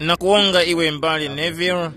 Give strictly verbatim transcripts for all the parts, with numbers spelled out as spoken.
Nakuwonga iwe m'bale Neville.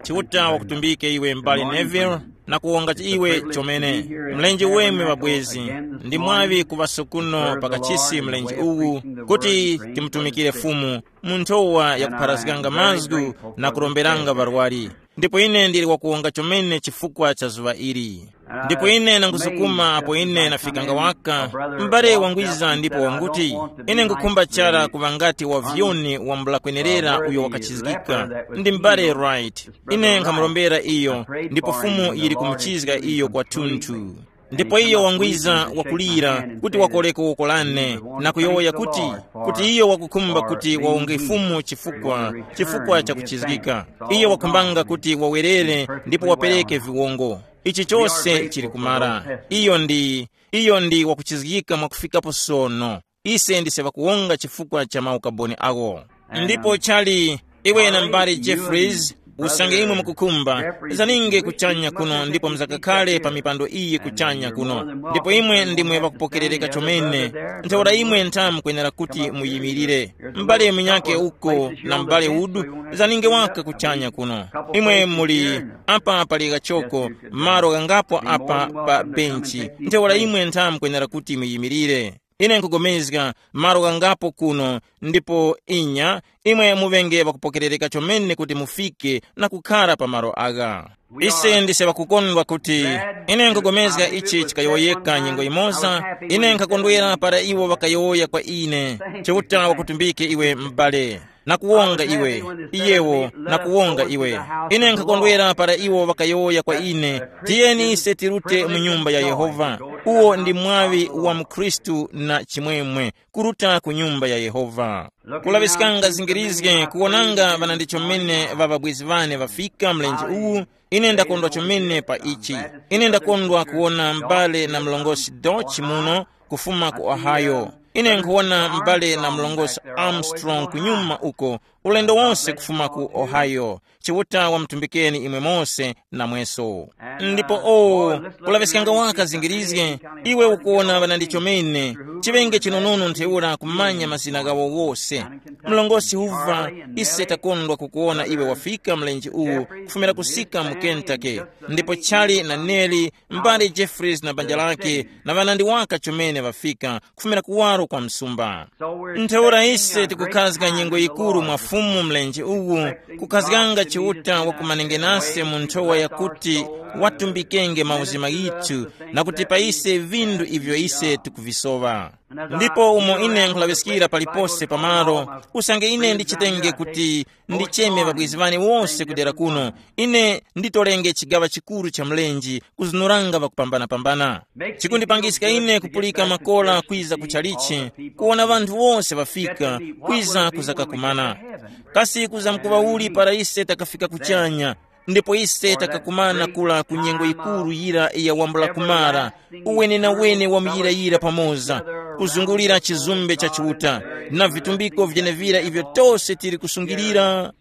Chiuta wakutumbike iwe m'bale Neville. Nakuwonga iwe chomene. Mlenje weme ŵabwezi, ndi mwaŵi kuŵaso kuno pakachisi mlenje uwu, kuti timutumikire Fumu mu nthowa yakupharazganga mazgu na kuromberanga ŵarwari. Ndipo ine ndili wakuwonga chomene chifukwa cha zuŵa ili. Ndipo ine nangusukuma apo ine nafikanga waka, m'bale wangwiza ndipo wanguti, ine ngukhumba chara kuŵa ngati wa vyuni wambula kwenerera uyo wakachizgika. Ndi m'bale Wright. Ine nkhamurombera iyo, ndipo Fumu yili kumuchizga iyo kwathunthu. Ndipo iyo wangwiza wakulira kuti wakoleko woko lane, na kuyowoya kuti, kuti iyo wakukhumba kuti wawonge Fumu chifukwa, chifukwa cha kuchizgika. Iyo wakhumbanga kuti wawerere ndipo wapereke viwongo. Ichi chose chili kumara. Iyo ndi, iyo ndi wakuchizgika mwakufikapo sono. Ise ndise ŵakuwonga chifukwa cha maukaboni awo. Ndipo chali, iwe na m'bale Jeffries, usange imwe mukukhumba, zaninge kuchanya kuno ndipo muzakakhale pa mipando iyi kuchanya kuno. Ndipo imwe ndimwe ŵakupokerereka chomene. Ntheura imwe ntha mukwenera kuti muyimirire. M'bale munyake uko na m'bale udu, zaninge waka kuchanya kuno. Imwe muli apa pali kachoko, malo ghangapo apa pa benchi. Ntheura imwe ntha mukwenera kuti muyimirire. Ine nkugomezga malo ghangapo kuno, ndipo inya, imwe muŵenge ŵakupokerereka chomene kuti mufike na kukhara pa malo agha. Ise ndise ŵakukondwa kuti, ine nkugomezga ichi chikayowoyeka nyengo yimoza. Ine nkhakondwera para iwo ŵakayowoya kwa ine, Chiuta wakutumbike iwe m'bale, nakuwonga iwe, iyewo nakuwonga iwe. Ine nkhakondwera para iwo ŵakayowoya kwa ine, tiyeni ise tirute mu nyumba ya Yehova. Uwo ndi mwaŵi wa mukhristu na chimwemwe, kuruta ku nyumba ya Yehova. Kulaŵiskanga zingirizge kuwonanga ŵanandi chomene ŵa ŵabwezi ŵane ŵafika mlenje uwu. Ine ndakondwa chomene pa ichi. Ine ndakondwa kuwona m'bale na mlongosi Dodge muno kufuma ku Ohio. Ine nkhuwona m'bale na mlongosi Armstrong kunyuma uko, ulendo wonse kufuma ku Ohio. Chiuta wamutumbikeni imwe mose namweso. Ndipo o, kulaŵiskanga waka zingirizge, iwe ukuwona ŵanandi chomene, chiŵenge chinonono ntheura kumanya mazina ghawo wose. Mlongosi Hoover, ise takondwa kukuwona iwe wafika mlenje uwu kufumira kusika mu Kentucky. Ndipo Charlie na Nelly, m'bale Jeffries na banja lake, na ŵanandi waka chomene ŵafika kufumira kuwaro kwa msumba. Ntheura ise tikukhazga nyengo yikuru mwa Fumu mlenje uwu, kukhazganga Chiuta wakumanenge nase mu nthowa yakuti watumbikenge mauzima ghithu, na kutipa ise vindu ivyo ise tikuvisowa. Ndipo umo ine nkhulaŵiskira palipose pamalo, usange ine ndichitenge kuti ndicheme ŵabwezi ŵane wose kudera kuno, ine nditolenge chigaŵa chikuru cha mlenje kuzunuranga ŵakupambana-pambana. Chikundipangiska ine kupulika makora kwiza ku chalichi, kuwona ŵanthu wose ŵafika, kwiza kuzakakumana. Kasi kuzamkuŵa uli para ise takafika kuchanya, ndipo ise takakumana kula ku nyengo yikuru yira ya wambula kumara, uwene na wene wa muyirayira pamoza, kuzungulira chizumbe cha Chiuta, na vitumbiko vyenevira ivyo tose tili kusungilira.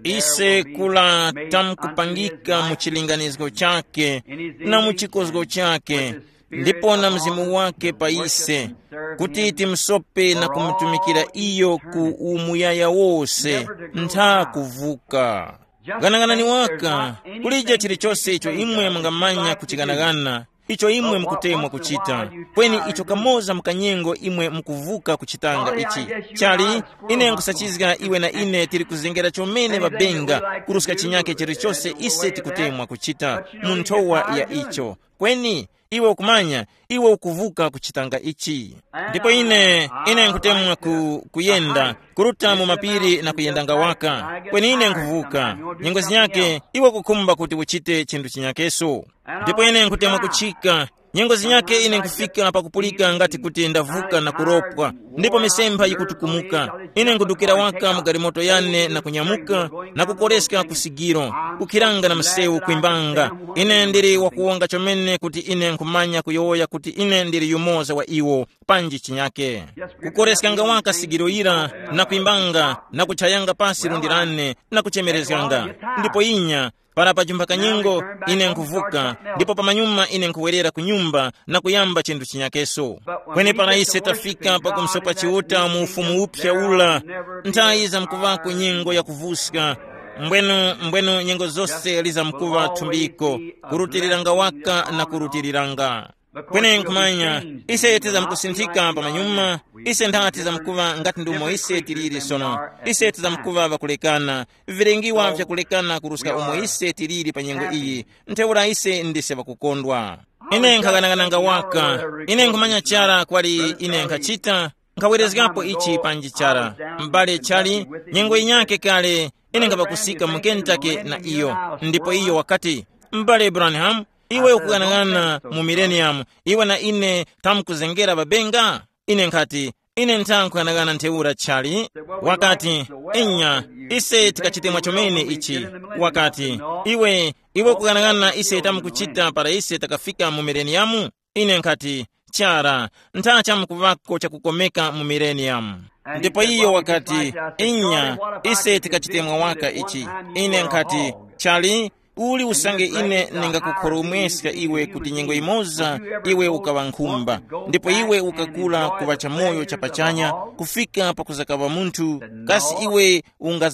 Ise kula tamkupangika mu chilinganizgo chake na mu chikozgo chake, ndipo na mzimu wake pa ise, kuti timusope na kumutumikira iyo ku umuyaya wose, ntha kuvuka. Ghanaghanani waka, kulije chilichose icho imwe mungamanya kuchighanagana, icho imwe mukutemwa kuchita, kweni icho kamoza mukanyengo imwe mukuvuka kuchitanga ichi. Chali, ine nkusachizga iwe na ine tili kuzengera chomene ŵabenga kuruska chinyake chilichose ise tikutemwa kuchita mu nthowa ya icho. Kweni iwe ukumanya, iwe ukuvuka kuchitanga ichi. Ndipo ine, ine nkutemwa ku, kuyenda, kuruta mu mapiri na kuyendanga waka. Kweni ine nkhuvuka. Nyengo zinyake, iwe kukhumba kuti uchite chinthu chinyakeso. Ndipo ine nkutemwa kuchika. Nyengo zinyake ine nkufika pakupulika ngati kuti ndavuka na kuropwa, ndipo misempha yikutukumuka. Ine nkudukira waka mu galimoto yane na kunyamuka, na kukoreska ku sigiro, kukhiranga na msewu kwimbanga. Ine ndili wakuwonga chomene kuti ine nkhumanya kuyowoya kuti ine ndili yumoza wa iwo, panji chinyake. Kukoreskanga waka sigiro yira, na kwimbanga, na kuchayanga pasi lundi lane, na kuchemerezganga. Ndipo inya, Para pajumpha kanyingo, ine nkhuvuka, ndipo pamanyuma ine nkhuwerera ku nyumba na kuyamba chinthu chinyakeso. Kweni para ise tafika pa kumsopa Chiuta mu ufumu uphya ula, nthayi zamkuvako nyengo yakuvuska. Mbwenu mbwenu nyengo zose lizamkuva thumbiko, kurutiliranga waka na kurutiliranga. Kweni nkhumanya, ise tizamkusinthika pamanyuma. Ise ntha tizamkuva ngati ndi umo ise tiliri sono. Ise tizamkuva ŵakulekana, vilengiwa vyakulekana kuruska umo ise tiliri pa nyengo iyi. Ntheura ise ndise ŵakukondwa. Ine nkhaganagananga waka. Ine nkhumanya chara kwali ine nkhachita. Nkhawerezgapo ichi panji chara. M'bale chali, nyengo yinyake kale, ine nkhapakusika mu Kentucky na iyo. Ndipo iyo wakati, m'bale Branham, iwe ukughanagana mu millennium, iwe na ine tamkuzengera babenga? Ine nkhati, ine ntha nkughanagana ntheura chali. Wakati, inya, ise tikachite mwachomene ichi. Wakati, iwe, iwe ukughanagana ise tamkuchita para ise takafika mu millennium? Ine nkhati, chara, ntha chamkuŵako chakukomeka mu millennium. Ndipo iyo wakati, inya, ise tikachitemwa waka ichi. Ine nkhati, chali, uli usange ine ningakukhoromweska iwe kuti nyengo imoza iwe ukaŵa nkhumba, ndipo iwe ukakula kuŵa chamoyo chapachanya, kufika pakuzakaŵa munthu, kasi iwe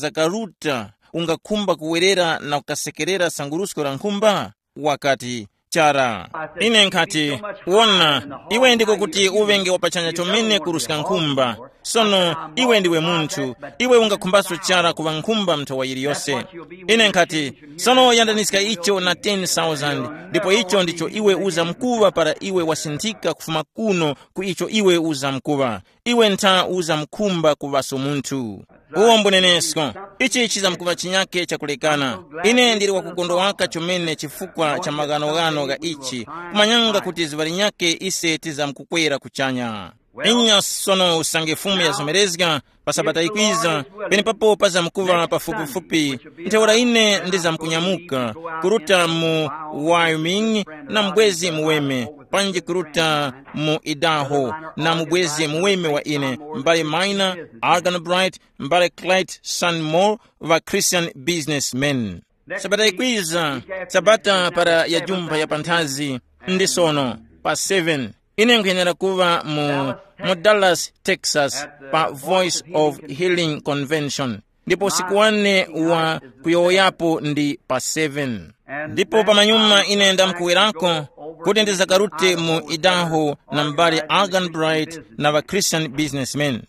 ungazakaruta, ungakhumba kuwerera na kukasekerera sangurusko la nkhumba? Wakati, chara. Ine nkhati, wona, iwe ndiko kuti uŵenge wapachanya chomene kuruska nkhumba. Sono iwe ndiwe munthu, iwe ungakhumbaso chara kuŵa nkhumba mnthawa yiliyose. Ine nkhati, sono yandaniska icho na ten thousand, ndipo icho ndicho iwe uzamkuŵa para iwe wasinthika kufuma kuno ku icho iwe uzamkuŵa. Iwe ntha uzamkhumba kuŵaso munthu. Uwo mbunenesko. Ichi chizamkuŵa chinyake chakulekana. Ine ndili wakukondwa waka chomene chifukwa cha maghanoghano gha ichi, kumanyanga kuti zuŵa linyake ise tizamkukwera kuchanya. Inya sono usange Fumu yazomerezga, pa sabata ikwiza, penepapo pazamkuŵa pafupifupi, ntheura ine ndizamkunyamuka, kuruta mu Wyoming na mubwezi muweme, panji kuruta mu Idaho, na mubwezi muweme wa ine, mbale Minor, Arganbright, mbale Clyde Sanmore, va Christian businessmen. Sabata ikwiza, sabata para ya jumpha ya panthazi, ndi sono, pa seven, ine nkhuyenera kuŵa mu, mu Dallas, Texas, pa Voice of Healing Convention. Ndipo usiku wane wa kuyowoyapo ndi pa seven. Ndipo pamanyuma ine ndamkuwerako kuti ndizakarute mu Idaho na m'bale Arganbright na ŵa Christian businessmen.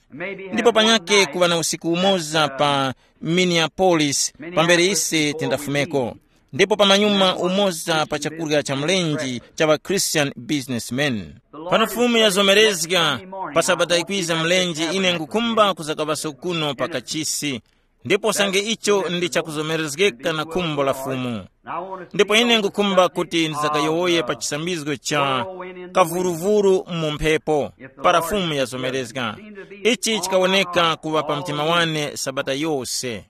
Ndipo panyake kuŵa na usiku umoza pa Minneapolis, pambere ise tindafumeko. Ndipo pamanyuma umoza pa chakurya cha mlenje cha ŵa Christian businessmen. Pano Fumu yazomerezga, pa sabata ikwiza mlenje ine ngukhumba kuzakaŵaso kuno pa kachisi. Ndipo sange icho ndi chakuzomerezgeka na khumbo la Fumu. Ndipo ine ngukhumba kuti ndisakayowoye pa chisambizgo cha kavuruvuru mu mphepo, para Fumu yazomerezga. Ichi chikawoneka kuŵa pa mtima wane sabata yose.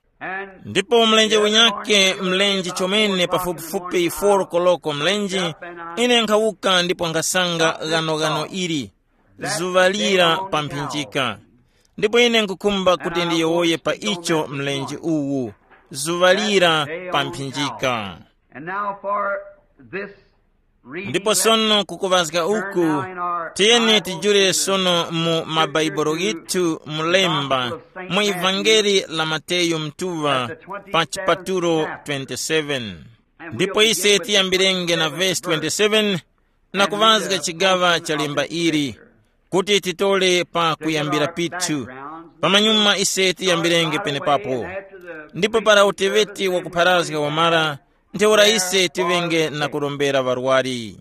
Ndipo mlenje unyake, mlenje chomene pafupifupi four koloko mlenje, ine nkhawuka ndipo nkhasanga ghanoghano ili, zuŵa lira pa mphinjika. Ndipo ine nkukhumba kuti ndiyowoye pa icho mlenje uwu, zuŵa lira pa mphinjika. And now for this reading. Ndipo sono kukuŵazga uku, tiyeni tijule sono mu mabaibulo ghithu mulemba mu ivangeli la Mateyu mtuŵa pa chipatulo twenty-seven. Ndipo ise tiyambirenge na vesi twenty-seven na kuŵazga chigaŵa cha lemba ili, kuti titole pa kuyambira pithu. Pamanyuma ise tiyambirenge penepapo. Ndipo para uteŵeti wakupharazga wamara, ntheura ise tiŵenge na kurombera ŵarwari.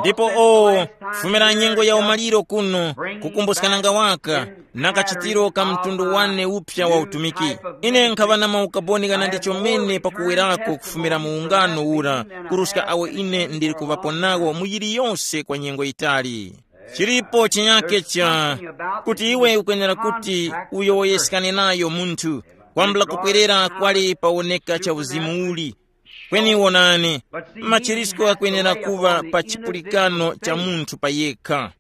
Ndipo o, fumira nyengo ya umaliro kuno, kukumbuskana waka na kachitiro ka mtundu wane uphya wa utumiki. Ine nkhaŵa na maukaboni ghanandi chomene pakuwerako kufumira mu ungano ura, kuruska awo ine ndili kuŵapo nawo mu yiliyose kwa nyengo yitali. Chilipo chinyake cha kuti iwe ukwenera kuti uyowoyeskane nayo munthu, kwambula kupwerera kwali pawoneka cha uzimu uli. Kweni wonani, machirisko ghakwenera kuŵa pa chipulikano cha munthu payekha.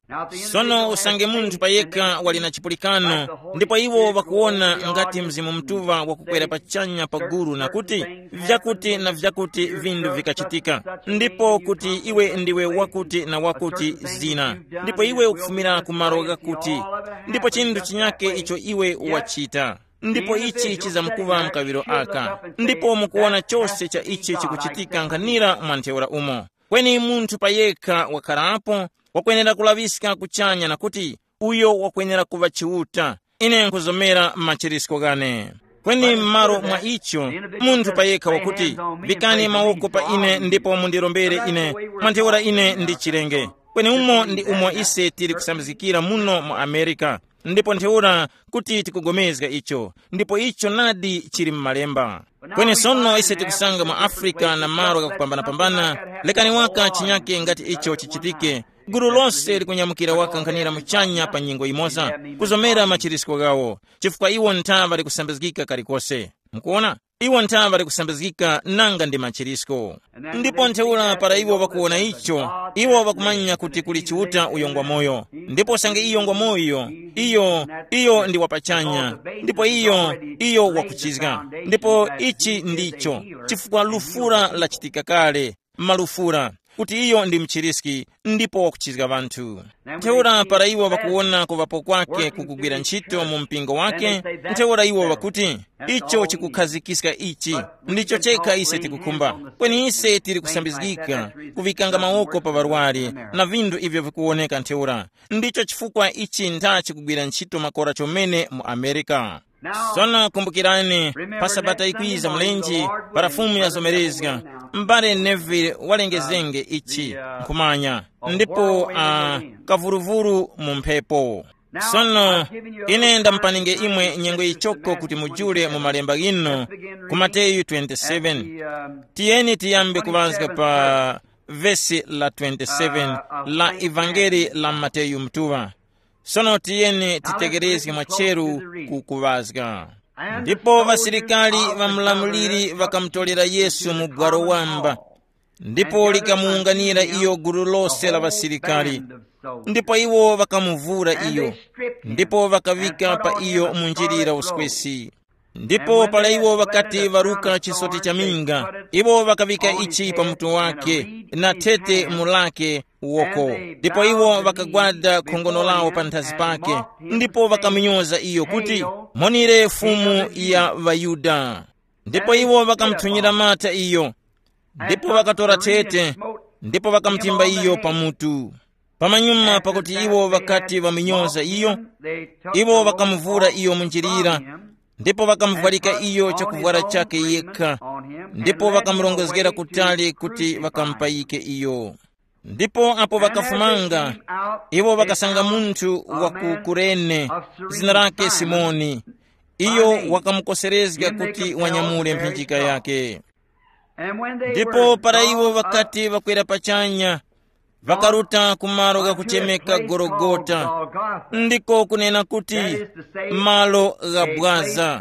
Sono usange munthu payekha wali na chipulikano, ndipo iwo ŵakuwona ngati Mzimu Mutuŵa wakukwera pachanya pa gulu na kuti, vyakuti na vyakuti vinthu vikachitika, ndipo kuti iwe ndiwe wakuti na wakuti zina, ndipo iwe ukufumira ku malo ghakuti, ndipo chinthu chinyake icho iwe wachita, ndipo ichi chizamkuŵa mkaŵiro aka, ndipo mukuwona chose cha ichi chikuchitika nkhanira mwa ntheura umo. Kweni munthu payekha wakharapo wakwenera kulaŵiska kuchanya na kuti, uyo wakwenera kuŵa Chiuta. Ine nkhuzomera machirisko ghane. Kweni m'malo mwa icho, munthu payekha wakuti, vikani mawoko pa ine ndipo mundirombere ine, mwa ntheura ine ndi chirenge. Kweni umo ndi umo ise tili kusambizgikira muno mu Amerika, ndipo ntheura kuti tikugomezga icho, ndipo icho nadi chili m'malemba. Kweni sono ise tikusanga mu Afrika na malo ghakupambanapambana, lekani waka chinyake ngati icho chichitike, gulu lose likunyamukira waka nkhanira muchanya pa nyengo yimoza, kuzomera machirisko ghawo, chifukwa iwo nthaŵa likusambizgika kalikose. Mukuona, iwo nthaŵa likusambizgika nanga ndi machirisko. Ndipo ntheura para iwo ŵakuwona icho, iwo ŵakumanya kuti kuli Chiuta uyo ngwamoyo, ndipo usange iyo ngwamoyo, iyo, iyo ndi wapachanya, ndipo iyo, iyo wakuchizga. Ndipo ichi ndicho chifukwa lufura lachitika kale, malufura, kuti iyo ndi mchiriski, ndipo wakuchizga ŵanthu. Ntheura para iwo ŵakuwona kuŵapo kwake kukugwira ntchito mu mpingo wake, ntheura iwo ŵakuti, icho chikukhazikika ichi, ndicho chekha ise tikukhumba. Kweni ise tili kusambizgika kuŵikanga mawoko pa ŵarwari na vinthu ivyo vikuwoneka ntheura. Ndicho chifukwa ichi ntha chikugwira ntchito makora chomene mu Amerika. Sono kumbukirani, pa sabata ikwiza mlenje, para Fumu yazomerezga, m'bale Neville walengezenge ichi, nkhumanya, ndipo uh, kavuruvuru mu mphepo. Sono ine ndamupaninge imwe nyengo yichoko kuti mujule mu malemba ghino, ku Mateyu twenty-seven. Tiyeni tiyambe kuŵazga pa vesi la twenty-seven la Evangeli la Mateyu Mutuŵa. Sono tiyeni titegerezge mwacheru ku kuŵazga. Ndipo ŵasilikali ŵa mulamuliri ŵakamutolera Yesu mu bwaro wamba, ndipo likamuwunganira iyo gulu lose la ŵasilikali. Ndipo iwo ŵakamuvura iyo, ndipo ŵakaŵika pa iyo munjilira uskwesi. Ndipo para iwo ŵakati ŵaruka chisoti cha minga, iwo ŵakaŵika ichi pa mutu wake, na thete mu lake woko. Ndipo iwo ŵakagwada khongono lawo panthazi pake, ndipo ŵakamunyoza iyo kuti, monire Fumu ya ŵaYuda. Ndipo iwo ŵakamuthunyira mata iyo, ndipo ŵakatora thete, ndipo ŵakamutimba iyo pa mutu. Pamanyuma pakuti iwo ŵakati ŵamunyoza iyo, iwo ŵakamuvura iyo munjilira, ndipo ŵakamuvwarika iyo chakuvwara chakhe yekha, ndipo ŵakamurongozgera kutali kuti ŵakamupayike iyo. Ndipo apo ŵakafumanga, iwo ŵakasanga munthu wa ku Kurene, zina lake Simoni. Iyo wakamukoserezga kuti wanyamule mphinjika yake. Ndipo para iwo ŵakati ŵakwera pachanya, ŵakaruta ku malo ghakuchemeka Gologota, ndiko kunena kuti, malo gha bwaza.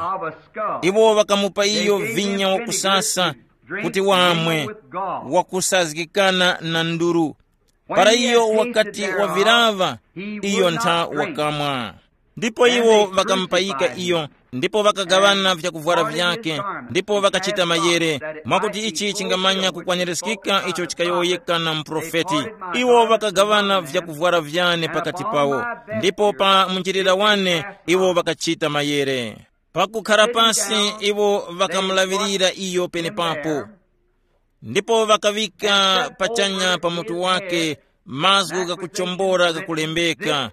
Iwo ŵakamupa iyo vinya wakusasa kuti wamwe, wakusazgikana na nduru. Para iyo wakati wavilaŵa, iyo ntha wakamwa. Ndipo iwo ŵakamupayika iyo, ndipo ŵakagaŵana vyakuvwara vyake, ndipo ŵakachita mayere, mwakuti ichi chingamanya kukwanirizgika icho chikayowoyeka na muprofeti. Iwo ŵakagaŵana vyakuvwara vyane pakati pawo, ndipo pa munjilira wane iwo ŵakachita mayere. Pakukhara pasi iwo ŵakamulaŵirira iyo penepapo. Ndipo ŵakaŵika pachanya pa mutu wake mazgu ghakuchombora ghakulembeka,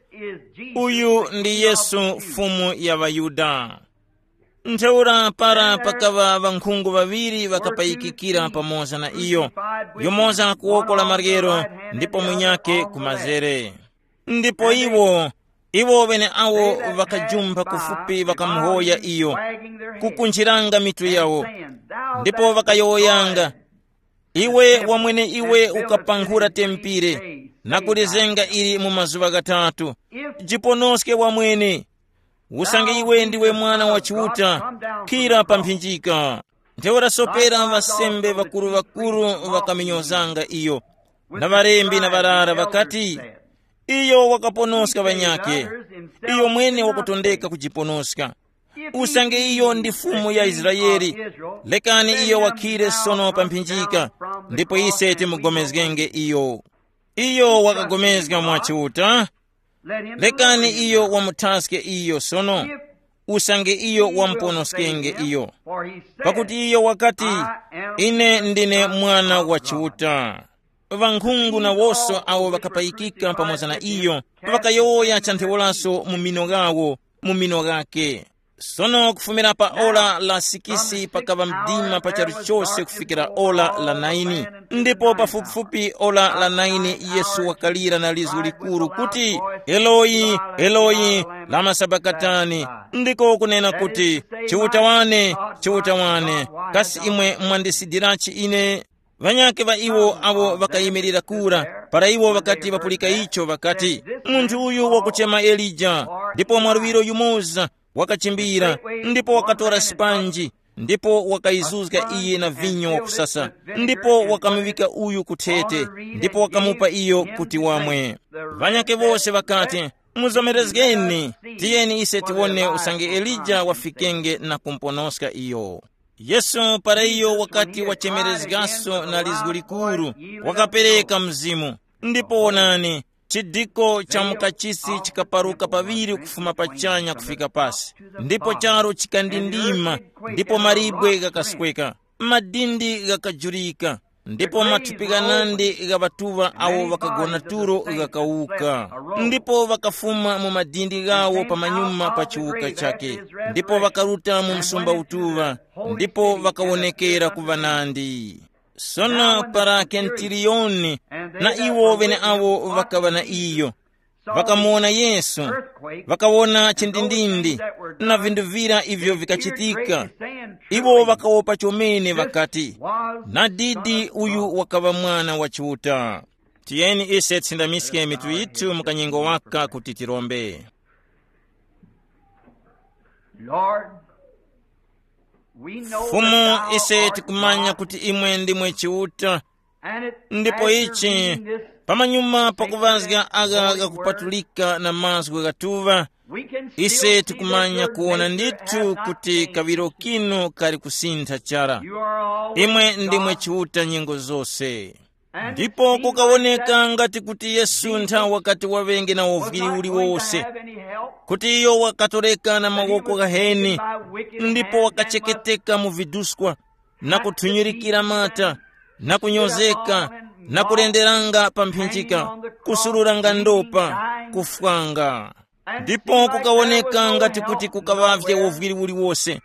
uyu ndi Yesu, Fumu ya ŵaYuda. Ntheura para pakaŵa ŵankhungu ŵaŵiri ŵakapayikikira pamoza na iyo, yumoza ku woko la maryero, ndipo munyakhe ku mazere. Ndipo iwo, iwo ŵeneawo ŵakajumpha kufupi ŵakamuhoya iyo, kukunjiranga mitu yawo, ndipo ŵakayowoyanga, iwe wamwene iwe ukapankhura tempire, na kulizenga ili mu mazuŵa ghatatu, jiponoske wamwene. Usange iwe ndiwe Mwana wa Chiuta, phira pa mphinjika. Ntheura sopera ŵasembe ŵakuru-ŵakuru ŵakaminyozanga iyo, na ŵalembi na ŵarara ŵakati, iyo wakaponoska ŵanyakhe, iyo mwene wakutondeka kujiponoska. Usange iyo ndi Fumu ya Israele, lekani iyo wakhire sono pa mphinjika, ndipo ise timugomezgenge iyo. Iyo wakagomezga mwa Chiuta, lekani iyo wamuthaske iyo sono, usange iyo wamuponoskenge iyo. Pakuti iyo wakati, ine ndine Mwana wa Chiuta. Ŵankhungu na wose awo ŵakapayikika pamoza na iyo, ŵakayowoya cha ntheuraso mu mino ghawo, mu mino ghakhe. Sono kufumira pa ora la sikisi pakaŵa mdima pa charu chose kufikira ora la naini, ndipo pafupifupi ora la naini Yesu wakalira na lizgu likuru kuti, "Eloyi, Eloyi, lama sabakatani?" Ndiko kunena kuti, "Chiuta wane, Chiuta wane, kasi imwe mwandisidirachi ine?" Ŵanyakhe ŵa iwo awo ŵakayimirira kura, para iwo ŵakati ŵapulika icho, ŵakati, "Munthu uyu wakuchema Elija." Ndipo mwaluŵiro yumoza wakachimbira, ndipo wakatora sipanji, ndipo wakayizuzga iye na vinyo wakusasa, ndipo wakamuŵika uyu ku thete, ndipo wakamupa iyo kuti wamwe. Ŵanyakhe wose ŵakati, "Muzomerezgeni, tiyeni ise tiwone usange Elija wafikenge na kumponoska iyo." Yesu para iyo wakati wachemerezgaso na lizgu likuru, wakapereka Mzimu. Ndipo wonani, chidiko cha mukachisi chikaparuka paŵiri kufuma pachanya kufika pasi, ndipo charu chikandindima, ndipo malibwe ghakasweka, madindi ghakajurika, ndipo mathupi ghanandi gha ŵatuŵa awo ŵakagona tulo ghakawuka. Ndipo ŵakafuma mu madindi ghawo pamanyuma pa chiwuka chakhe, ndipo ŵakaruta mu msumba utuŵa, ndipo ŵakawonekera ku ŵanandi. Sono para kentiliyoni na iwo ŵeneawo ŵakaŵa na iyo, ŵakamuwona Yesu, ŵakawona chindindindi na vinthu vira ivyo vikachitika. Iwo ŵakawopa chomene ŵakati, "Nadidi uyu wakaŵa Mwana wa Chiuta." Tiyeni ise tisindamiske mitu yithu mu kanyengo waka kuti tirombe. Lord, we know Fumu, that thou ise art tikumanya God, kuti imwe ndimwe Chiuta, and it, ndipo after ichi reading this pamanyuma pakuŵazga aga ghakupatulika na mazgu ghatuŵa, we can still ise see that tikumanya your kuwona nature ndithu has not kuti changed. Kaŵiro kinu kali kusintha chara. You are always Imwe ndimwe God. Chiuta nyengo zose. Ndipo kukawoneka ngati kuti Yesu nthawi wakati waŵenge na uvwiri uliwose, kuti iyo wakatoreka na mawoko ghaheni, ndipo wakacheketeka mu viduskwa, na kuthunyirikira mata, na kunyozeka, na kulenderanga pa mphinjika, kusururanga ndopa, kufwanga. Ndipo kukawoneka ngati kuti kukaŵavye uvwiri uliwose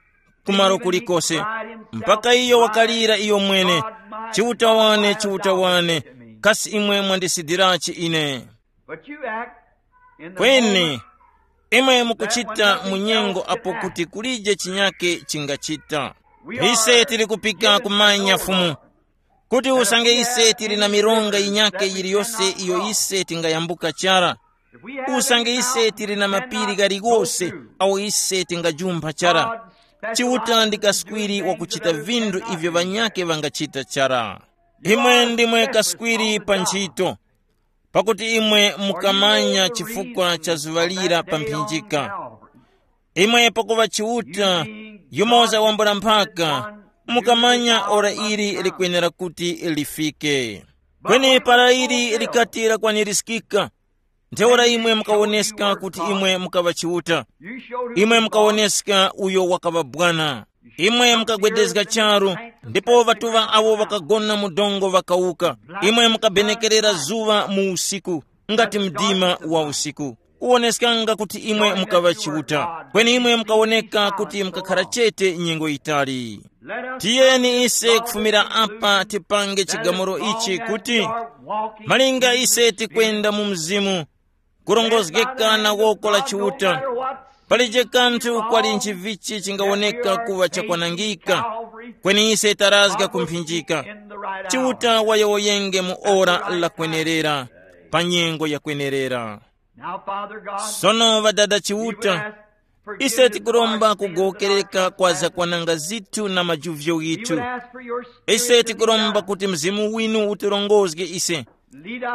kumalo kulikose, mpaka iyo wakalira iyo mwene, "Chiuta wane, Chiuta wane, kasi imwe mwandisidirachi ine?" Kweni imwe mukuchita mu nyengo apo kuti kulije chinyake chingachita. Ise tili kupika kumanya Fumu, kuti usange ise tili na mironga yinyakhe yiliyose iyo ise tingayambuka chara, usange ise tili na mapiri ghaligose awo ise tingajumpha chara. Chiuta ndi kaswiri wakuchita vinthu ivyo ŵanyakhe ŵangachita chara. Imwe ndimwe kaswiri pa nchito, pakuti imwe mukamanya chifukwa cha zuŵa lira pa mphinjika. Imwe pakuŵa Chiuta, yumoza wambula mphaka, mukamanya ora ili likwenera kuti lifike. Kweni para ili likati lakwanirizgika, ntheura imwe mukawoneska kuti imwe mukaŵa Chiuta. Imwe mukawoneska uyo wakaŵa bwana. Imwe mukagwedezga charu, ndipo ŵatuŵa awo ŵakagona mu dongo ŵakawuka. Imwe mukabenekerera zuŵa mu usiku, ngati mdima wa usiku. Kuwoneskanga kuti imwe mukaŵa Chiuta, kweni imwe mukawoneka kuti mukakhara chete nyengo yitali. Tiyeni ise kufumira apa tipange chigamulo ichi kuti, malinga ise tikwenda mu Mzimu, kurongozgeka na woko la Chiuta, palije kanthu kwali nchivichi chingawoneka kuŵa chakwanangika, kweni ise tarazga kumphinjika. Chiuta wayowoyenge mu ora lakwenerera, pa nyengo yakwenerera. Sono Ŵadada Chiuta, Ise tikuromba kugowokereka kwa zakwananga zithu na majuvyo ghithu. Ise tikuromba kuti Mzimu winu utirongozge ise.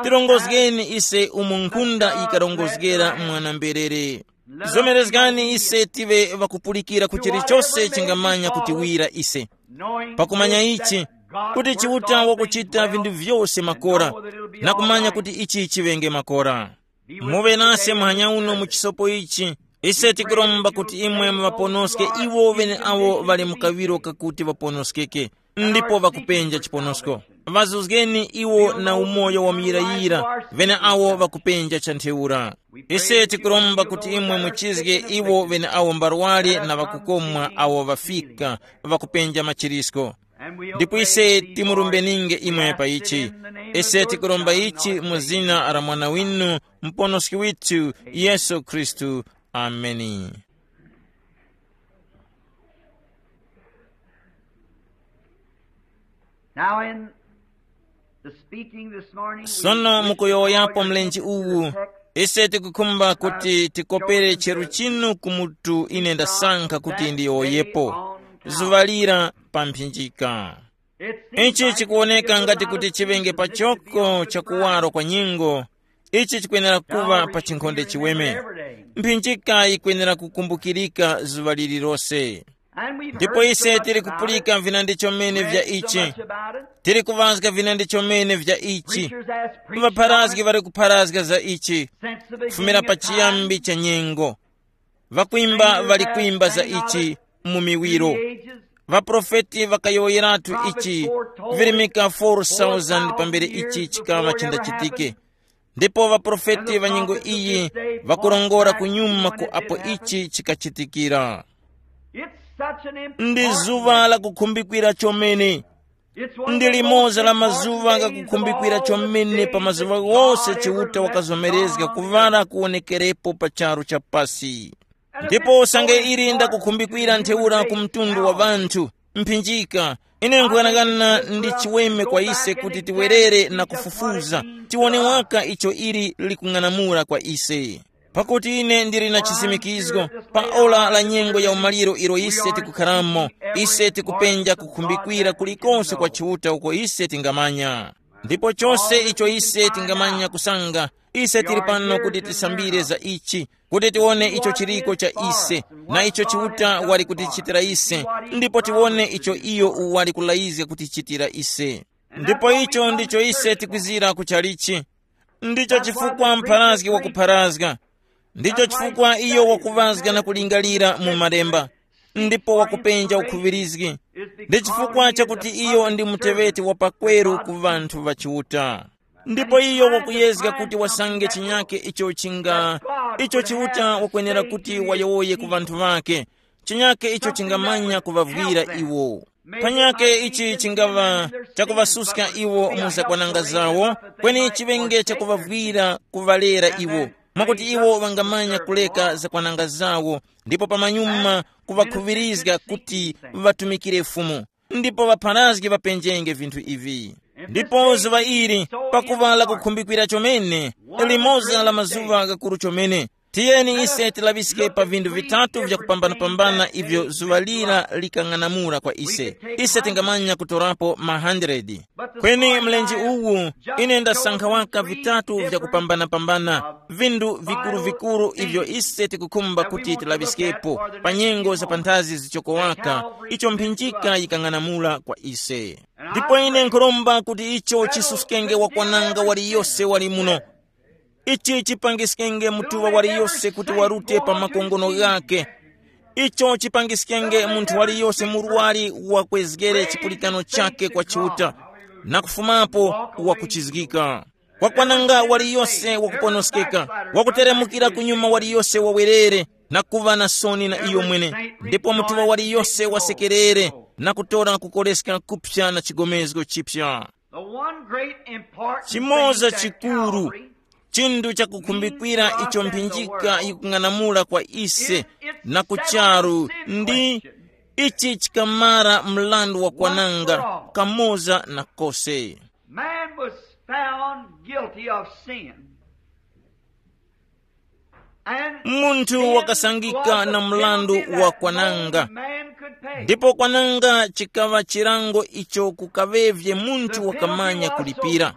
Tirongozgeni ise umo nkhunda yikarongozgera mwana-mberere. Zomerezgani ise tive ŵakupulikira ku chilichose chingamanya kutiwira ise, pakumanya ichi, kuti Chiuta wakuchita vinthu vyose makora, na kumanya kuti ichi chiŵenge makora. Muŵe nase muhanya uno mu chisopo ichi. Ise tikuromba kuti imwe muŵaponoske iwo ŵeneawo ŵali mu kaŵiro kakuti ŵaponoskeke, ndipo ŵakupenja chiponosko. Ŵazuzgeni iwo na umoyo wa muyirayira, ŵeneawo ŵakupenja cha ntheura. Ise tikuromba kuti imwe muchizge iwo ŵeneawo mbarwale na ŵakukomwa awo ŵafika, ŵakupenja machirisko. Ndipo ise timurumbeninge imwe pa ichi. Ise tikuromba ichi mu zina la Mwana winu, Muponoski withu, Yesu Khristu. Ameni. Now, in the speaking this morning, we Sono wish to mukuyowoyapo call your mlenje attention to the uwu, text ise tikukhumba kuti tikopere cheru chinu ku mutu ine ndasankha kuti ndiyowoyepo, zuŵalira pa mphinjika. Ichi chikuwoneka ngati kuti chiŵenge pachoko cha kuwaro kwa nyengo. Ichi chikwenera kuŵa pa chinkhonde chiweme. Mphinjika yikwenera kukumbukirika zuŵa lililose. Ndipo ise tili kupulika vinandi chomene vya ichi. Tili kuŵazga vinandi chomene vya ichi. Ŵapharazgi ŵali kupharazga za ichi kufumira pa chiyambi cha nyengo. Ŵakwimba ŵali kwimba za ichi mu miwiro. Ŵaprofeti ŵakayowoyeratu ichi virimika four thousand pambere ichi chikaŵa chindachitike. Ndipo ŵaprofeti ŵa nyengo iyi ŵakurongora kunyuma ku apo ichi chikachitikira. Ndi zuŵa la kukhumbikira chomene. Ndi limoza la mazuŵa ghakukhumbikira chomene pa mazuŵa ghose Chiuta wakazomerezga kuŵala kuwonekerepo pa charu cha pasi. Ndipo usange ili ndakukhumbikira ntheura ku mtundu wa ŵanthu, mphinjika, ine nkughanagana ndi chiweme kwa ise kuti tiwerere na kufufuza, tiwone waka icho ili likung'anamula kwa ise. Pakuti ine ndili na chisimikizgo, pa ora la nyengo ya umaliro ilo ise tikukharamo, ise tikupenja kukhumbikira kulikonse kwa Chiuta uko ise tingamanya. Ndipo chose icho ise tingamanya kusanga, ise tili pano kuti tisambire za ichi, kuti tiwone icho chiliko cha ise, na icho Chiuta wali kutichitira ise, ndipo tiwone icho iyo wali kulayizga kutichitira ise. Ndipo icho ndicho ise tikwizira kuchalichi. Ndicho chifukwa mpharazgi wakupharazga. Ndicho chifukwa iyo wakuŵazga na kulingalira mu malemba, ndipo wakupenja ukhuŵirizgi. Ndi chifukwa chakuti iyo ndi muteŵeti wa pakweru ku ŵanthu ŵa Chiuta. Ndipo iyo wakuyezga kuti wasange chinyake icho chinga, icho Chiuta wakwenera kuti wayowoye ku ŵanthu ŵake, chinyake icho chingamanya kuŵavwira iwo. Panyake ichi chingaŵa chakuŵasuska iwo mu zakwananga zawo, kweni chiŵenge chakuŵavwira kuŵalera iwo, mwakuti iwo ŵangamanya kuleka zakwananga zawo, ndipo pamanyuma kuŵakhuŵirizga kuti ŵatumikire Fumu. Ndipo ŵapharazgi ŵapenjenge vinthu ivi. Ndipo zuŵa ili, pakuŵa lakukhumbikira chomene, limoza la mazuŵa ghakuru chomene, tiyeni ise tilaŵiske pa vinthu vitatu vyakupambanapambana ivyo zuŵa lira likang'anamula kwa ise. Ise tingamanya kutorapo ma hundred. Kweni mlenje uwu, ine ndasankha waka vitatu vyakupambanapambana, vinthu vikuru-vikuru ivyo ise tikukhumba kuti tilaŵiskepo pa nyengo za panthazi zichoko waka, icho mphinjika yikang'anamula kwa ise. Ndipo ine nkhuromba kuti icho chisuskenge wakwananga waliyose wali muno. Ichi chipangiskenge mutuŵa waliyose kuti warute pa makongono ghake. Icho chipangiskenge munthu waliyose murwari wakwezgere chipulikano chakhe kwa Chiuta, na kufumapo wakuchizgika. Wakwananga waliyose wakuponoskeka, wakuteremukira kunyuma waliyose wawerere, na kuŵa na soni na iyo mwene, ndipo mutuŵa waliyose wasekerere, na kutora kukoreska kuphya na chigomezgo chiphya. The one great important chimoza thing that chikuru Calvary chinthu chakukhumbikira icho mphinjika yikung'anamula kwa ise na kucharu ndi ichi chikamara mlandu wa kwananga kamoza na kose. Man was found guilty of sin. Munthu wakasangika na mrandu wa kwananga. Ndipo kwananga chikaŵa chilango icho kukaŵevye munthu wakamanya kulipira.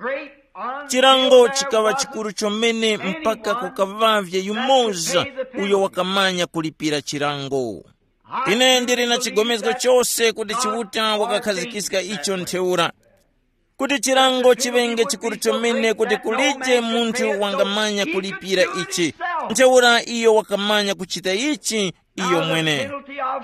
Chilango chikaŵa chikuru chomene mpaka kukaŵavye yumoza uyo wakamanya kulipira chilango. Ine ndili na chigomezgo chose kuti Chiuta wakakhazikiska icho ntheura, kuti chilango chiŵenge chikuru chomene kuti kulije munthu wangamanya kulipira ichi. Ntheura iyo wakamanya kuchita ichi iyo mwene.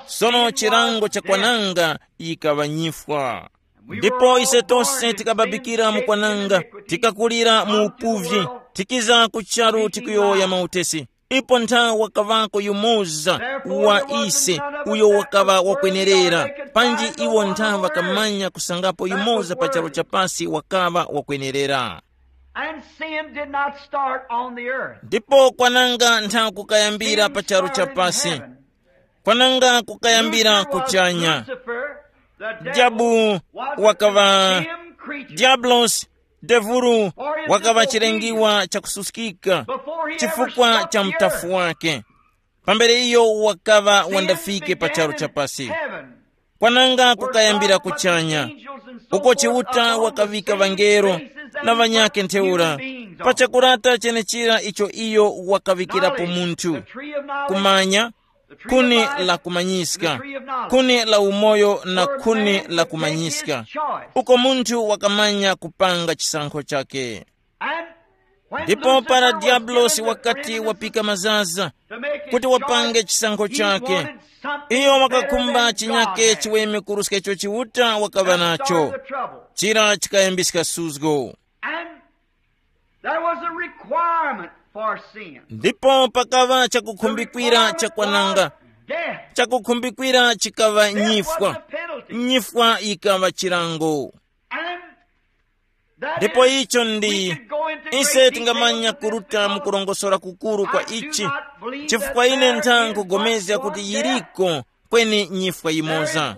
Sono chilango cha kwananga yikaŵa nyifwa. Ndipo ise tose tikababikira mu kwananga, tikakulira mu upuvyi, tikiza ku charu tikuyowoya mautesi. Ipo ntha wakaŵako yumoza wa ise uyo wakaŵa wakwenerera, panji iwo ntha ŵakamanya kusangapo yumoza pa charu cha pasi wakaŵa wakwenerera. And sin did not start on the earth. Ndipo kwananga ntha kukayambira pa charu cha pasi. Kwananga kukayambira kuchanya. Dyabu wakaŵa Diablos, devulu, wakaŵa chilengiwa chakususkika chifukwa cha mtafu wake. Pambere iyo wakaŵa wandafike pa charu cha pasi. Kwananga kukayambira kuchanya, uko Chiuta wakaŵika ŵangelo na ŵanyakhe ntheura pa chakurata chenechira icho iyo wakaŵikirapo munthu. Kumanya, khuni la kumanyiska, khuni la umoyo na khuni la kumanyiska, uko munthu wakamanya kupanga chisankho chake. Ndipo para Diabulosi wakati wapika mazaza kuti wapange chisankho chake, iyo wakakhumba chinyake chiweme kuruska icho Chiuta wakaŵa nacho. Chira chikayambiska suzgo. And there was a requirement for sin. Ndipo pakaŵa chakukhumbikira cha kwananga. Death. Chakukhumbikira chikaŵa nyifwa. Nyifwa yikaŵa chilango. And ndipo icho ndi ise tingamanya kuruta mu kurongosora kukuru kwa ichi, chifukwa ine ntha nkugomezga kuti yiriko kweni nyifwa yimoza,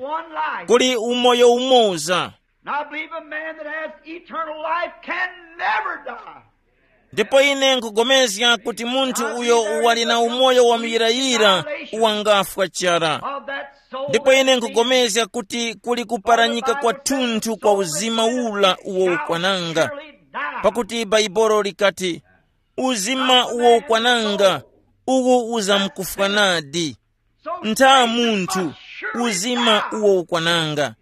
kuli umoyo umoza. And I believe a man that has eternal life can never die. Ndipo ine nkugomezga kuti munthu uyo wali na umoyo wa muyirayira wangafwa chara. Ndipo ine nkugomezga kuti kuli kuparanyika kwathunthu kwa uzima ula uwo ukwananga. Pakuti Baibolo likati, uzima uwo ukwananga uwu uzamkufwa nadi. Ntha munthu, uzima uwo ukwananga.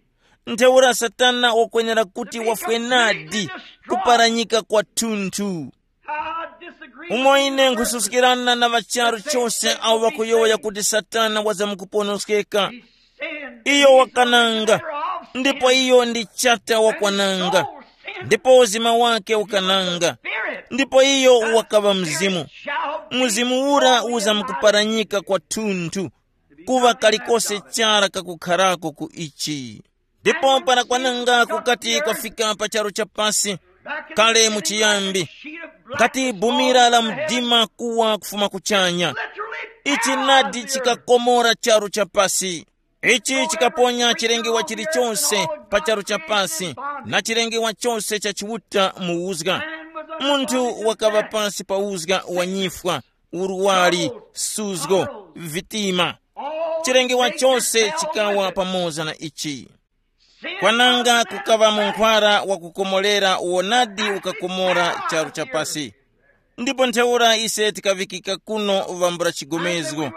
Ntheura Satana wakwenera kuti wafwe nadi, kuparanyika kwathunthu. Umo ine nkhususkirana na ŵacharu chose awo ŵakuyowoya kuti Satana wazamkuponoskeka. Iyo wakananga, ndipo iyo ndi chata wakwananga, ndipo uzima wake ukananga, ndipo iyo wakaŵa mzimu. Mzimu ura uzamkuparanyika kwathunthu, kuŵa kalikose chara kakukharako ku ichi. Ndipo para kwananga kukati kwafika pa charu cha pasi, kale mu chiyambi, ngati bumira la mdima kuwa kufuma kuchanya, ichi nadi chikakomora charu cha pasi. Ichi chikaponya chilengewa chilichonse pa charu cha pasi, na chilengewa chose cha Chiuta mu uzga. Munthu wakaŵa pasi pa uzga wa nyifwa, uruwali, suzgo, vitima. Chilengewa chose chikawa pamoza na ichi. Kwananga kukaŵa munkhwara wa kukomorera uwo nadi ukakomora charu cha pasi. Ndipo ntheura ise tikaŵikika kuno vambula chigomezgo,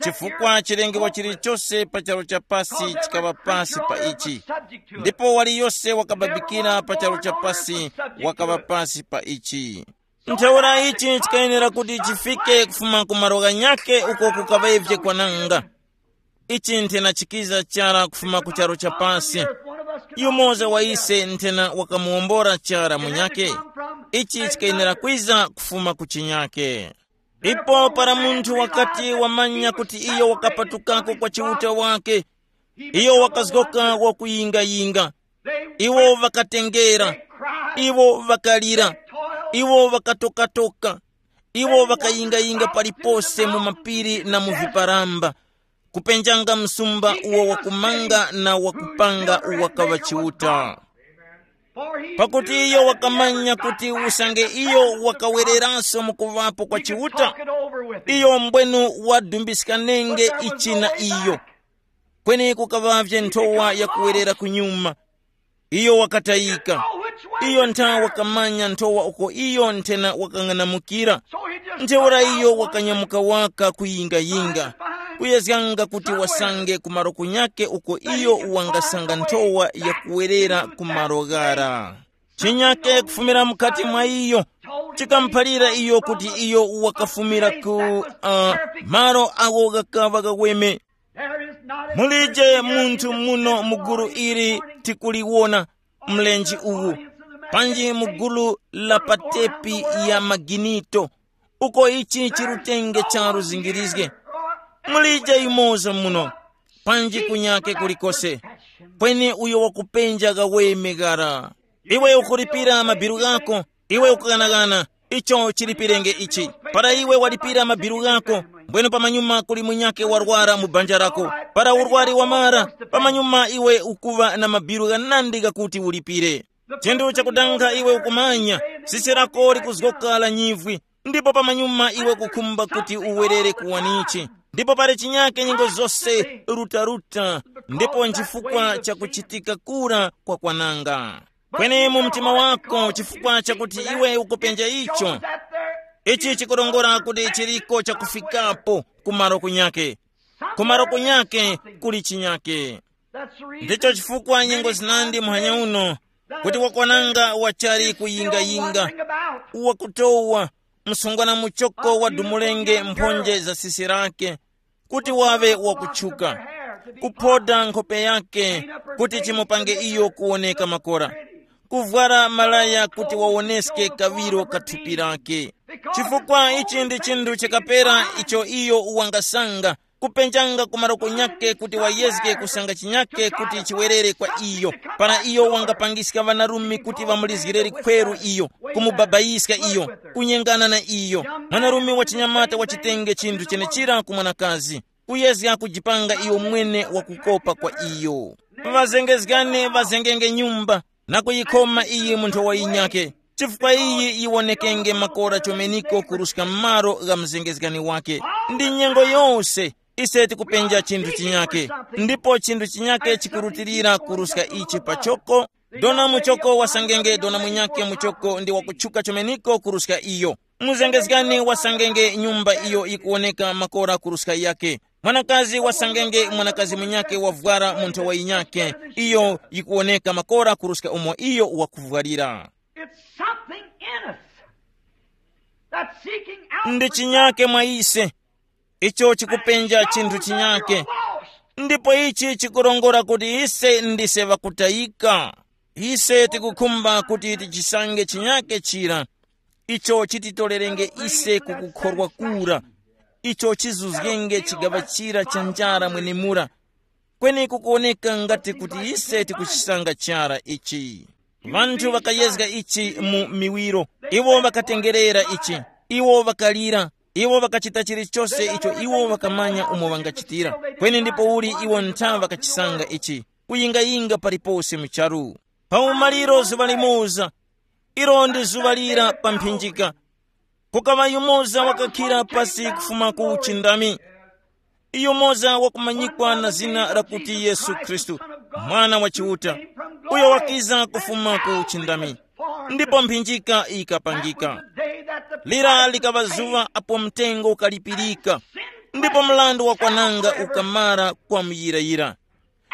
chifukwa chilengewa chilichose pa charu cha pasi chikaŵa pasi pa ichi. Ndipo waliyose wakababikira pa charu cha pasi wakaŵa pasi pa ichi. Ntheura ichi chikayenera kuti chifike kufuma ku malo ghanyakhe uko kukaŵavye kwananga. Ichi nthenachikiza chara kufuma ku charu cha pasi. Yumoza wa ise nthena wakamuwombora chara munyakhe. Ichi chikayenera kwiza kufuma ku chinyakhe. Ndipo para munthu wakati wamanya kuti iyo wakapatukako kwa Chiuta wake, iyo wakazgoka wakuyingayinga. Iwo ŵakatengera, iwo ŵakalira, iwo ŵakatokatoka, iwo ŵakayingayinga palipose mu mapiri na mu viparamba, kupenjanga msumba uwo wakumanga na wakupanga uwo wakaŵa Chiuta. Pakuti iyo wakamanya kuti usange iyo wakawereranso mu kuŵapo kwa Chiuta, iyo mbwenu wadumbiska nenge ichi na iyo. Kweni kukaŵavye nthowa yakuwerera kunyuma. Iyo wakatayika. Iyo ntha wakamanya nthowa uko iyo nthena wakang'anamukira. Ntheura iyo wakanyamuka waka kuyingayinga, kuyezganga kuti wasange ku malo kunyake uko iyo wangasanga nthowa yakuwerera ku malo ghara. Chinyake kufumira mukati mwa iyo chikamuphalira iyo kuti iyo wakafumira ku uh, malo agho ghakaŵa ghaweme. Mulije munthu muno mu gulu ili tikuliwona, mlenje uwu, panji mu gulu la patepi ya maginito, uko ichi chirutenge charu zingirizge. Mulije yumoza muno, panji kunyake kulikose, kweni uyo wakupenja ghaweme ghara. Iwe ukulipira mabiru ghako, iwe ukughanaghana, icho chilipirenge ichi. Para iwe walipira mabiru ghako, mbwene pamanyuma kuli munyake warwara mu banja lako. Para urwari wamara, pamanyuma iwe ukuva na mabiru ghanandi ghakuti ulipire. Chinthu chakudanga iwe ukumanya, sisi lako likuzgoka la nyivwi, ndipo pamanyuma iwe kukhumba kuti uwerere kuwanichi. Ndipo pali chinyake nyengo zose rutaruta, ndipo nchifukwa cha kuchitika kura kwa kwananga. Kweni mu mtima wako, chifukwa chakuti iwe ukupenja icho, ichi chikurongora kuti chiriko chakufikapo kumaro kunyake. Kumaro kunyake kuli chinyake. Ndicho chifukwa nyengo zinandi muhanya uno, kuti wakwananga wachali kuyingayinga, wakutowa msungwana muchoko wadumulenge mphonje za sisi lake, kuti wawe wakutchuka, kuphoda nkhope yake, kuti chimupange iyo kuwoneka makora, kuvwara malaya kuti wawoneske kawiro ka thupi lake. Chifukwa ichi ndi chinthu chikapera icho iyo wangasanga, kupenjanga ku maroko nyake kuti wayezge kusanga chinyake kuti chiwerere kwa iyo. Para iyo wangapangiska ŵanarume kuti ŵamulizgirere khweru iyo, kumubabaiska iyo, kunyengana na iyo, mwanarume wa chinyamata wachitenge chinthu chenechira ku mwanakazi, kuyezga kujipanga iyo mwene wakukopa kwa iyo. Ŵazengezgani ŵazengenge nyumba na kuyikhoma iyi mu nthowa yinyakhe, chifukwa iyi yiwonekenge makora chomeniko kuruska m'malo gha mzengezgani wake. Ndi nyengo yose ise tikupenja chinthu chinyakhe, ndipo chinthu chinyakhe chikurutilira kuruska ichi pachoko. Dona muchoko wasangenge dona munyakhe muchoko ndi wakutchuka chomeniko kuruska iyo. Muzengezgani wasangenge nyumba iyo yikuwoneka makora kuruska yake. Mwanakazi wasangenge mwanakazi munyakhe wavwara mu nthowa yinyakhe, iyo yikuwoneka makora kuruska umo iyo wakuvwalira. It's something in us that's seeking out ndi for chinyake mwa ise, icho chikupenja chinthu chinyake. Ndipo ichi chikurongora kuti ise ndise ŵakutayika. Ise tikukhumba kuti tichisange chinyake chira, icho chititolerenge ise kukukhorwa kura, icho chizuzgenge chigaŵa chira cha njara mwenemura. Kweni kukuwoneka ngati kuti ise tikuchisanga chara ichi. Vanthu ŵakayezga ichi mu miwiro, iwo ŵakatengerera ichi, iwo ŵakalira, iwo ŵakachita chilichose icho iwo ŵakamanya umo ŵangachitira. Kweni ndipo uli iwo ntha ŵakachisanga ichi, kuyingayinga palipose mu charu. Pa umaliro zuŵa limoza, ilo ndi zuŵa lira pa mphinjika, kukaŵa yumoza wakakhira pasi kufuma ku uchindami. Yumoza wakumanyikwa na zina lakuti Yesu Khristu, Mwana wa Chiuta, uyo wakiza kufuma ku uchindami. Ndipo mphinjika ikapangika. Lira likaŵa zuŵa apo mtengo ukalipirika, ndipo mlandu wa kwananga ukamara kwa muyirayira.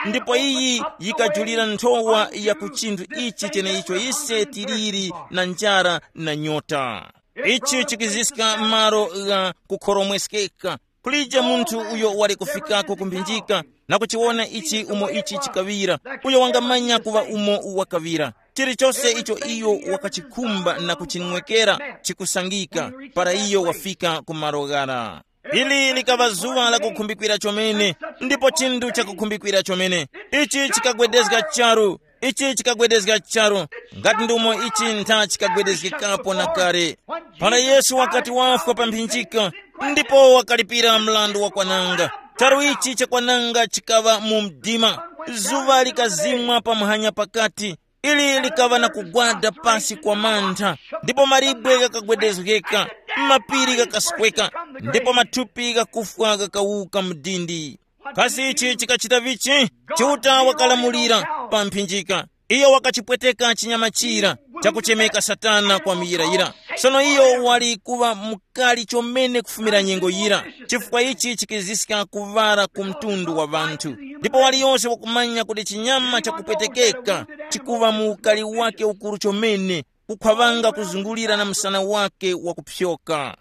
Ndipo iyi yikajulira nthowa ya ku chinthu ichi cheneicho ise tiliri na njara na nyota. Ichi chikiziska malo gha kukhoromweskeka. Kulije munthu uyo wali kufikako kumphinjika na kuchiwona ichi umo ichi chikaŵira, uyo wangamanya kuŵa umo wakaŵira. Chilichose icho iyo wakachikhumba na kuchinwekera chikusangika para iyo wafika ku malo ghara. Ili likaŵa zuŵa la kukhumbikwira chomene, ndipo chinthu chakukhumbikwira chomene. Ichi chikagwedezga charu, ichi chikagwedezga charu, ngati ndumo ichi ntha chikagwedezgekapo na kale. Para Yesu wakati wafwa pa mphinjika, ndipo wakalipira mlandu wa kwananga. Charu ichi cha kwananga chikaŵa mu mdima. Zuŵa likazimwa pa muhanya pakati, Ili likaŵa na kugwada pasi kwa mantha, ndipo malibwe ghakagwedezgeka, mapiri ghakasweka, ndipo mathupi ghakufwa ghakawuka mdindi. Kasi ichi chikachita vichi? Chiuta wakalamulira pa mphinjika. Iyo wakachipweteka chinyama chira chakuchemeka Satana kwa muyirayira. Sono iyo wali kuŵa mukali chomene kufumira nyengo yira, chifukwa ichi chikiziska kuŵala ku mtundu wa ŵanthu. Ndipo waliyose wakumanya kuti chinyama chakupwetekeka chikuŵa mu ukali wake ukuru chomene, kukhwaŵanga kuzungulira na msana wake wakupyoka.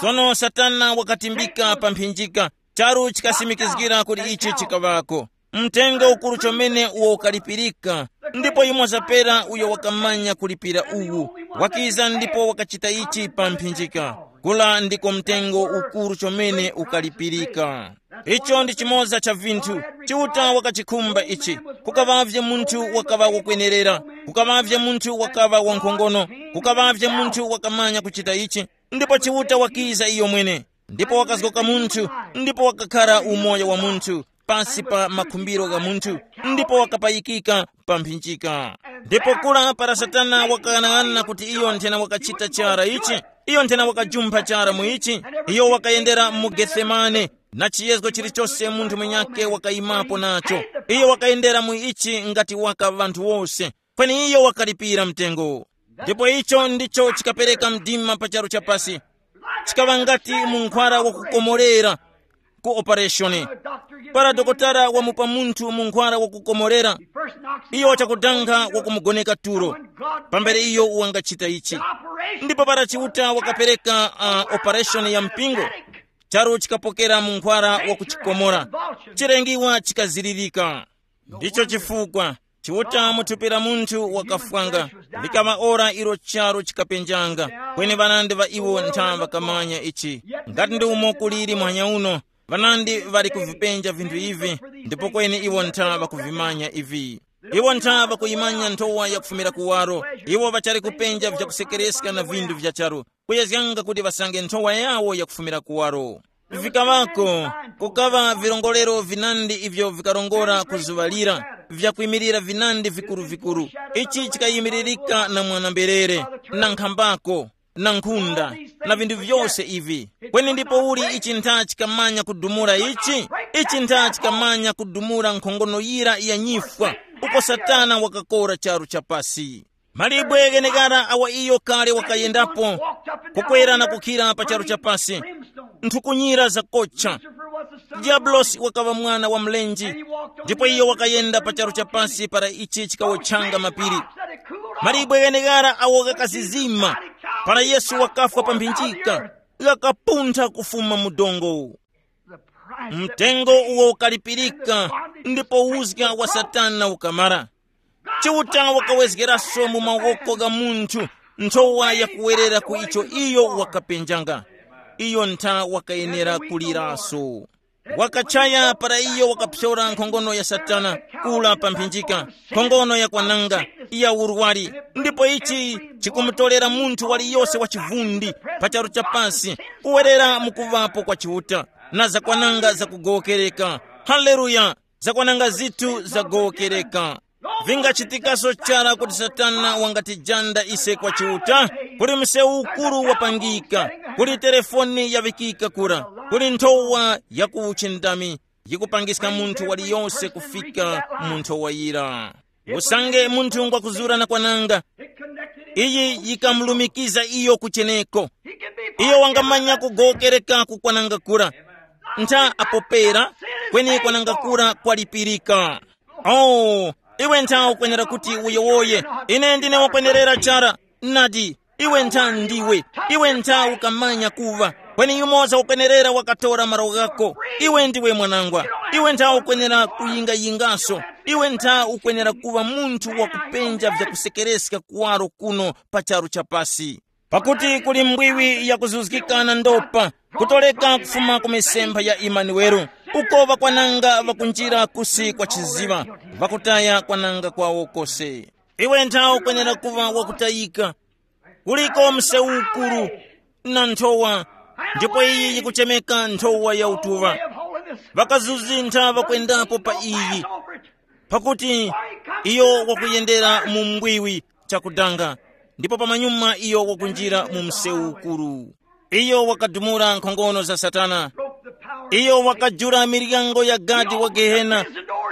Sono Satana wakatimbika pa mphinjika, charu chikasimikizgira kuti ichi chikaŵako. Mtengo ukuru chomene uwo ukalipirika, ndipo yumo zapera uyo wakamanya kulipira uwu, wakiza ndipo wakachita ichi pa mphinjika. Kula ndiko mtengo ukuru chomene ukalipirika. Icho ndi chimoza cha vinthu. Chiuta wakachikhumba ichi. Kukaŵavye munthu wakaŵa wakwenerera, kukaŵavye munthu wakaŵa wankhongono, kukaŵavye munthu wakamanya kuchita ichi. Ndipo Chiuta wakiza iyo mwene, ndipo wakazgoka munthu, ndipo wakakhara umoyo wa munthu pasi pa makhumbiro gha munthu, ndipo wakapayikika pa mphinjika. Ndipo kula para Satana wakaghanag'ana kuti iyo nthena wakachita chara ichi, iyo nthena wakajumpha chara mu ichi, iyo wakayendera mu Getsemane, na chiyezgo chilichose munthu mwenyake wakayimapo nacho. Iyo wakayendera mu ichi ngati waka ŵanthu wose, kweni iyo wakalipira mtengo. Ndipo icho ndicho chikapereka mdima pa charu chapasi. Chikaŵa ngati mu nkhwara wakukomorera ku operation. Para dokotala wamupa munthu mu nkhwara wakukomorera, iyo chakudanga wakumugoneka tulo pambere iyo wangachita ichi. Ndipo para Chiuta wakapereka uh, operation ya mpingo, charu chikapokera mu nkhwara wakuchikomora, chilengiwa chikazilirika. Ndicho chifukwa Chiuta mu thupi la munthu wakafwanga, likaŵa ora ilo charu chikapenjanga. Kweni ŵanandi ŵa iwo ntha ŵakamanya ichi. Ngati ndi umo kuliri muhanya uno, ŵanandi ŵali kuvipenja vinthu ivi, ndipo kweni iwo ntha ŵakuvimanya ivi. Iwo ntha ŵakuyimanya nthowa yakufumira kuwaro. Iwo ŵachali kupenja vyakusekereska na vinthu vya charu, kuyezganga kuti ŵasange nthowa yawo yakufumira kuwaro. Vikaŵako, kukaŵa virongorero vinandi ivyo vikarongora ku zuŵa lira, vyakwimilira vinandi vikuru-vikuru. Ichi chikayimiririka na mwana-mberere, na nkhambako, na nkhunda, na vinthu vyose ivi. Kweni ndipo uli ichi ntha chikamanya kudumula ichi? Ichi ntha chikamanya kudumula nkhongono yira ya nyifwa, uko Satana wakakora charu cha pasi. Malibwe ghenekara awa iyo kale wakayendapo, kukwera na kukhira pa charu cha pasi, nthukunyira zakocha. Diabulosi wakaŵa mwana wa mlenje, ndipo iyo wakayenda pa charu cha pasi para ichi chikawotchanga mapiri. Malibwe ghenekara awo ghakazizima para Yesu wakafwa pa mphinjika, ghakapuntha kufuma mu dongo. Mtengo uwo ukalipirika, ndipo uzga wa Satana ukamara. Chiuta wakawezgeranso mu mawoko gha munthu nthowa yakuwerera ku icho iyo wakapenjanga. Iyo ntha wakayenera kuliraso. Wakachaya para iyo wakapsyora nkhongono ya Satana, kula pa mphinjika, nkhongono ya kwananga, ya urwari. Ndipo ichi chikumutolera munthu waliyose wa chivundi pa charu cha pasi kuwerera mu kuŵapo kwa Chiuta, na zakwananga zakugowokereka. Haleluya! Zakwananga zithu zagowokereka. Vingachitikaso chara kuti Satana wangatijanda ise kwa Chiuta, kuti msewu ukuru wapangika, kuti telefoni yavikika kura, kuti nthowa ya ku uchindami yikupangiska munthu waliyose kufika mu nthowa yira. Usange munthu ngwakuzura na kwananga, iyi yikamulumikiza iyo kucheneko. Iyo wangamanya kugowokereka ku kwananga kura. Ntha apopera, kweni kwananga kura kwalipirika. Oh, iwe ntha ukwenera kuti uyowoye, ine ndine wakwenerera chara. Nadi, iwe ntha ndiwe, iwe ntha ukamanya kuva, kweni yumoza ukwenerera wakatora malo ghako. Iwe ndiwe mwanangwa, iwe ntha ukwenera kuyingayingaso. Iwe ntha ukwenera kuva munthu wakupenja vyakusekereska kuwaro kuno pa charu cha pasi. Pakuti kuli mbwiwi yakuzuzgika na ndopa, kutoleka kufuma ku misempha ya Imanuwele, uko ŵakwananga ŵakunjira kusi kwa chiziŵa, ŵakutaya kwananga kwawo kose. Iwe ntha ukwenera kuŵa wakutayika. Kuliko msewu ukuru na nthowa, ndipo iyi yikuchemeka nthowa ya utuŵa. Ŵakazuzintha ŵakwendapo pa iyi, pakuti Iyo wakuyendera mu mbwiwi chakudanga, ndipo pamanyuma iyo wakunjira mu msewu ukuru. Iyo wakadumula nkhongono za Satana. Iyo wakajula miryango ya gadi wa Gehena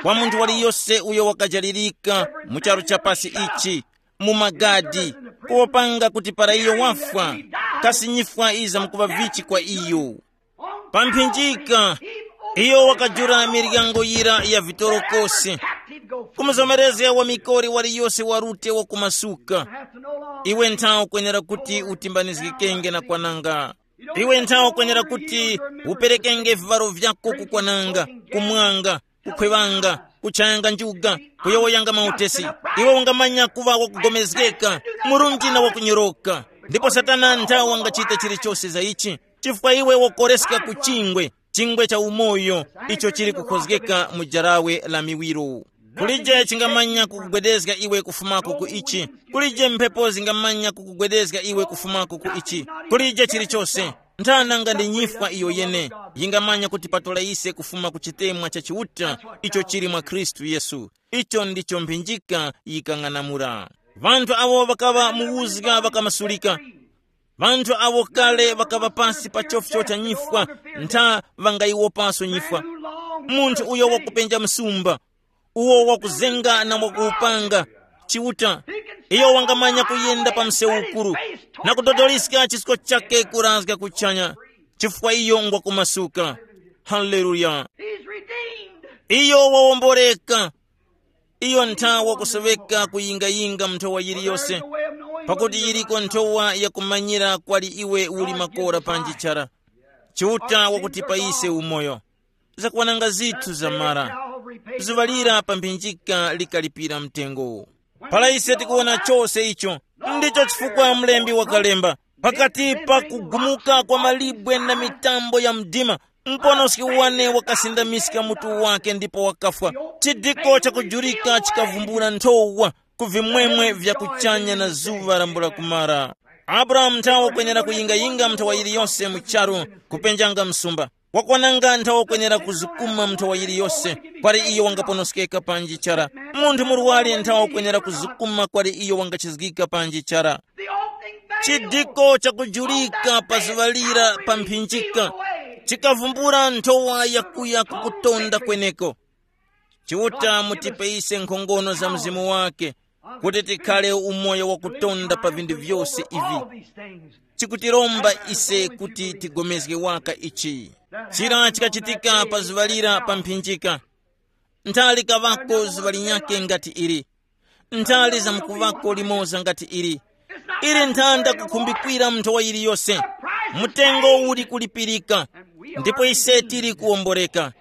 kwa munthu waliyose uyo wakajalirika mu charu cha pasi ichi, mu magadi, kuwopanga kuti para iyo wafwa, kasi nyifwa iza mkuŵa vichi kwa iyo. Pa mphinjika, iyo wakajula miryango yira ya vitorokosi, kumuzomerezga wa mikori waliyose wa rute wakumasuka. Iwe nthawe ukwenera kuti utimbanizgikenge na kwananga. Iwe nthawe ukwenera kuti uperekenge vivaro vyako kukwananga, kumwanga, kukhwevanga, kuchayanga njuga, kuyowoyanga mautesi. Iwe ungamanya kuŵa wakugomezgeka, murunji na wakunyoroka. Ndipo Satana nthawe wangachita chilichose za ichi, chifukwa iwe wakoreska ku chingwe, chingwe cha umoyo, icho chili kukhozgeka mu jarawe la miwiro. Kulije chingamanya kukugwedezga iwe kufumako ku ichi. Kulije mphepo zingamanya kukugwedezga iwe kufumako ku ichi. Kulije chilichose. Nthana nga ndi nyifwa iyo yene yingamanya kutipatula ise kufuma ku chitemwa cha Chiuta icho chili mwa Khristu Yesu. Icho ndicho mphinjika yikang'anamula. Ŵanthu awo ŵakaŵa mu uzga ŵakamasulika. Ŵanthu awo kale ŵakaŵa pasi pa chofcho cha nyifwa, ntha ŵangayiwopanso nyifwa. Munthu uyo wakupenja msumba, uwo wakuzenga na wakuwupanga, Chiuta, iyo wangamanya kuyenda pa msewu ukuru na kudodoliska chisko chake kurazga kuchanya, chifukwa iyo ngwakumasuka. Haleluya! He's redeemed. Iyo wawomboreka. Iyo nthawa wakusoweka kuyingayinga nthowa yiliyose, pakuti yiliko nthowa yakumanyira kwali iwe uli makora panji chara. Chiuta wakutipa ise umoyo. Zakwananga zithu zamara. Zuŵa lira pa mphinjika likalipira mtengo. Para ise tikuwona chose icho, ndicho chifukwa mlembi wakalemba, pakati pa kugumuka kwa malibwe na mitambo ya mdima, mponoski wane wakasindamiska mutu wake ndipo wakafwa. Chidiko chakujurika chikavumbula nthowa ku vimwemwe vya kuchanya na zuŵa lambula kumara. Abrahamu nthawe wakwenera kuyingayinga nthowa yiliyose mu charu, kupenjanga msumba. Wakwananga nthawe wakwenera kuzukuma nthowa yiliyose, kwali iyo wangaponoskeka panji chara. Munthu murwari nthawe wakwenera kuzukuma, kwali iyo wangachizgika panji chara. Chidiko chakujulika pa zuŵa lira pa mphinjika chikavumbula nthowa yakuya ku kutonda kweneko. Chiuta mutipe ise nkhongono za Mzimu wake, kuti tikhale umoyo wa kutonda pa vinthu vyose ivi. Chikutiromba ise kuti tigomezge waka ichi. Chira chikachitika pa zuŵa lira pa mphinjika. Nthali kaŵako zuŵa linyakhe ngati ili. Nthali zamkuŵako limoza ngati ili. Ili nthanda kukhumbikwira nthowa yiliyose. Mtengo uli kulipirika. Ndipo ise tili kuwomboreka.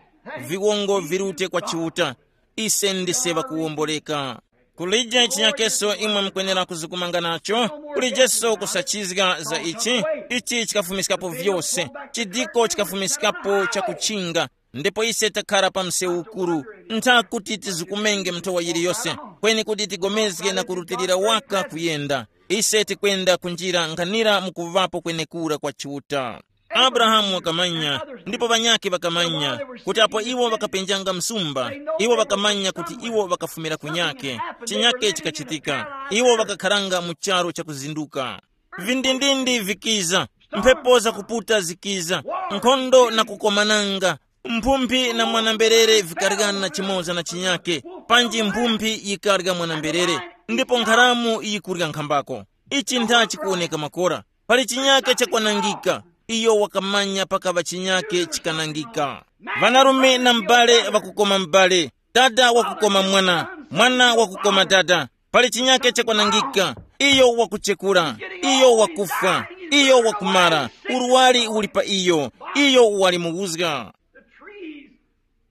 Viwongo virute kwa Chiuta. Ise ndise ŵakuwomboreka. Kulije chinyakeso imwe mukwenera kuzikumanga nacho. Kulijeso kusachizga za ichi. Ichi chikafumiskapo vyose. Chidiko chikafumiskapo chakuchinga. Ndipo ise takhara pa msewu ukuru. Ntha kuti tizikumenge nthowa yiliyose, kweni kuti tigomezge na kurutilira waka kuyenda. Ise tikwenda kunjira nkhanira mukuvapo kwenekura kwa Chiuta. Abrahamu wakamanya, ndipo ŵanyakhe ŵakamanya, kuti apo iwo ŵakapenjanga msumba, iwo ŵakamanya kuti iwo ŵakafumira kunyakhe. Chinyakhe chikachitika. Iwo ŵakakharanga mu charu chakuzinduka. Vindindindi vikiza, mphepo zakuputa zikiza, nkhondo na kukomananga, mphumphi na mwana-mberere vikaryana chimoza na chinyake, panji mphumphi yikarya mwana-mberere, ndipo nkharamu yikurya nkhambako. Ichi ntha chikuwoneka makora. Pali chinyake chakwanangika. Iyo wakamanya pakaŵa chinyake chikanangika. Ŵanarume na m'bale ŵakukoma m'bale, dada wakukoma mwana, mwana wakukoma dada. Pali chinyake chakwanangika. Iyo wakuchekura. Iyo wakufwa. Iyo wakumara. Urwari uli pa iyo. Iyo wali muwuzga.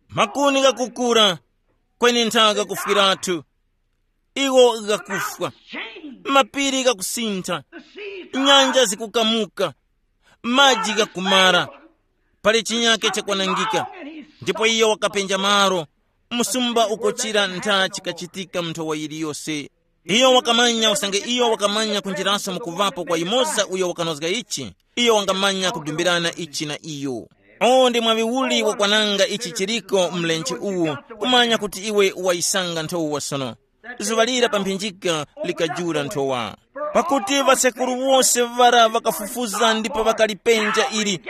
Makuni ghakukura, kweni nthaka kufwiratu. Iwo ghakufwa. Mapiri ghakusintha. Nyanja zikukamuka. Maji ghakumara. Pali chinyake chakwanangika. Ndipo iyo wakapenja malo. Msumba ukochira ntha chikachitika nthowa yiliyose. Iyo wakamanya usange iyo wakamanya kunjiraso mukuvapo kwa yumoza uyo wakanozga ichi, iyo wangamanya kudumbirana ichi na iyo. O ndi mwaŵi uli wakwananga ichi chiriko mlenje uwu, kumanya kuti iwe wayisanga nthowa sono. Zuŵa lira pa mphinjika likajula nthowa. Pakuti ŵasekuru wose ŵara ŵakafufuza ndipo ŵakalipenja ili.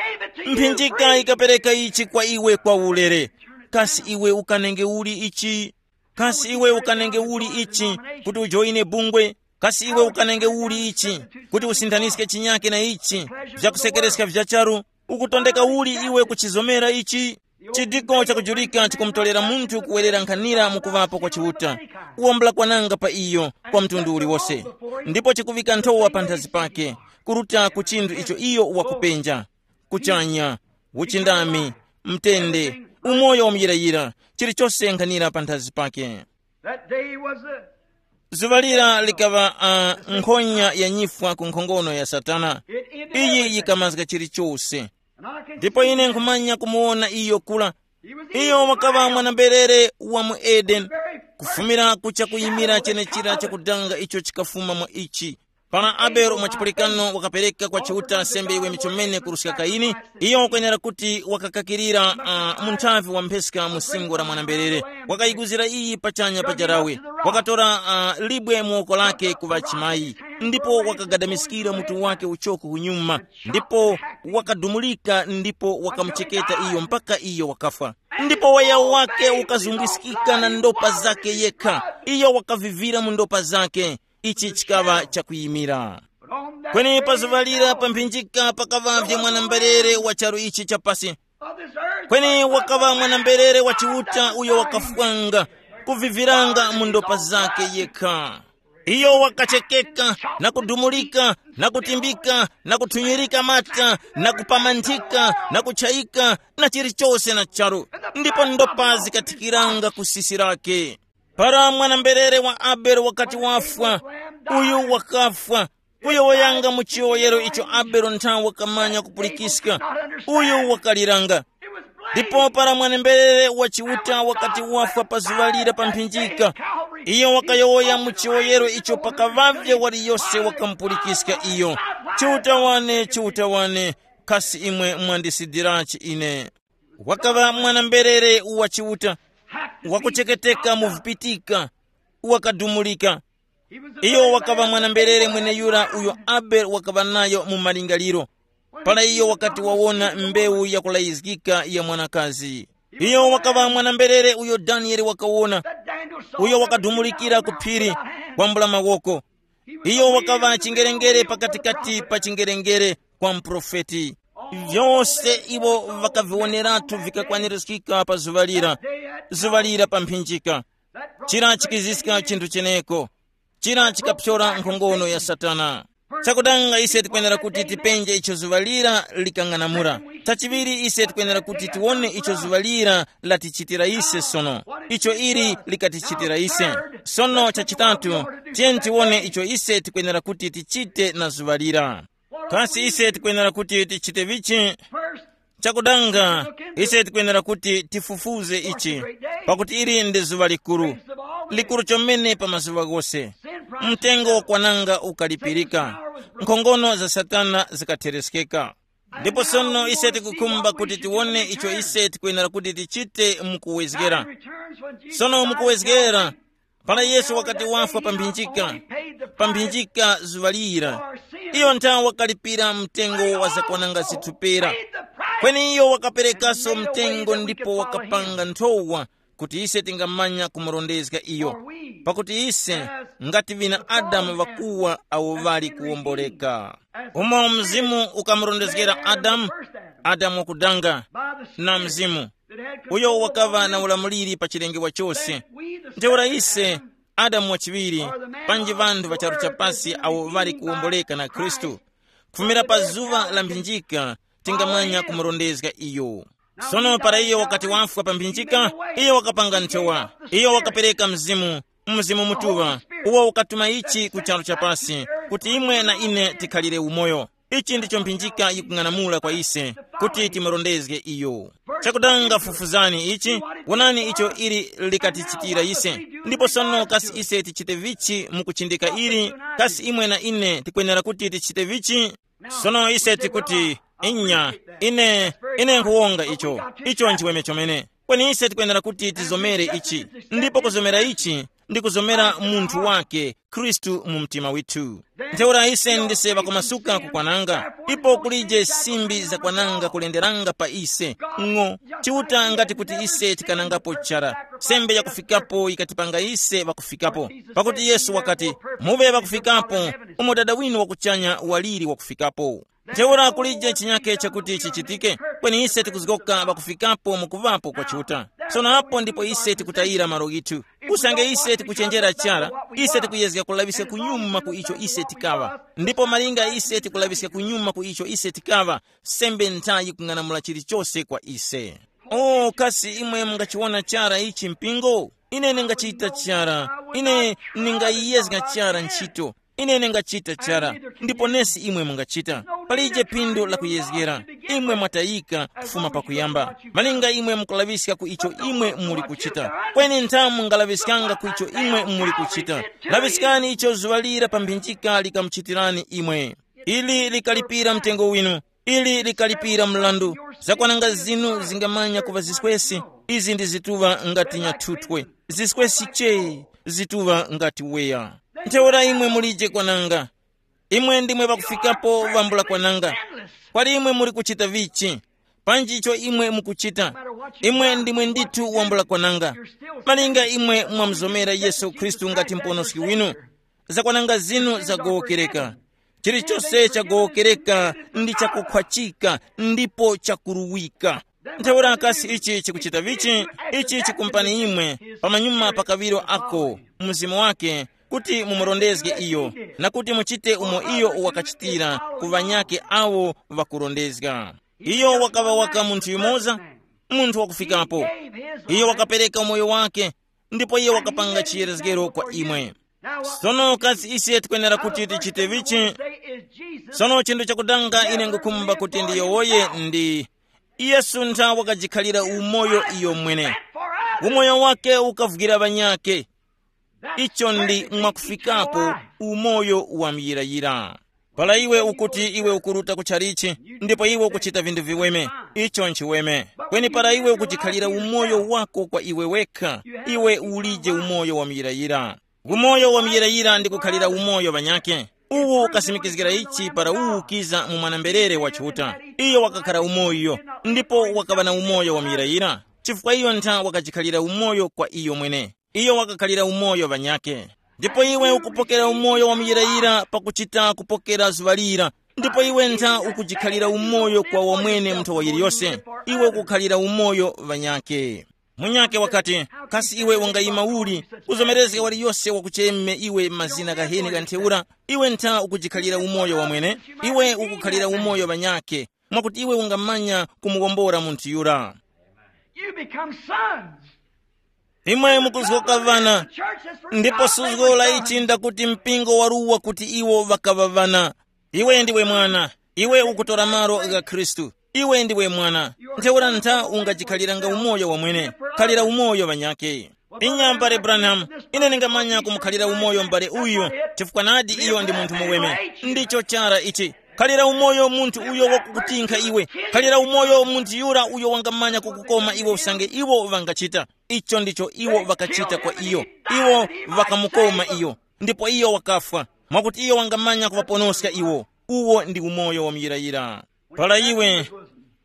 Mphinjika ikapereka ichi kwa iwe kwa ulere. Kasi iwe ukanenge uli ichi? Kasi iwe ukanenge uli ichi? Kuti ujoyine bungwe? Kasi iwe ukanenge uli ichi? Kuti usinthaniske chinyake na ichi? Vyakusekereska vya charu? Ukutondeka uli iwe kuchizomera ichi? Chidiko chakujulika chikumutolera munthu kuwerera nkhanira mu kuŵapo kwa Chiuta. Uwambula kwananga pa iyo kwa mtundu uliwose, ndipo chikuŵika nthowa panthazi pake, kuruta ku chinthu icho iyo wakupenja, kuchanya, uchindami, mtende, umoyo wamuyirayira, chilichonse nkhanira panthazi pake. That day was a Zuŵa lira likaŵa uh, nkhonya ya nyifwa ku nkhongono ya Satana. Iyi yikamazga chilichose. Ndipo ine nkhumanya kumuwona iyo kula. Iyo wakaŵa mwanamberere wa mu Edeni, kufumira kucha kuyimira chenechira chakudanga icho chikafuma mwa ichi. Para Abele mwachipulikano wakapereka kwa Chiuta sembe iwe michomene kuruska Kaini, iyo wakwenera kuti wakakakirira uh, mu nthavi wa mpheska mu singo la mwanamberere, wakayiguzira iyi pachanya pa jarawe, wakatora uh, libwe mu woko lake kuŵa chimayi, ndipo wakagadamiskira mutu wake uchoko kunyuma, ndipo wakadumulika ndipo wakamucheketa iyo mpaka iyo wakafwa. Ndipo waya wake ukazungwiskika na ndopa zake yekha. Iyo wakavivira mu ndopa zake. Ichi chikaŵa chakuyimira. Kweni pa zuŵa lira pa mphinjika pakaŵavye mwanamberere wa charu ichi chapasi. Kweni wakaŵa mwanamberere wa Chiuta uyo wakafwanga, kuviviranga mu ndopa zake yekha. Iyo wakachekeka na kudumulika na kutimbika na kuthunyirika mata na kupamanthika na kuchayika na chilichose na charu, ndipo ndopa zikathikiranga ku sisi lake. Para mwanamberere wa Abele wakati wafwa, uyu wakafwa, kuyowoyanga mu chiyowoyero icho Abele nthawe wakamanya kupulikiska, uyu wakaliranga. Ndipo para mwanamberere wa Chiuta wakati wafwa pa zuŵa lira pa mphinjika, iyo wakayowoya mu chiyowoyero icho pakaŵavye waliyose wakamupulikiska iyo, Chiuta wane, Chiuta wane, kasi imwe mwandisidirachi ine? Wakaŵa mwanamberere wa Chiuta, wakucheketeka mu vipitika, wakadumulika. Iyo wakaŵa mwanamberere mweneyura uyo Abele wakaŵa nayo mu malingaliro, para iyo wakati wawona mbewu yakulayizgika ya mwanakazi. Iyo wakaŵa mwanamberere uyo Daniele wakawona, uyo wakadumulikira ku phiri, wambula mawoko. Iyo wakaŵa chingerengere pakatikati pa chingerengere kwa muprofeti. Vyose iwo vakaviwoneratu vikakwanirizgika pa zuŵa lira, zuŵa lira pa mphinjika. Chira chikiziska chinthu cheneko. Chira chikaphyora nkhongono ya Satana. Chakudanga ise tikwenera kuti tipenje icho zuŵa lira likang'anamula. Chachiŵiri ise tikwenera kuti tiwone icho zuŵa lira latichitira ise sono. Icho ili likatichitira ise. Sono chachitatu, tiyeni tiwone icho ise tikwenera kuti tichite na zuŵa lira. Kasi ise tikwenera kuti tichite vichi? Chakudanga, ise tikwenera kuti tifufuze ichi, pakuti ili ndi zuŵa likuru, likuru chomene pa mazuŵa ghose. Mtengo wakwananga ukalipirika, nkhongono za Satana zikathereskeka. Ndipo sono ise tikukhumba kuti tiwone icho ise tikwenera kuti tichite mukuwezgera. Sono mukuwezgera, para Yesu wakati wafwa pa mphinjika, pa mphinjika zuŵa lira, iyo nthawe wakalipira mtengo wa zakwananga zithupera. Kweni iyo wakaperekaso mtengo ndipo wakapanga nthowa kuti ise tingamanya kumurondezga iyo. Pakuti ise ngati vina Adamu ŵakuwa awo ŵali kuwomboleka. Umo mzimu ukamurondezgera Adamu, Adamu wakudanga na mzimu, uyo wakaŵa na ulamuliri pa chilengedwe chose. Ntheura ise, Adamu wachiŵiri, panji ŵanthu ŵa charu chapasi awo ŵali kuwomboleka na Khristu, kufumira pa zuŵa la mphinjika, tingamanya kumurondezga iyo. Sono para iyo wakati wafwa pa mphinjika, iyo wakapanga nthowa, iyo wakapereka mzimu, Mzimu Mutuŵa, uwo ukatuma ichi ku charu chapasi, kuti imwe na ine tikhalire umoyo. Ichi ndicho mphinjika yikung'anamula kwa ise, kuti timurondezge iyo. Chakudanga fufuzani ichi, wonani icho ili likatichitira ise. Ndipo sono kasi ise tichite vichi mukuchindika ili? Kasi imwe na ine tikwenera kuti tichite vichi? Sono ise tikuti, inya, ine, ine nkhuwonga icho, icho nchiweme chomene. Kweni ise tikwenera kuti tizomere ichi, ndipo kuzomera ichi ndi kuzomera munthu wake Khristu mu mtima withu. Ntheura ise ndise ŵakumasuka kukwananga, ipo kulije simbi zakwananga kulenderanga pa ise. Ng'o, Chiuta ngati kuti ise tikanangapo chara, sembe yakufikapo yikatipanga ise ŵakufikapo. Pakuti Yesu wakati, muŵe ŵakufikapo, umo Dada winu wakuchanya waliri wakufikapo. Ntheura kulije chinyake chakuti chichitike, kweni ise tikuzgoka ŵakufikapo mu kuŵapo kwa Chiuta. Sono apo ndipo ise tikutayira malo ghithu. Usange ise tikuchenjera chara, ise tikuyezga kulaŵiska kunyuma ku icho ise tikaŵa. Ndipo malinga ise tikulaŵiska kunyuma ku icho ise tikaŵa, sembe nthayi kung'anamula chilichose kwa ise. O, kasi imwe mungachiwona chara ichi mpingo? Ine ningachita chara. Ine ningayiyezga chara ntchito. Ine ningachita chara. Ndipo nesi imwe mungachita. Palije phindu la kuyezgera. Imwe mwatayika kufuma pakuyamba. Malinga imwe mukulaŵiska ku icho imwe muli kuchita. Kweni nthamu mungalaŵiskanga ku icho imwe muli kuchita. Laŵiskani icho zuŵa lira pa mphinjika likamuchitirani imwe. Ili likalipira mtengo winu. Ili likalipira mlandu. Zakwananga zinu zingamanya kuŵa ziswesi. Izi ndi zituŵa ngati nyathuthwe. Ziswesi che, zituŵa ngati weya. Ntheura imwe mulije kwananga. Imwe ndimwe ŵakufikapo ŵambula kwananga. Kwali imwe muli kuchita vichi? Panji icho imwe mukuchita, imwe ndimwe ndithu wambula kwananga. Malinga imwe mwamuzomera Yesu Khristu ngati mponoski winu, zakwananga zinu zagowokereka. Chilichose chagowokereka ndi chakukhwachika ndipo chakuruwika. Ntheura kasi ichi chikuchita vichi? Ichi chikumpani imwe pamanyuma pa kaŵiro ako mzimu wake, kuti mumurondezge iyo, na kuti muchite umo iyo wakachitira ku ŵanyakhe awo ŵakurondezga. Iyo wakaŵa waka munthu yumoza, munthu wakufikapo. Iyo wakapereka umoyo wake, ndipo iyo wakapanga chiyerezgero kwa imwe. Sono kasi ise tikwenera kuti tichite vichi? Sono chinthu chakudanga ine ngukhumba kuti ndiyowoye ndi, Yesu ntha wakajikhalira umoyo iyo mwene. Umoyo wake ukavukira ŵanyakhe. Icho ndi mwakufikapo umoyo wa muyirayira. Para iwe ukuti iwe ukuruta ku chalichi, ndipo iwe ukuchita vinthu viweme, icho nchiweme. Kweni para iwe ukuchikhalira umoyo wako kwa iwe wekha, iwe ulije umoyo wa muyirayira. Umoyo wa muyirayira ndi kukhalira umoyo ŵanyakhe. Uwu ukasimikizgira ichi para uwu ukiza mu mwana-mberere wa Chiuta. Iyo wakakhara umoyo, ndipo wakaŵa na umoyo wa muyirayira, chifukwa iyo ntha wakachikhalira umoyo kwa iyo mwene. Iyo wakakhalira umoyo ŵanyakhe. Ndipo iwe ukupokera umoyo wa muyirayira pakuchita kupokera zuŵa lira. Ndipo iwe ntha ukujikhalira umoyo kwa wamwene munthu wa yiliyose. Iwe ukukhalira umoyo ŵanyakhe. Munyakhe wakati, kasi iwe ungayima uli kuzomerezga waliyose wakucheme iwe mazina gaheni ga ntheura? Iwe ntha ukujikhalira umoyo wamwene. Iwe ukukhalira umoyo ŵanyakhe, mwakuti iwe ungamanya kumuwombora munthu yura. You become sons. Imwe mukuzgoka ŵana. Ndipo suzgo la ichi ndakuti mpingo waruwa kuti iwo ŵakaŵa ŵana. Iwe ndiwe mwana. Iwe ukutora malo gha Khristu. Iwe ndiwe mwana. Ntheura ntha ungachikhaliranga umoyo wamwene. Khalira umoyo ŵanyakhe. Inya mbale Branham, ine ndingamanya kumukhalira umoyo mbale uyu, chifukwa nadi iyo ndi munthu muweme. Ndicho chara ichi. Khalira umoyo munthu uyo wakukutinkha iwe. Khalira umoyo munthu yura uyo wangamanya kukukoma iwe usange iwo ŵangachita. Icho ndicho iwo ŵakachita kwa iyo. Iwo ŵakamukoma iyo, ndipo iyo wakafwa, mwakuti iyo wangamanya kuŵaponoska iwo. Uwo ndi umoyo wa muyirayira. Para iwe,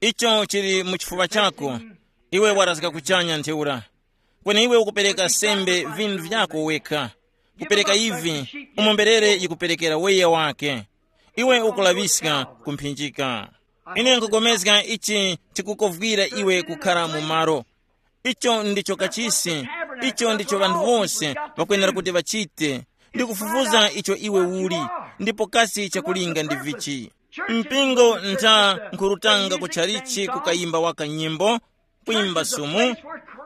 icho chili mu chifuŵa chako, iwe warazga kuchanya ntheura. Kweni iwe ukupereka sembe vinthu vyako wekha, kupereka ivi, umo mberere yikuperekera weya wake. Iwe ukulaŵiska kumphinjika. Ine nkupulikana ichi chikukovwira iwe kukhala mu malo. Icho ndicho kachisi. Icho ndicho ŵanthu wose ŵakwenera kuti ŵachite, ndi kufufuza icho iwe uli, ndipo kasi chakulinga ndi vichi. Mpingo ntha nkhurutanga ku chalichi kukayimba waka nyimbo, kwimba sumu.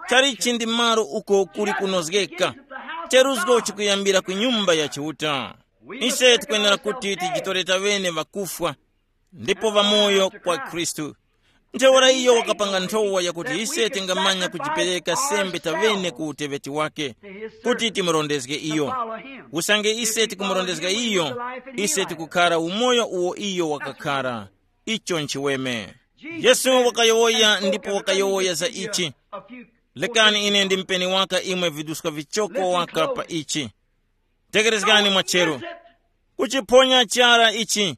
Chalichi ndi malo uko kuli kunozgeka. Cheruzgo chikuyambira ku nyumba ya Chiuta. Ise tikwenera kuti tijitore taŵene ŵakufwa ndipo ŵamoyo kwa Khristu. Ntheura iyo wakapanga nthowa yakuti ise tingamanya kujipereka sembe taŵene ku uteŵeti wake, kuti timurondezge iyo. Usange ise tikumurondezga iyo, ise tikukhara umoyo uwo iyo wakakhara. Icho nchiweme. Yesu wakayowoya ndipo wakayowoya za ichi. Lekani ine ndimpeni waka imwe viduska vichoko waka pa ichi. Tekerezgani mwachero. Kuchiphonya chara ichi.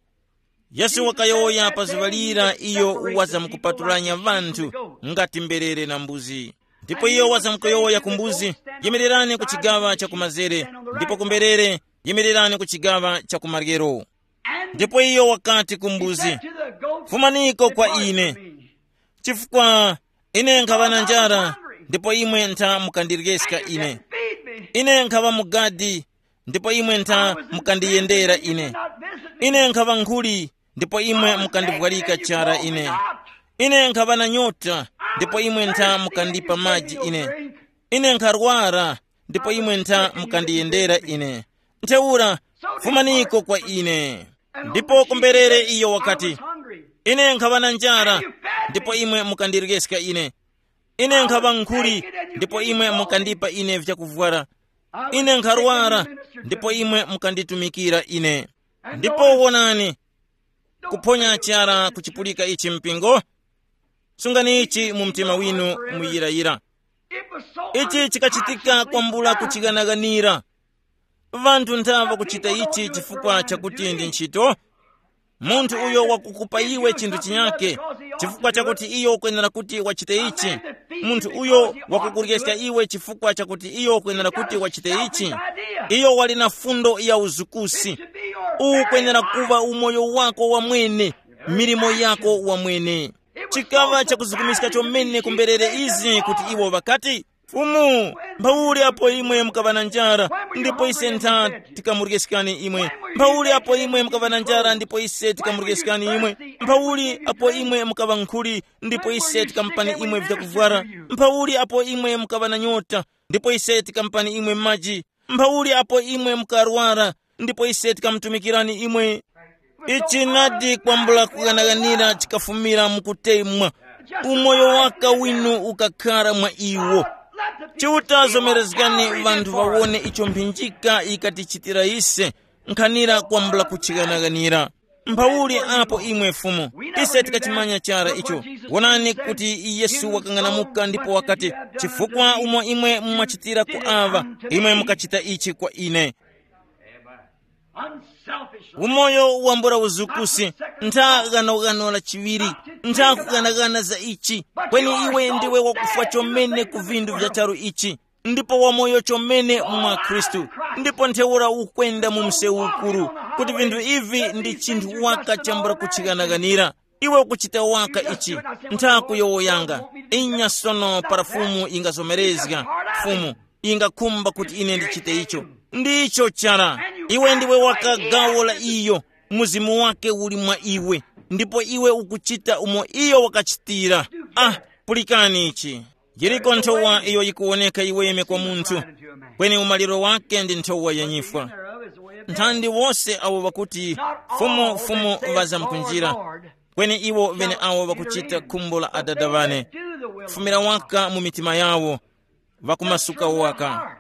Yesu wakayowoya pa zuŵa lira iyo wazamkupatulanya ŵanthu ngati mberere na mbuzi. Ndipo iyo wazamkuyowoya ku mbuzi, yimirirani ku chigaŵa cha kumazere, ndipo kumberere, yimirirani ku chigaŵa cha kumaryero. Ndipo iyo wakati ku mbuzi, fumaniko kwa ine, chifukwa ine nkhaŵa na njara, ndipo imwe ntha mukandiryeska ine. Ine nkhaŵa mugadi, ndipo imwe ntha mukandiyendera ine. Ine nkhaŵa nkhuli, ndipo imwe mukandivwalika chara ine. Ine nkhaŵa na nyota, ndipo imwe ntha mukandipa maji ine. Ine nkharwara, ndipo imwe ntha mukandiyendera ine. Ntheura, fumaniko kwa ine. Ndipo kumberere iyo wakati, ine nkhaŵa na njara, ndipo imwe mukandiryeska ine. Ine nkhaŵa nkhuli, ndipo imwe mukandipa ine vyakuvwara. Ine nkharwara, ndipo imwe mukanditumikira ine. Ndipo wonani, kuphonya chara kuchipulika ichi mpingo. Sungani ichi mu mtima winu muyirayira. Ichi chikachitika kwambula kuchighanaghanira. Vanthu ntha ŵakuchita ichi chifukwa chakuti ndi ntchito. Munthu uyo wakukupa iwe chinthu chinyake, chifukwa chakuti iyo ukwenera kuti wachite ichi. Munthu uyo wakukuryeska iwe chifukwa chakuti iyo ukwenera kuti wachite ichi. Iyo wali na fundo ya uzukusi. Ukwenera kuva umoyo wako wamwene, milimo yako wamwene. Chikaŵa chakuzukumiska chomene kumberere izi kuti iwo ŵakati, fumu, mphauli apo imwe mukaŵa na njara, ndipo ise ntha tikamuryeskani imwe. Mphauli apo imwe mukaŵa na njara, ndipo ise tikamuryeskani imwe. Mphauli apo imwe mukaŵa nkhuli, ndipo ise tikamupani imwe vyakuvwara. Mphauli apo imwe mukaŵa na nyota, ndipo ise tikamupani imwe maji. Mphauli apo imwe mukarwara, ndipo ise tikamutumikirani imwe. Ichi nadi kwambula kughanaghanira chikafumira mukutemwa. Umoyo waka winu ukakhara mwa iwo. Chiuta zomerezgani vanthu vawone icho mphinjika ikatichitira ise. Nkhanira kwambula kuchighanaghanira. Mphauli apo imwe Fumu, ise tikachimanya chara icho. Wonani kuti Yesu wakang'anamuka ndipo wakati, chifukwa umo imwe mwachitira ku aŵa, imwe mukachita ichi kwa ine. Umoyo wambula uzukusi, ntha ghanoghano la chiŵiri, ntha kughanaghana za ichi. Kweni iwe ndiwe wakufwa chomene ku vinthu vya charu ichi, ndipo wamoyo chomene mwa Khristu. Ndipo ntheura ukwenda mu msewu ukuru, kuti vinthu ivi ndi chinthu waka chambula kuchighanaghanira. Iwe ukuchita waka ichi, ntha kuyowoyanga. Inya sono para Fumu ingazomerezga, Fumu ingakhumba kuti ine ndichite icho. Ndicho chara. Iwe ndiwe waka gawo la iyo. Mzimu wake uli mwa iwe, ndipo iwe ukuchita umo iyo wakachitira. Ah, pulikani ichi. Yiriko nthowa iyo yikuwoneka iweme kwa munthu, kweni umaliro wake ndi nthowa ya nyifwa. Nthandi wose awo ŵakuti, fumu fumu, ŵazamkunjira, kweni iwo ŵeneawo ŵakuchita khumbo la Adada ŵane, kufumira waka mu mitima yawo, ŵakumasuka waka.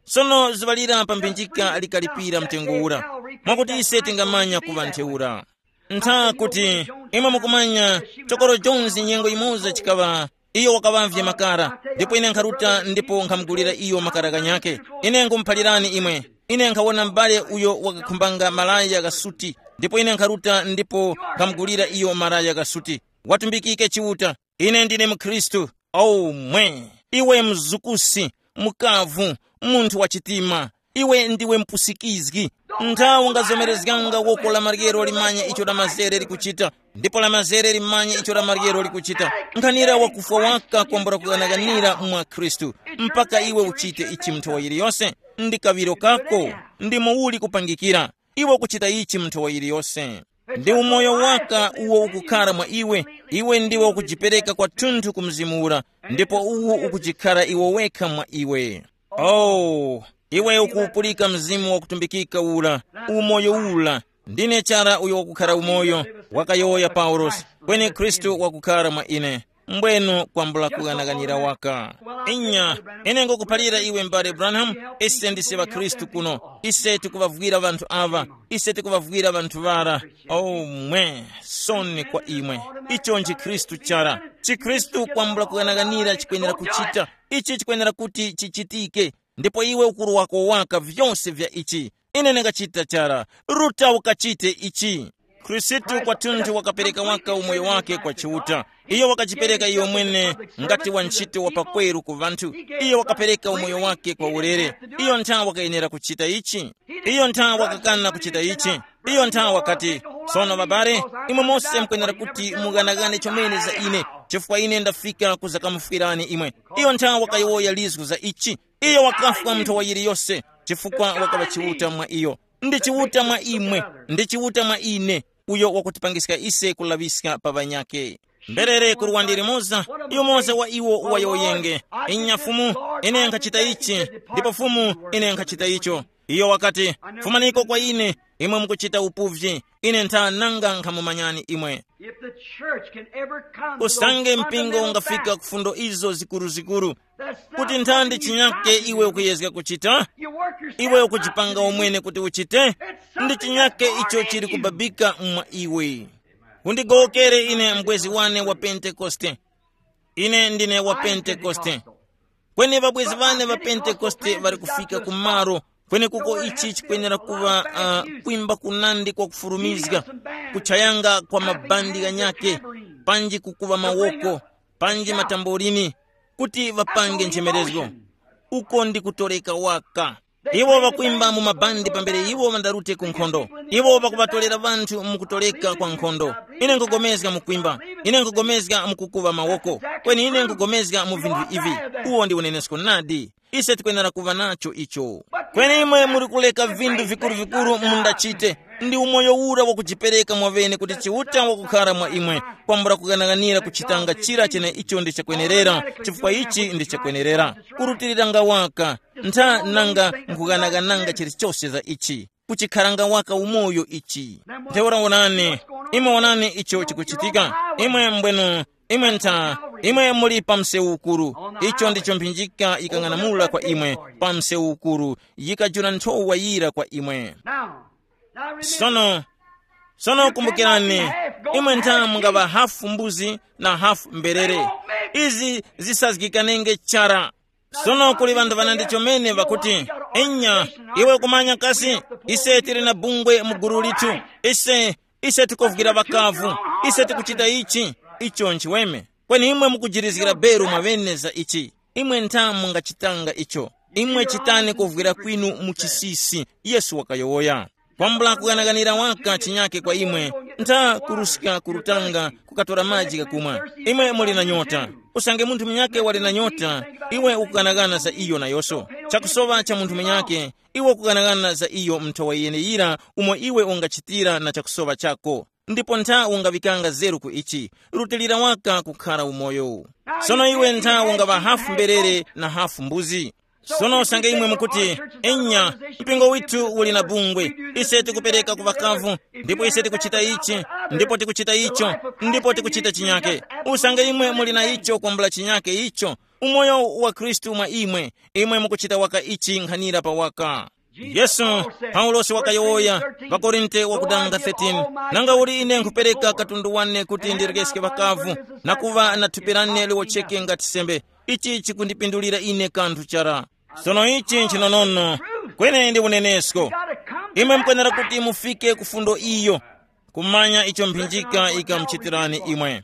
Sono zuŵa lira pa mphinjika likalipira mtengo ura, mwakuti ise tingamanya kuŵa ntheura. Ntha kuti imwe mukumanya, chokoro Jones nyengo yimoza chikaŵa, iyo wakaŵavye makara, ndipo ine nkharuta ndipo nkhamugulira iyo makara ghanyakhe. Ine nkhumuphalirani imwe, ine nkhawona m'bale uyo wakakhumbanga malaya ghasuti, ndipo ine nkharuta ndipo nkhamugulira iyo malaya ghasuti. Watumbikike Chiuta. Ine ndine mukhristu. Oh mwe, iwe mzukusi, mukavu, munthu wa chitima, iwe ndiwe mpusikizgi. Nthawi ungazomerezganga woko la maryero limanya icho la mazere likuchita, ndipo la mazere limanya icho la maryero likuchita. Nkhanira wakufwa waka kwambula kughanaghanira mwa Khristu, mpaka iwe uchite ichi mnthowa yiliyose. Ndi kaŵiro kako, ndi muwuli kupangikira. Iwe ukuchita ichi mu nthowa yiliyose. Ndi umoyo waka uwo ukukhara mwa iwe. Iwe ndiwe ukujipereka kwathunthu ku Mzimu ura, ndipo uwu ukujikhara iwe wekha mwa iwe. Oh, iwe ukuwupulika Mzimu wakutumbikika ura, umoyo ura. Ndine chara uyo wakukhara umoyo, wakayowoya Paulosi, kweni Khristu wakukhara mwa ine. Mbwenu kwambula kughanaghanira waka. Inya, ine ngukuphalira iwe, m'bale Branham, ise ndise ŵakhristu kuno. Ise tikuvavwira ŵanthu aŵa. Ise tikuvavwira ŵanthu ŵara. Oh, mwe, soni kwa imwe. Icho nchi Khristu chara. ChiKhristu kwambula kughanaghanira chikwenera kuchita. Ichi chikwenera kuti chichitike. Ndipo iwe ukuru wako waka vyose vya ichi. Ine ndingachita chara. Ruta ukachite ichi. Khristu kwathunthu wakapereka waka umoyo wake kwa Chiuta. Iyo wakachipereka iyo mwene ngati wa ntchito wa pakweru ku vanthu. Iyo wakapereka umoyo wake kwa ulere. Iyo nthawi wakayenera kuchita ichi. Iyo nthawi wakakana kuchita ichi. Iyo nthawi wakati, sono babale, imwe mose mukwenera kuti mughanagane chomene za ine, chifukwa ine ndafika kuzakamufwirani imwe. Iyo nthawi wakayowoya lizgu za ichi. Iyo wakafwa mu nthowa yiliyose, chifukwa wakaŵa Chiuta mwa iyo. Ndi Chiuta mwa imwe, ndi Chiuta mwa ine, uyo wakutipangiska ise kulaŵiska pa ŵanyakhe. Mberere ku luwandi limoza, yumoza wa iwo wayowoyenge, inya Fumu, ine nkhachita ichi, ndipo Fumu, ine nkhachita icho. Iyo wakati, fumaniko kwa ine, imwe mukuchita upuvyi, ine ntha nanga nkhamumanyani imwe. If the church can ever come to usange those mpingo fundamental ungafika facts, ku fundo izo zikuruzikuru, kuti nthandi chinyake iwe ukuyezga kuchita, iwe ukuchipanga umwene kuti uchite, ndi chinyake icho chili kubabika mwa iwe. Undigowokere ine mbwezi wane wa Pentekoste. Ine ndine wa Pentekoste. Kweni ŵabwezi wane ŵa Pentekoste ŵali kufika ku malo kwenekuko ichi chikwenera kuŵa uh, kwimba kunandi kwa kufurumizga, kuchayanga kwa mabandi ghanyake, panji kukuŵa mawoko, panji matamborini, kuti ŵapange nchemerezgo. Uko ndi kutoleka waka. Iwo ŵakwimba mu mabandi pambere iwo ŵandarute ku nkhondo. Iwo ŵakuŵatolera ŵanthu mu kutoleka kwa nkhondo. Ine nkugomezga mukwimba. Ine nkugomezga mukukuŵa mawoko. Kweni ine nkugomezga mu vinthu ivi. Uwo ndi unenesko nadi. Ise tikwenera kuŵa nacho icho. Kweni imwe muri kuleka vinthu vikuru-vikuru mundachite. Ndi umoyo ura wakujipereka mwaŵene kuti Chiuta wakukhara mwa imwe, kwambula kughanaghanira kuchitanga chira chene icho ndi chakwenerera, chifukwa ichi ndi chakwenerera. Kurutiliranga waka, ntha nanga nkughanaghananga chilichose za ichi, kuchikharanga waka umoyo ichi. Ntheura wonani, imwe wonani icho chikuchitika. Imwe mbwenu, imwe ntha, imwe muli pa msewu ukuru. Icho ndicho mphinjika yikang'anamula kwa imwe, pa msewu ukuru, yikajula nthowa yira kwa imwe. Now, now remember, sono, sono kumbukirani, imwe ntha mungaŵa hafu mbuzi na hafu mberere. Izi zisazgikanenge chara. Sono kuli ŵanthu ŵanandi chomene ŵakuti, enya, iwe kumanya kasi, ise tili na bungwe mu gulu lithu, ise, ise tikuvwira ŵakavu, ise tikuchita ichi, icho nchiweme. Kweni imwe mukujirizgira beru mwaŵene za ichi. Imwe ntha mungachitanga icho. Imwe chitani kuvwira kwinu mu chisisi, Yesu wakayowoya. Kwambula kughanaghanira waka chinyake kwa imwe, ntha kuruska ku lutanga kukatora maji ghakumwa. Imwe muli na nyota. Usange munthu munyakhe wali na nyota, iwe ukughanagana za iyo nayoso. Chakusoŵa cha munthu munyakhe, iwe ukughanagana za iyo mu nthowa yeneyira umo iwe ungachitira na chakusoŵa chako. Ndipo ntha ungaŵikanga zeru ku ichi, rutilira waka kukhara umoyo. Sono iwe ntha ungaŵa hafu mberere na hafu mbuzi. Sono usange imwe mukuti, enya, mpingo withu uli na bungwe, ise tikupereka ku ŵakavu, ndipo ise tikuchita ichi, ndipo tikuchita icho, ndipo tikuchita chinyake. Usange imwe muli na icho kwambula chinyake icho, umoyo wa Khristu mwa imwe, imwe mukuchita waka ichi nkhanira pa waka. Yesu, Paulosi wakayowoya, ŵakorinte wakudanga thirteen, nanga uli ine nkhupereka katundu wane kuti ndirekeske ŵakavu, na kuŵa na thupi lane liwocheke ngati sembe, ichi chikundipindulira ine kanthu chara. Sono ichi nchinonono, kweni ndi unenesko. Imwe mukwenera kuti mufike ku fundo iyo, kumanya icho mphinjika ikamuchitirani imwe.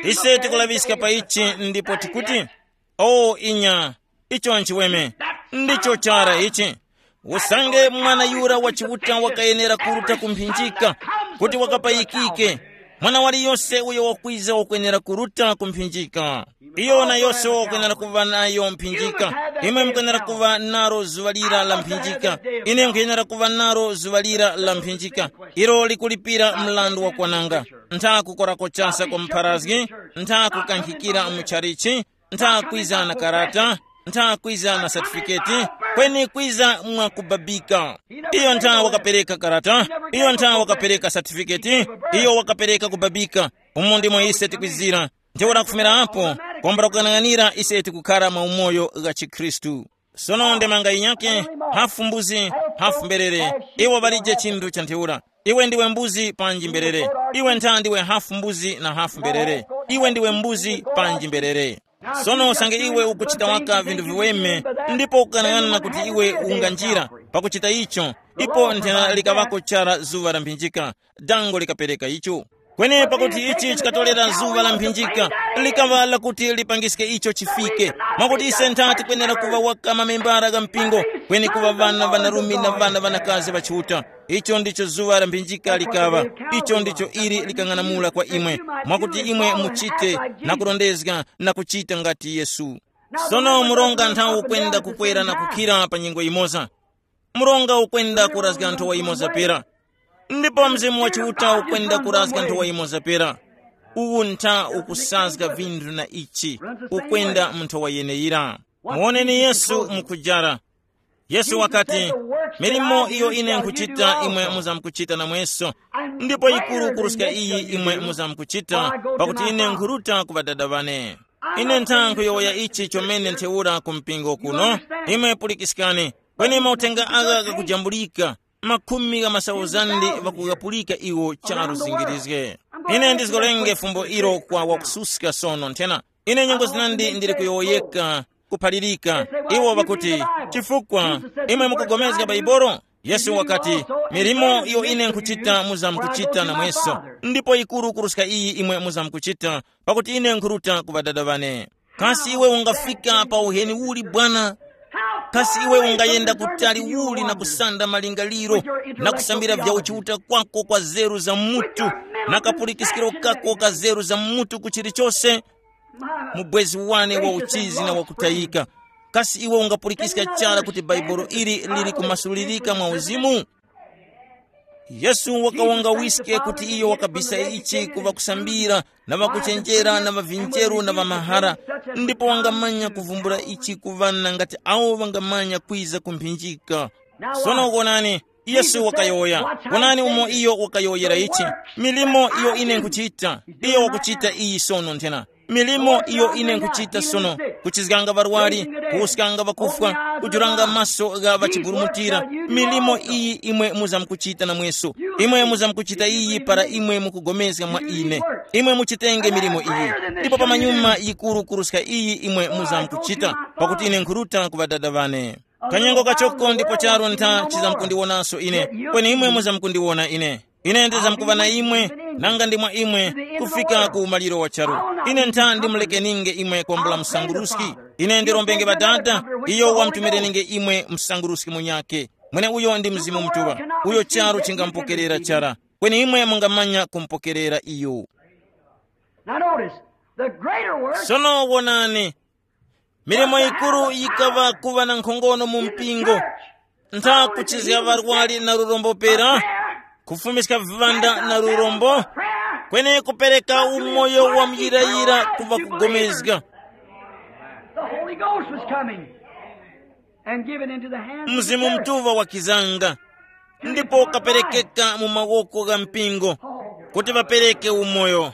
Ise tikulaŵiska pa ichi ndipo tikuti, o inya, icho nchiweme, ndicho chara ichi. Usange mwana yura wa Chiuta wakayenera kuruta ku mphinjika, kuti wakapayikike, mwana waliyose uyo wakwiza wakwenera kuruta ku mphinjika. Iyo nayose wakwenera kuva nayo mphinjika. Imwe mukwenera kuva naro zuŵa lira la mphinjika. Ine nkhuyenera kuva naro zuŵa lira la mphinjika. Ilo likulipira mlandu wa kwananga. Ntha kukorako chasa kwa mpharazgi, ntha kukankhikira mu chalichi, ntha kwiza na karata, ntha kwiza na satifiketi, kweni kwiza mwa kubabika. Iyo ntha wakapereka karata, iyo ntha wakapereka satifiketi, iyo wakapereka kubabika. Umo ndimo ise tikwizira. Ntheura kufumira apo, kwambula kukang'anira ise tikukhara mwa umoyo gha chikhristu. Sono ndemanga yinyake, hafu mbuzi, hafu mberere. Iwo ŵalije chinthu cha ntheura. Iwe ndiwe mbuzi panji mberere? Iwe ntha ndiwe hafu mbuzi na hafu mberere. Iwe ndiwe mbuzi panji mberere? Sono usange iwe ukuchita waka vinthu viweme, ndipo ukanang'ana kuti iwe unganjira pakuchita icho, ipo nthena likaŵako chara zuŵa la mphinjika, dango likapereka icho. Kweni pakuti ichi chikatolera zuŵa la mphinjika, likaŵa lakuti lipangiske icho chifike, mwakuti ise ntha tikwenera kuŵa waka mamembara gha mpingo, kweni kuŵa ŵana ŵanarume na ŵana ŵanakazi ŵa Chiuta. Icho ndicho zuŵa la mphinjika likaŵa. Icho ndicho ili likang'anamula kwa imwe, mwakuti imwe muchite na kurondezga na kuchita ngati Yesu. Sono mronga nthawi ukwenda kukwera na kukhira pa nyengo yimoza. Mronga ukwenda kurazga nthowa yimoza pera, ndipo Mzimu wa Chiuta ukwenda kurazga nthowa yimoza pera. Uwu ntha ukusazga vinthu na ichi, ukwenda mu nthowa yeneyira. Muwoneni Yesu mukujara. Yesu wakati, milimo iyo ine nkhuchita imwe muzamkuchita namweso, ndipo yikuru kuruska iyi imwe muzamkuchita, pakuti ine nkhuruta ku Ŵadada ŵane. Ine ntha nkhuyowoya ichi chomene ntheura ku mpingo kuno. Imwe pulikiskani, kweni mauthenga agha ghakujambulika, makhumi gha masauzandi ŵakughapulika iwo charu zingirizge. Ine ndizgolenge fumbo ilo kwa wakususka sono nthena. Ine nyengo zinandi ndili kuyowoyeka, kuphalirika. Iwo ŵakuti, chifukwa imwe mukugomezga Baibolo? Yesu wakati, milimo iyo ine nkhuchita muzamkuchita namweso, ndipo yikuru kuruska iyi imwe muzamkuchita, pakuti ine nkhuruta ku Ŵadada ŵane. Kasi iwe ungafika pa uheni uli bwana? Kasi iwe ungayenda kutali uli na kusanda malingaliro, na kusambira vya uchiuta kwako kwa zeru za mutu, na kapulikiskiro kako ka zeru za mutu ku chilichose? Mubwezi wane wa uchizi na wakutayika, kasi iwe ungapulikiska chara kuti Bhaibuli ili lili kumasulirika mwa uzimu? Yesu wakawanga wiske kuti iyo wakabisa ichi ku ŵakusambira na ŵakuchenjera na ŵavinjeru na ŵamahara, ndipo wangamanya kuvumbula ichi ku ŵana ngati awo ŵangamanya kwiza ku mphinjika. Sono wonani, Yesu wakayowoya. Wonani umo iyo wakayowoyera ichi, milimo iyo ine nkuchita, iyo wakuchita iyi sono nthena. Milimo iyo ine nkuchita sono, kuchizganga ŵarwari, kuwuskanga ŵakufwa, kujuranga maso gha ŵachiburumutira. Milimo iyi imwe muzamkuchita namweso. Imwe muzamkuchita iyi para imwe mukugomezga mwa ine. Imwe muchitenge milimo iyi, ndipo pamanyuma yikuru kuruska iyi imwe muzamkuchita, pakuti ine nkhuruta ku Ŵadada ŵane. Kanyengo kachoko ndipo charu ntha chizamkundiwonanso ine, kweni imwe muzamkundiwona ine. Ine ndizamkuŵa na imwe, nanga ndi mwa imwe, kufika ku umaliro wa charu. Ine ntha ndimulekeninge imwe kwambula msanguruski. Ine ndirombenge Ŵadada, iyo wamtumireninge imwe msanguruski munyakhe. Mweneuyo ndi Mzimu Mutuŵa, uyo charu chingamupokerera chara, kweni imwe mungamanya kumupokerera iyo. Now notice, the greater work. Sono wonani, milimo yikuru yikaŵa kuŵa na nkhongono mu mpingo, ntha kuchizga ŵarwari na lurombo pera, kufumiska viŵanda na lurombo, kweni kupereka umoyo wa muyirayira ku ŵakugomezga. The Holy Ghost was coming and given into the hands of the Mzimu church. Mutuŵa wakizanga, ndipo kaperekeka mu mawoko gha mpingo kuti ŵapereke umoyo.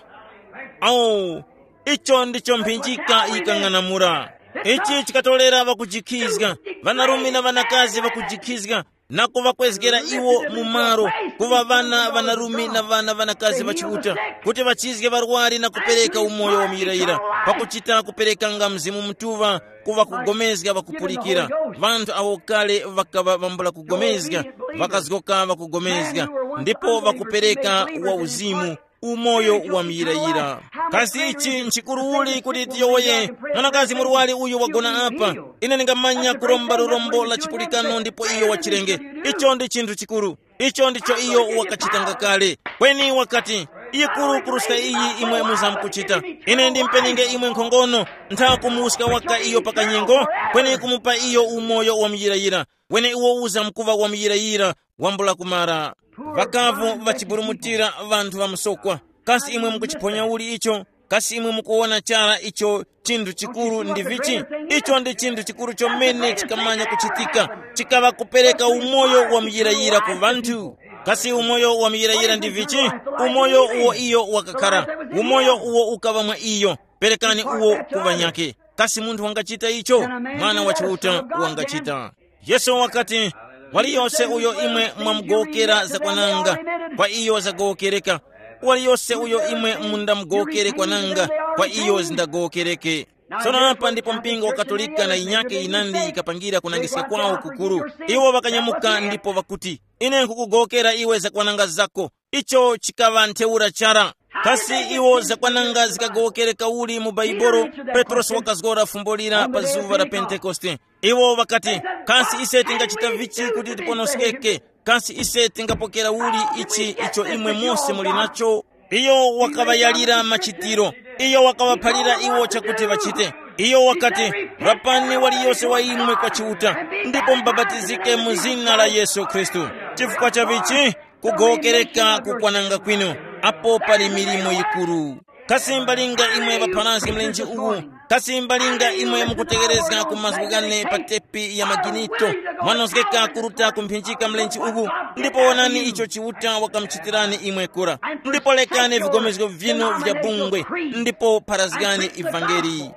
Awu, icho ndicho mphinjika yikang'anamula. Ichi chikatolera ŵakujikhizga, ŵanarume na ŵanakazi ŵakujikhizga, na kuŵakwezgera iwo mu malo, kuŵa ŵana ŵanarume na ŵana ŵanakazi ŵa Chiuta, kuti ŵachizge ŵarwari na kupereka umoyo wa muyirayira, pakuchita kuperekanga Mzimu Mutuŵa ku ŵakugomezga ŵakupulikira. Ŵanthu awo kale ŵakaŵa ŵambula kugomezga, ŵakazgoka ŵakugomezga, ndipo ŵakupereka wa uzimu, umoyo wa muyirayira. Kasi ichi nchikuru uli kuti tiyowoye, mwanakazi murwari uyu wagona apa, ine ndingamanya kuromba lurombo la chipulikano ndipo iyo wachirenge? Icho ndi chinthu chikuru. Icho ndicho iyo wakachitanga kale. Kweni wakati, yikuru kuruska iyi imwe muzamkuchita. Ine ndimpeninge imwe nkhongono, ntha kumuwuska waka iyo pa kanyengo, kweni kumupa iyo umoyo wa muyirayira. Wene uwo uzamkuŵa wa muyirayira, wambula kumara. Ŵakavu ŵachiburumutira ŵanthu ŵa msokwa. Kasi imwe mukuchiphonya uli icho? Kasi imwe mukuwona chara icho chinthu chikuru ndi vichi? Icho ndi chinthu chikuru chomene chikamanya kuchitika, chikaŵa kupereka umoyo wa muyirayira ku ŵanthu. Kasi umoyo wa muyirayira ndi vichi? Umoyo uwo iyo wakakhara, umoyo uwo ukaŵa mwa iyo. Perekani uwo ku ŵanyakhe. Kasi munthu wangachita icho? Mwana wa Chiuta wangachita. Yesu wakati, waliyose uyo imwe mwamugowokera zakwananga, kwa iyo zagowokereka. Waliyose uyo imwe mundamugowokere kwananga, kwa iyo zindagowokereke. Tsono apa ndipo mpingo wa Katolika na yinyake yinandi yikapangira kunangiska kwawo kukuru. Iwo ŵakanyamuka ndipo ŵakuti, ine nkukugowokera iwe zakwananga zako. Icho chikaŵa ntheura chara. Kasi iwo zakwananga zikagowokere kauli mu Baibolo? Petrosi wakazgora fumbo lira pa zuŵa la Pentekoste. Iwo ŵakati, kasi ise tingachita vichi kuti tiponoskeke? Kasi ise tingapokera uli ichi icho imwe mose muli nacho? Iyo wakaŵayalira machitiro. Iyo wakaŵaphalira iwo chakuti ŵachite. Iyo wakati, rapani waliyose wa imwe kwa Chiuta, ndipo mubapatizike mu zina la Yesu Khristu. Chifukwa cha vichi? Kugowokereka kukwananga kwinu, apo pali milimo yikuru. Kasi mbalinga imwe ŵapharazgi mlenje uwu? Kasi mbalinga imwe mukutegerezga ku mazgu ghane pa tepi ya maginito? Mwanozgeka kuruta kumphinjika mlenje uwu, ndipo wonani icho Chiuta wakamuchitirani imwe kura. Ndipo lekani vigomezgo vyinu vya bungwe, ndipo pharazgani ivangeli.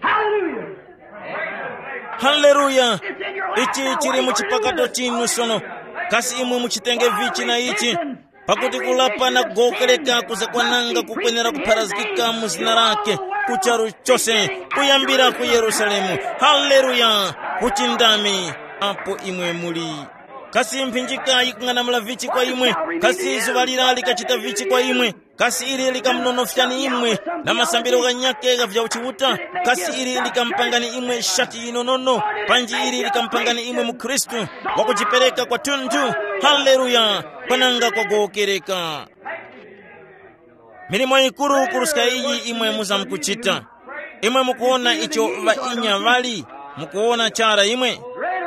Hallelujah. Haleluya. Ichi chili mu chipakato chinu sono. Kasi imwe muchitenge vichi na ichi? Pakuti kulapa na kugowokereka kuzakwananga kukwenera kupharazgika mu zina lake, ku charu chose, kuyambira ku Yerusalemu. Haleluya. Kuchindami apo imwe muli. Kasi mphinjika yikung'anamula vichi kwa imwe? Kasi zuŵa lira likachita vichi kwa imwe? Kasi ili likamnonofyani imwe na masambiro ghanyakhe gha vya uchiuta? Kasi ili likamupangani imwe shati yinonono? Panji ili likamupangani imwe mukhristu wakujipereka kwathunthu? Haleluya. Kwananga kwagowokereka. Milimo yikuru kuruska iyi imwe muzamkuchita. Imwe mukuwona icho ŵainya ŵali? Mukuwona chara imwe?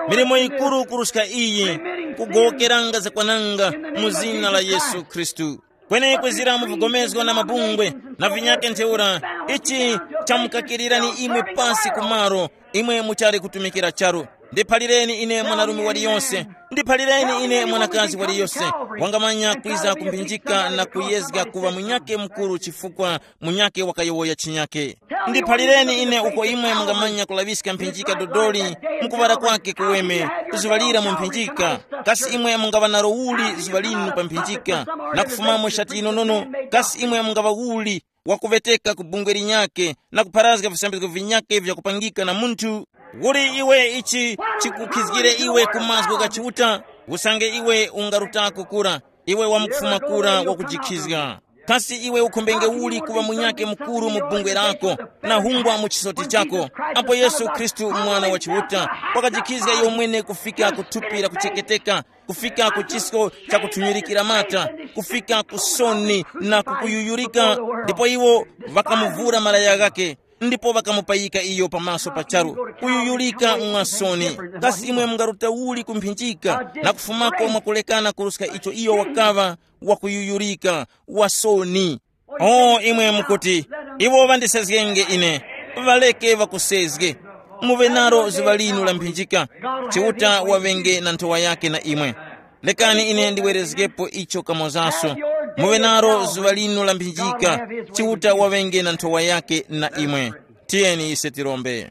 Milimo yikuru kuruska iyi, kugowokeranga zakwananga mu zina la Yesu Khristu. Kweni kwizira mu vigomezgo na mabungwe na vinyake ntheura, ichi chamukakirirani imwe pasi kumaro, imwe muchali kutumikira charu. Ndiphalireni ine mwanarume waliyonse, ndiphalireni ine mwanakazi waliyonse wangamanya kwiza kumphinjika na kuyezga kuŵa munyake mukuru chifukwa munyake wakayowoya chinyake. Ndiphalireni ine uko imwe mungamanya kulaŵiska mphinjika dodoli, mukuŵala kwake kuweme, kuziŵalira mu mphinjika. Kasi imwe mungaŵa nalo uli zuŵa linu pa mphinjika, na kufumamo shati yinonono? Kasi imwe mungaŵa uli wakuveteka ku bungwe linyakhe na kupharazga visambizgo vinyakhe vyakupangika na munthu? Uli iwe ichi chikukhizgire iwe ku mazgu gha Chiuta? Usange iwe ungarutako kura, iwe wamkufuma kura wakujikhizga. Kasi iwe ukhombenge uli kuŵa munyakhe mukuru mu bungwe lako na hungwa mu chisoti chako, apo Yesu Khristu, Mwana wa Chiuta, wakajikhizga iyo mwene kufika ku thupi la kucheketeka, kufika ku chisko cha kuthunyirikira mata, kufika ku soni na kukuyuyurika, ndipo iwo ŵakamuvura malaya ghakhe, ndipo ŵakamupayika iyo pamaso pa charu. Kuyuyurika mwa soni. Kasi imwe mungaruta uli ku mphinjika na kufumako mwakulekana kuruska icho iyo wakaŵa wakuyuyurika, wa soni? O imwe mukuti, iwo ŵandisezgenge ine. Ŵaleke ŵakusezge. Muŵe nalo zuŵa linu la mphinjika. Chiuta waŵenge na nthowa yake na imwe. Lekani ine ndiwerezgepo icho kamozaso. Muŵe nalo zuŵa linu la mphinjika. Chiuta waŵenge na nthowa yake na imwe. Tiyeni ise tirombe.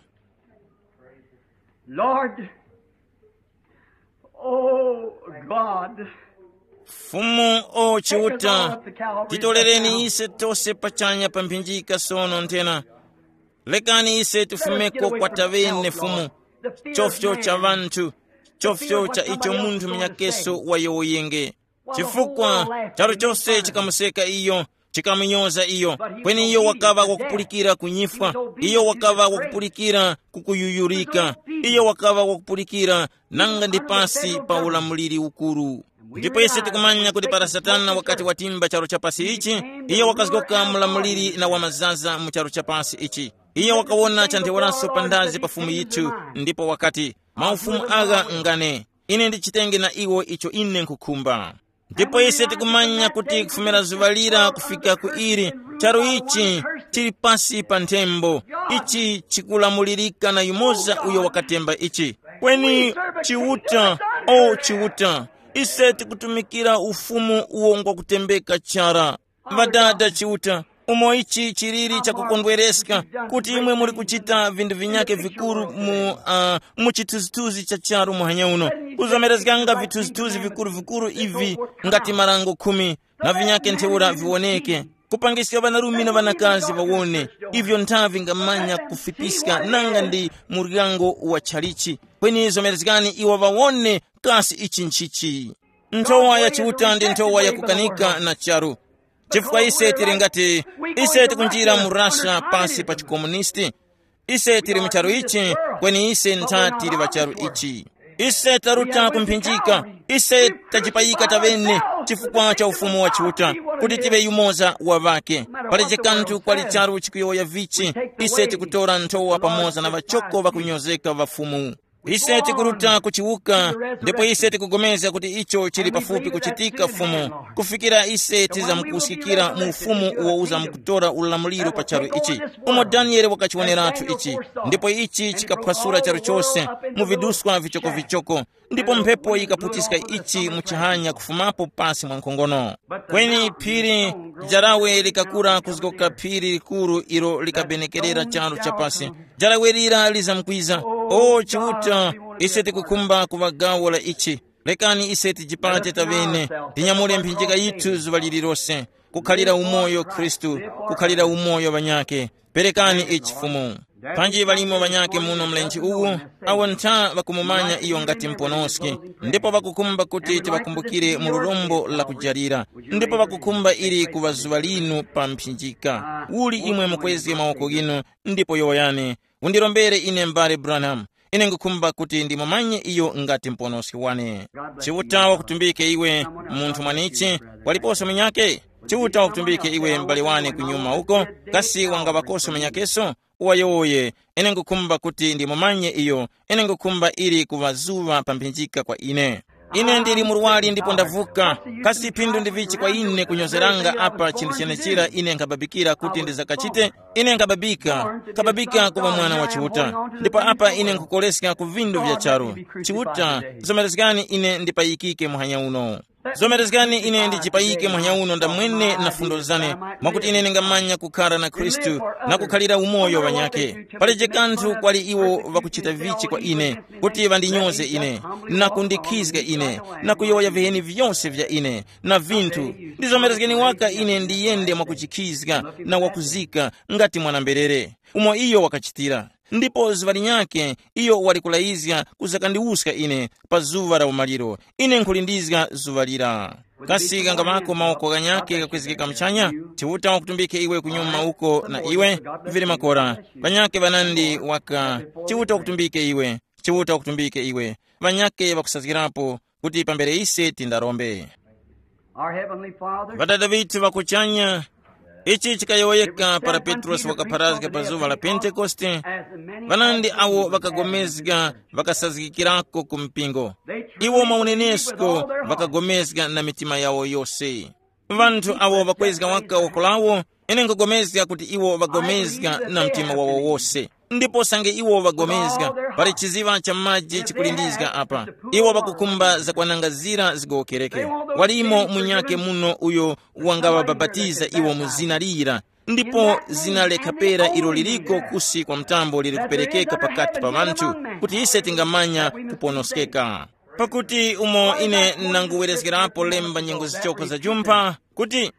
Lord, oh God, Fumu, o Chiuta, titolereni ise tose pachanya pa mphinjika sono nthena. Lekani ise tifumeko kwa tavene Fumu, chofyo cha ŵanthu, chofyo cha icho munthu munyakeso wayowoyenge. Chifukwa charu chose chikamuseka iyo, chikamunyoza iyo, kweni iyo wakaŵa wakupulikira kunyifwa, iyo wakaŵa wakupulikira kukuyuyurika, iyo wakaŵa wakupulikira nanga ndi pasi pa ulamuliri ukuru. Ndipo ise tikumanya kuti para Satana wakati watimba charu cha pasi ichi, iyo wakazgoka mulamuliri na wamazaza mu charu cha pasi ichi. Iyo wakawona chantheuraso pandazi pa Fumu yithu, ndipo wakati, maufumu agha ngane, ine ndichitenge na iwo icho ine nkhukhumba. Ndipo ise tikumanya kuti kufumira zuŵa lira kufika ku ili, charu ichi chili pasi pa nthembo. Ichi chikulamulirika na yumoza uyo wakatemba ichi. Kweni Chiuta, o Chiuta, ise tikutumikira ufumu uwo ngwakutembeka chara. Ŵadada Chiuta, Umo ichi chiliri chakukondwereska, kuti imwe muli kuchita vinthu vinyake vikuru mu, uh, mu chithunzithunzi cha charu muhanya uno, kuzomerezganga vithunzithunzi vikuru vikuru ivi, ngati marango khumi na vinyake ntheura viwoneke, kupangiska ŵanarume na ŵanakazi ŵawone ivyo nthavi ngamanya kufitiska nanga ndi muryango wa tchalichi. Kweni zomerezgani iwo ŵawone kasi ichi nchichi. Nthowa ya Chiuta ndi nthowa yakukanika na charu. Chifukwa ise tili ngati, ise tikunjira mu Russia pasi pa chikomunisti. Ise tili mu charu ichi, kweni ise ntha tili pa charu ichi. Ise taruta kumphinjika. Ise tachipayika tavene chifukwa cha ufumu wa Chiuta, kuti tive yumoza wa ŵake. Palibe kanthu kwali charu chikuyowoya vichi, ise tikutora nthowa pamoza na ŵachoko ŵakunyozeka ŵa Fumu. Ise tikuruta kuchiwuka, ndipo ise tikugomezga kuti icho chili pafupi kuchitika Fumu, kufikira ise tizamkusikira mu ufumu uwo uzamkutora ulamuliro pa charu ichi, umo Daniele wakachiwoneratu ichi. Ndipo ichi chikaphwasula charu chose mu viduswa vichokovichoko, ndipo mphepo yikaputiska ichi mu chihanya kufumapo pasi mwa nkhongono. Kweni phiri, jarawe likakura kuzgoka phiri likuru ilo likabenekerera charu chapasi. Jarawe lira lizamkwiza. O Chiuta, ise tikukhumba kuŵa gawo la ichi. Lekani ise tijipate tavene, tinyamule mphinjika yithu zuŵa lililose, kukhalira umoyo Khristu, kukhalira umoyo ŵanyake. Perekani ichi Fumu. Panji ŵalimo ŵanyake muno mlenje uwu, awo ntha ŵakumumanya iyo ngati Muponoski, ndipo ŵakukhumba kuti tiŵakumbukire mu lurombo la kujalira, ndipo ŵakukhumba ili kuŵa zuŵa linu pa mphinjika. Uli imwe mukwezge mawoko ghinu, ndipo yowoyani, undirombere ine m'bale Branham. Ine ngukhumba kuti ndimumanye iyo ngati Muponoski wane. Chiuta wakutumbike iwe, munthu mwanichi, waliposo munyake? Chiuta wakutumbike iwe m'bale wane kunyuma uko, kasi wangaŵakoso munyakeso? Uwayowoye, ine ngukhumba kuti ndimumanye iyo, ine ngukhumba ili kuŵa zuŵa pa mphinjika kwa ine. Ine ndili murwari ndipo ndavuka. Kasi phindu ndi vichi kwa ine kunyozeranga apa chinthu chenechira ine nkhababikira kuti ndizakachite? Ine nkhababika, nkhababika kuŵa mwana wa Chiuta. Ndipo apa ine nkhukoleska ku vindu vya charu. Chiuta, zomerezgani ine ndipayikike muhanya uno. Zomerezgani ine ndichipayike muhanya uno ndamwene na fundo zane, mwakuti ine ndingamanya kukhara na Khristu na kukhalira umoyo ŵanyake. Palije kanthu kwali iwo ŵakuchita vichi kwa ine, kuti ŵandinyoze ine, na kundikhizga ine, na kuyowoya viheni vyose vya ine, na vinthu. Ndizomerezgeni waka ine ndiyende mwakuchikhizga na wakuzika, ngati mwana-mberere, umo iyo wakachitira. Ndipo zuŵa linyakhe iyo wali kulayizga kuzakandiwuska ine pa zuŵa la umaliro. Ine nkhulindizga zuŵa lira. Kasi kangamako mawoko ghanyakhe ghakwezgeka muchanya? Chiuta wakutumbike iwe kunyuma uko na iwe. Vili makora. Ŵanyakhe ŵanandi waka. Chiuta wakutumbike iwe. Chiuta wakutumbike iwe. Ŵanyakhe ŵakusazgirapo kuti pambere ise tindarombe. Our Heavenly Father, Ŵadada ŵithu ŵakuchanya, ichi chikayowoyeka para Petrosi wakapharazga pa zuŵa la Pentekoste. Ŵanandi awo ŵakagomezga ŵakasazgikirako ku mpingo. Iwo maunenesko ŵakagomezga na mitima yawo yose. Ŵanthu awo ŵakwezga waka woko lawo, ine nkugomezga kuti iwo ŵagomezga na mtima wawo wose. Ndipo sange iwo ŵagomezga, pali chiziŵa cha maji chikulindizga apa. Iwo ŵakukhumba zakwananga zira zigowokereke. Walimo munyakhe muno uyo wangaŵabapatiza iwo mu zina lira. Ndipo zina lekhapera ilo liliko kusi kwa mtambo lili kuperekeka pakati pa ŵanthu, kuti ise tingamanya kuponoskeka. Pakuti umo ine nanguwerezgerapo lemba nyengo zichoko za jumpha, kuti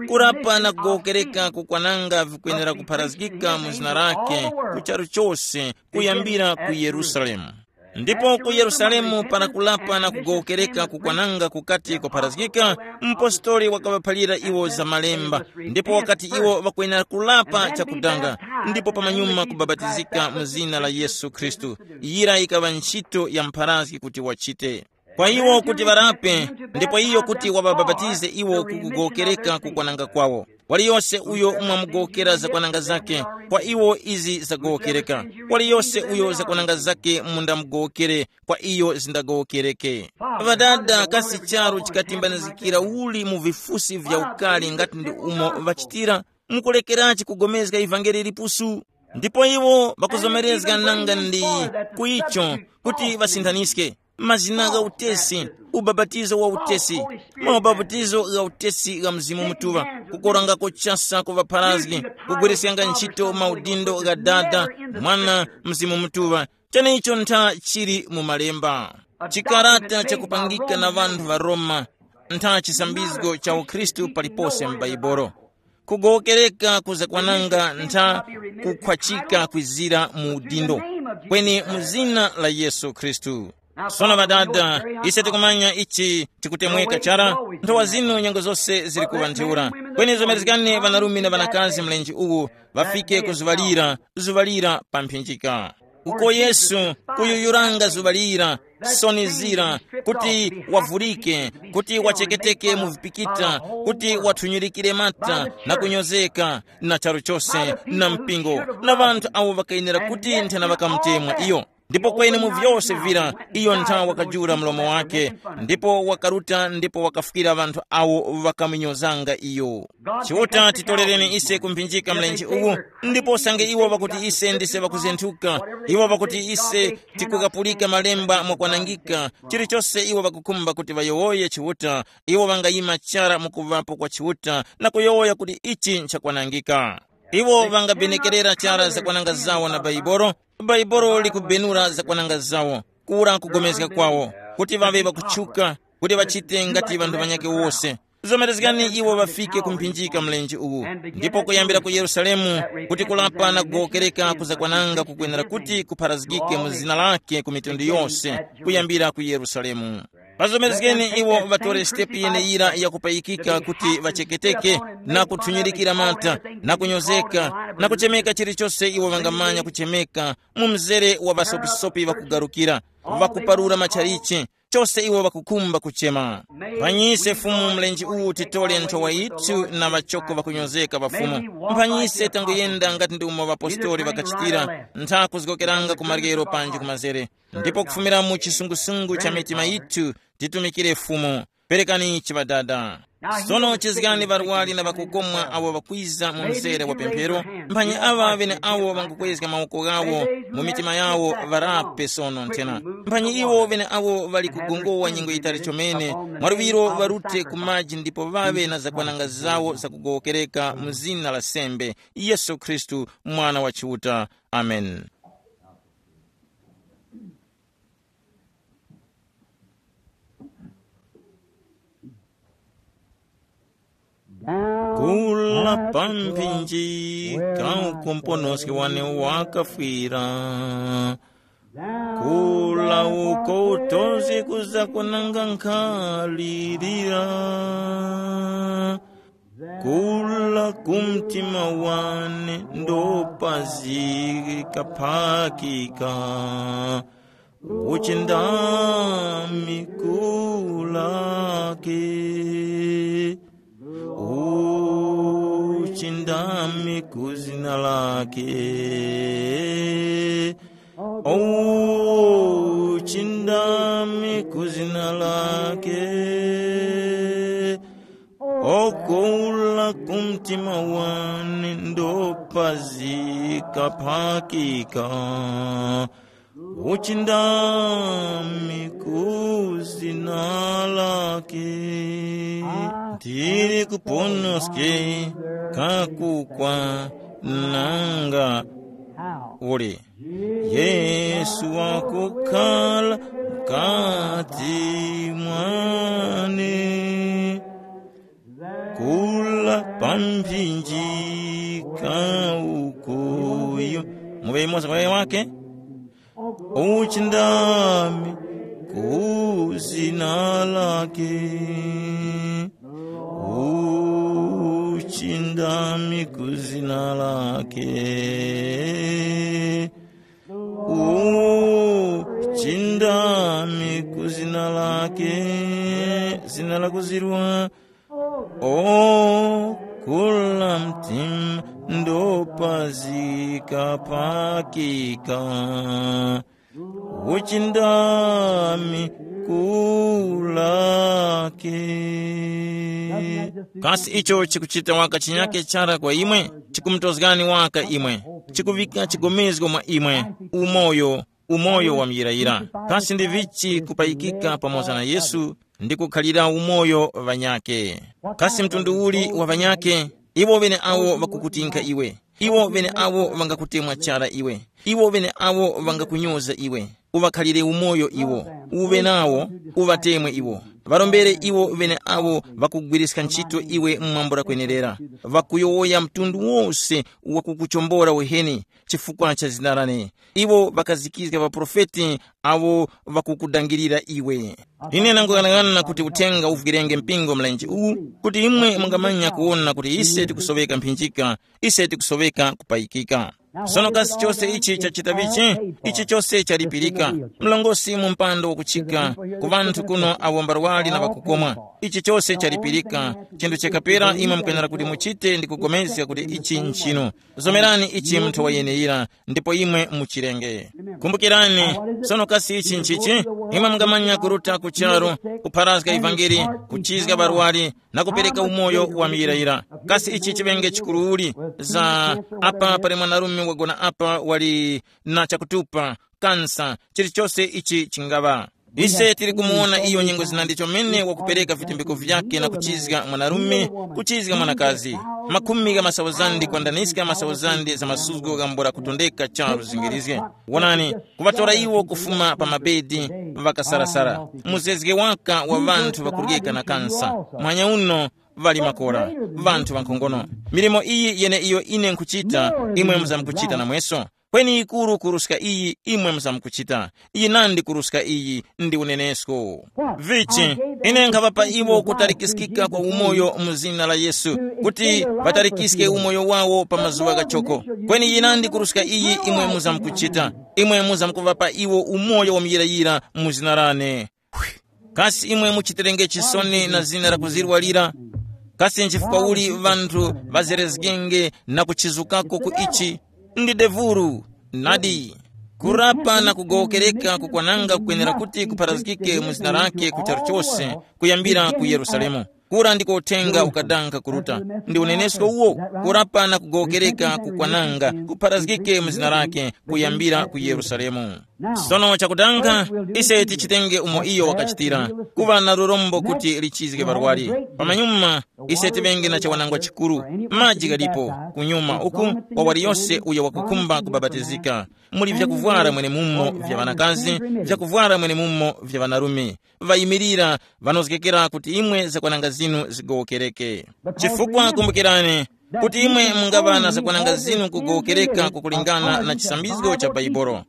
kurapa na kugowokereka kukwananga vikwenera kupharazgika mu zina lake ku charu chose, kuyambira ku Yerusalemu. Ndipo ku Yerusalemu para kulapa na kugowokereka kukwananga kukati kwapharazgika, mpostoli wakaŵaphalira iwo za malemba, ndipo wakati iwo ŵakwenera kulapa chakudanga, ndipo pamanyuma kubabatizika mu zina la Yesu Khristu. Yira yikaŵa ntchito ya mpharazgi kuti wachite. Kwa iwo kuti ŵarape, ndipo iyo kuti waŵabapatize iwo ku kugowokereka kukwananga kwawo. Waliyose uyo mwamugowokera zakwananga zake, kwa iwo izi zagowokereka. Waliyose uyo zakwananga zake mundamugowokere, kwa iyo zindagowokereke. Ŵadada, kasi charu chikatimbanizgikira uli mu vifusi vya ukali ngati ndi umo ŵachitira? Mukulekerachi kugomezga ivangeli lipusu? Ndipo iwo ŵakuzomerezga nanga ndi ku icho kuti ŵasinthanizge. mazina gha utesi, ubapatizo wa utesi, maubapatizo gha utesi gha Mzimu Mutuŵa, kukorangako chasa ku ŵapharazgi, kugwiriskanga ntchito maudindo gha Dada, Mwana, Mzimu Mutuŵa. Cheneicho ntha chili mu Malemba. Chikarata chakupangika na ŵanthu ŵa Roma, ntha chisambizgo cha ukhristu palipose m'Baibolo. Kugowokereka kuzakwananga ntha kukhwachika kwizira mu udindo, kweni mu zina la Yesu Khristu. Sono ŵadada, ise tikumanya ichi chikutemweka chara, nthowa zinu nyengo zose zili kuŵa ntheura. Kweni zomerezgani ŵanarume na ŵanakazi mlenje uwu ŵafike ku zuŵa lira, zuŵa lira pa mphinjika. Uko Yesu kuyuyuranga zuŵa lira, soni zira, kuti wavurike, kuti wacheketeke mu vipikita, kuti wathunyirikire mata na kunyozeka na charu chose na mpingo na ŵanthu awo ŵakayenera kuti nthena ŵakamutemwa iyo. Ndipo kweni mu vyose vira iyo nthawi wakajula mlomo wake, ndipo wakaruta ndipo wakafukira ŵanthu awo ŵakamunyozanga iyo. Chiuta titolereni ise kumphinjika mlenje uwu, ndipo sange iwo ŵakuti ise ndise ŵakuzenthuka, iwo ŵakuti ise tikukapulika malemba mwakwanangika, chilichose iwo ŵakukhumba kuti ŵayowoye Chiuta, iwo ŵangayima chara mukuŵapo kwa Chiuta na kuyowoya kuti ichi nchakwanangika. Iwo ŵangabenekerera chara zakwananga zawo na Baibolo. Baibolo likubenura zakwananga zawo, kura kugomezga kwawo, kuti ŵaŵe ŵakutchuka, kuti ŵachite ngati ŵanthu ŵanyakhe wose. Zomerezgani iwo ŵafike ku mphinjika mlenje uwu, ndipo kuyambira ku Yerusalemu, kuti kulapa na kugowokereka kuzakwananga kukwenera kuti kupharazgike mu zina lake ku mitundu yose, kuyambira ku Yerusalemu. Pazomerezgeni iwo ŵatore sitepu yeneyira yakupayikika kuti ŵacheketeke, na kuthunyirikira mata, na kunyozeka, na kuchemeka chilichose iwo ŵangamanya kuchemeka, mu mzere wa ŵasopisopi ŵakugarukira, ŵakuparura matchalichi, chose iwo ŵakukhumba kuchema. Mphanyise Fumu mlenje uwu titole nthowa yithu na ŵachoko ŵakunyozeka ŵa Fumu. Mphanyise tanguyenda ngati ndi umo ŵapostori ŵakachitira, ntha kuzgokeranga ku maryero panji ku mazere. Ndipo kufumira mu chisungusungu cha mitima yithu, titumikire Fumu. Perekani chiŵadada. Sono chizgani ŵarwari na ŵakukomwa awo ŵakwiza mu mzere wa pemphero. Mphanyi aŵa ŵeneawo ŵangukwezga mawoko ghawo mu mitima yawo, ŵarape sono nthena. Mphanyi iwo ŵeneawo ŵali kugongowa nyengo yitali chomene, mwaluŵiro ŵarute ku maji ndipo ŵaŵe na zakwananga zawo zakugowokereka mu zina la sembe, Yesu Khristu, Mwana wa Chiuta. Amen. Kula pa mphinji, kauko mponoski wane wakafwira. Kula uko utozi kuza kunanga nkhalirira. Kula ku mtima wane ndopazi kaphakika. Uchindami kulake. Uchindami ku zina lake. Uchindami ku zina lake. Okula ku mtima wane ndopazika phakika. Uchindami ku zina lake. Ndiri kuponoske kakukwa nanga uli. Yesu wakukhala mkati mwane. Kula pa mphinji kaukuyu. Muŵe imoza kwa wake. Uchindami ku zina lake. Uchindami ku zina lake. Uchindami ku zina lake. Zina lakuzirwa. O kula mtima ndopazika phakika. Uchindami kulake. Kasi icho chikuchita waka chinyake chara kwa imwe, chikumutozgani waka imwe, chikuvika chigomezgo mwa imwe, umoyo, umoyo wa muyirayira. Kasi ndi vichi kupayikika pamoza na Yesu ndi kukhalira umoyo ŵanyake? Kasi mtundu uli wa ŵanyake? Iwo ŵeneawo ŵakukutinkha iwe, iwo ŵeneawo ŵangakutemwa chara iwe, iwo ŵeneawo ŵangakunyoza iwe. Uŵakhalire umoyo iwo, uŵe nawo, uŵatemwe iwo, ŵarombere iwo ŵeneawo ŵakugwiriska ntchito iwe mu mwambo lakwenerera, ŵakuyowoya mtundu wose wakukuchombora weheni chifukwa cha zina lane. Iwo ŵakazikizga ŵaprofeti awo ŵakukudangirira iwe. Ine ndanguyang'ana kuti uthenga uvwirenge mpingo mlenje uwu, kuti imwe mungamanya kuwona kuti ise tikusoweka mphinjika, ise tikusoweka kupayikika. Sono kasi chose ichi chachita vichi? Ichi chose chalipirika. Mlongosi mu mpando wakuchika ku ŵanthu kuno awo mbarwali na ŵakukomwa. Ichi chose chalipirika. Chinthu chakapera imwe mukwenera kuti muchite ndi kugomezga kuti ichi nchinu. Zomerani ichi munthu wayeneyira, ndipo imwe muchirenge. Kumbukirani, sono kasi ichi nchichi? Imwe mungamanya kuruta ku charu, kupharazga ivangeli, kuchizga barwali, na kupereka umoyo wa muyirayira. Kasi ichi chiŵenge chikuru uli? Za apa pali mwanarume wagona apa wali na chakutupa, kansa, chilichose ichi chingaŵa. Ise tili kumuwona iyo nyengo zina ndicho mene wakupereka vitumbiko vyake na kuchizga mwanarume, kuchizga mwanakazi. Makhumi gha masauzandi kwandaniska masauzandi za masuzgo ghambula kutondeka charu zingirizge. Wonani, kuŵatora iwo kufuma pa mabedi, ŵakasarasara. Muzezge waka wa ŵanthu ŵakuryeka na kansa. Mwanya uno, ŵali makora, ŵanthu ŵankhongono. Milimo iyi yeneiyo ine nkhuchita, imwe muzamkuchita namweso. Kweni yikuru kuruska iyi imwe muzamkuchita. Iyi nandi kuruska iyi ndi unenesko. Vichi, ine nkhaŵapa iwo kutalikiskika kwa umoyo mu zina la Yesu, kuti ŵatalikiske umoyo wawo pa mazuŵa ghachoko. Kweni yinandi kuruska iyi imwe muzamkuchita, imwe muzamkuŵapa iwo umoyo wa muyirayira mu zina lane. Kasi imwe muchitirenge chisoni na zina la kuzirwalira? Kasi nchifukwa uli ŵanthu ŵazerezgenge na kuchizukako ku ichi? Ndi devuru, nadi. Kurapa na kugowokereka kukwananga kukwenera kuti kupharazgike mu zina lake ku charu chose, kuyambira ku Yerusalemu. Kura ndiko uthenga ukadanga kuruta. Ndi unenesko uwo, kurapa na kugowokereka kukwananga kupharazgike mu zina lake kuyambira ku Yerusalemu. Sono chakudanga, ise tichitenge umo iyo wakachitira, kuŵa na lurombo kuti lichizge ŵarwari. Pamanyuma, ise tiŵenge na chawanangwa chikuru, maji ghalipo, kunyuma uku, kwa wali yose uyo wakukhumba kubapatizika. Muli vyakuvwara mwenemumo vya ŵanakazi, vyakuvwara mwenemumo vya ŵanarume. Ŵayimirira, ŵanozgekera kuti imwe zakwananga zinu zigowokereke. Chifukwa kumbukirani, kuti imwe mungaŵa na zakwananga zinu kugowokereka kukulingana na chisambizgo cha Baibolo.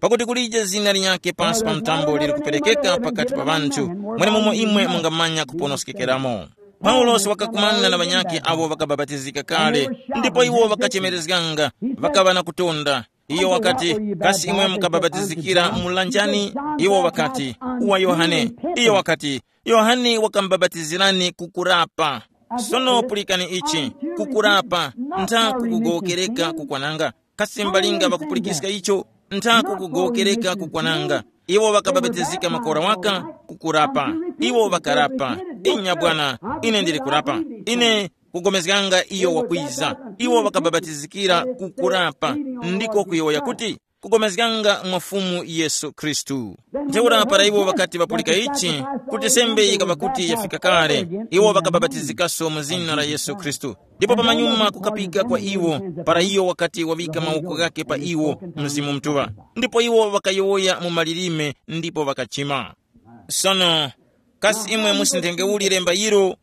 Pakuti kulije zina linyakhe pansi pa mtambo liri kuperekeka pakati pa ŵanthu, mwenemumo imwe mungamanya kuponoskekeramo. Paulosi wakakumana na ŵanyakhe awo ŵakabapatizika kale, ndipo iwo ŵakachemerezganga, ŵakaŵa na kutonda. Iyo wakati, kasi imwe mukabapatizikira mu lanjani? Iwo ŵakati, wa Yohane. Iyo wakati, Yohane wakambapatizirani kukurapa. Sono pulikani ichi, kukurapa, ntha kukugowokereka kukwananga. Kasi mbalinga ŵakupulikiska icho? Ntha kukugowokereka kukwananga. Iwo ŵakabapatizika makora waka, kukurapa. Iwo ŵakarapa. Inya bwana, ine ndili kurapa. Ine kugomezganga iyo wakwiza. Iwo ŵakabapatizikira kukurapa, ndiko kuyowoya kuti, kugomezganga mwa Fumu Yesu Khristu. Ntheura para iwo ŵakati ŵapulika ichi, kuti sembe yikaŵa kuti yafika kale, iwo ŵakabapatizikaso mu zina la Yesu Khristu. Ndipo pamanyuma kukapika kwa iwo, para iyo wakati waŵika mawoko ghake pa iwo, Mzimu Mutuŵa. Ndipo iwo ŵakayowoya mu malilime ndipo ŵakachima. Sono, kasi imwe musinthenge uli lemba ilo?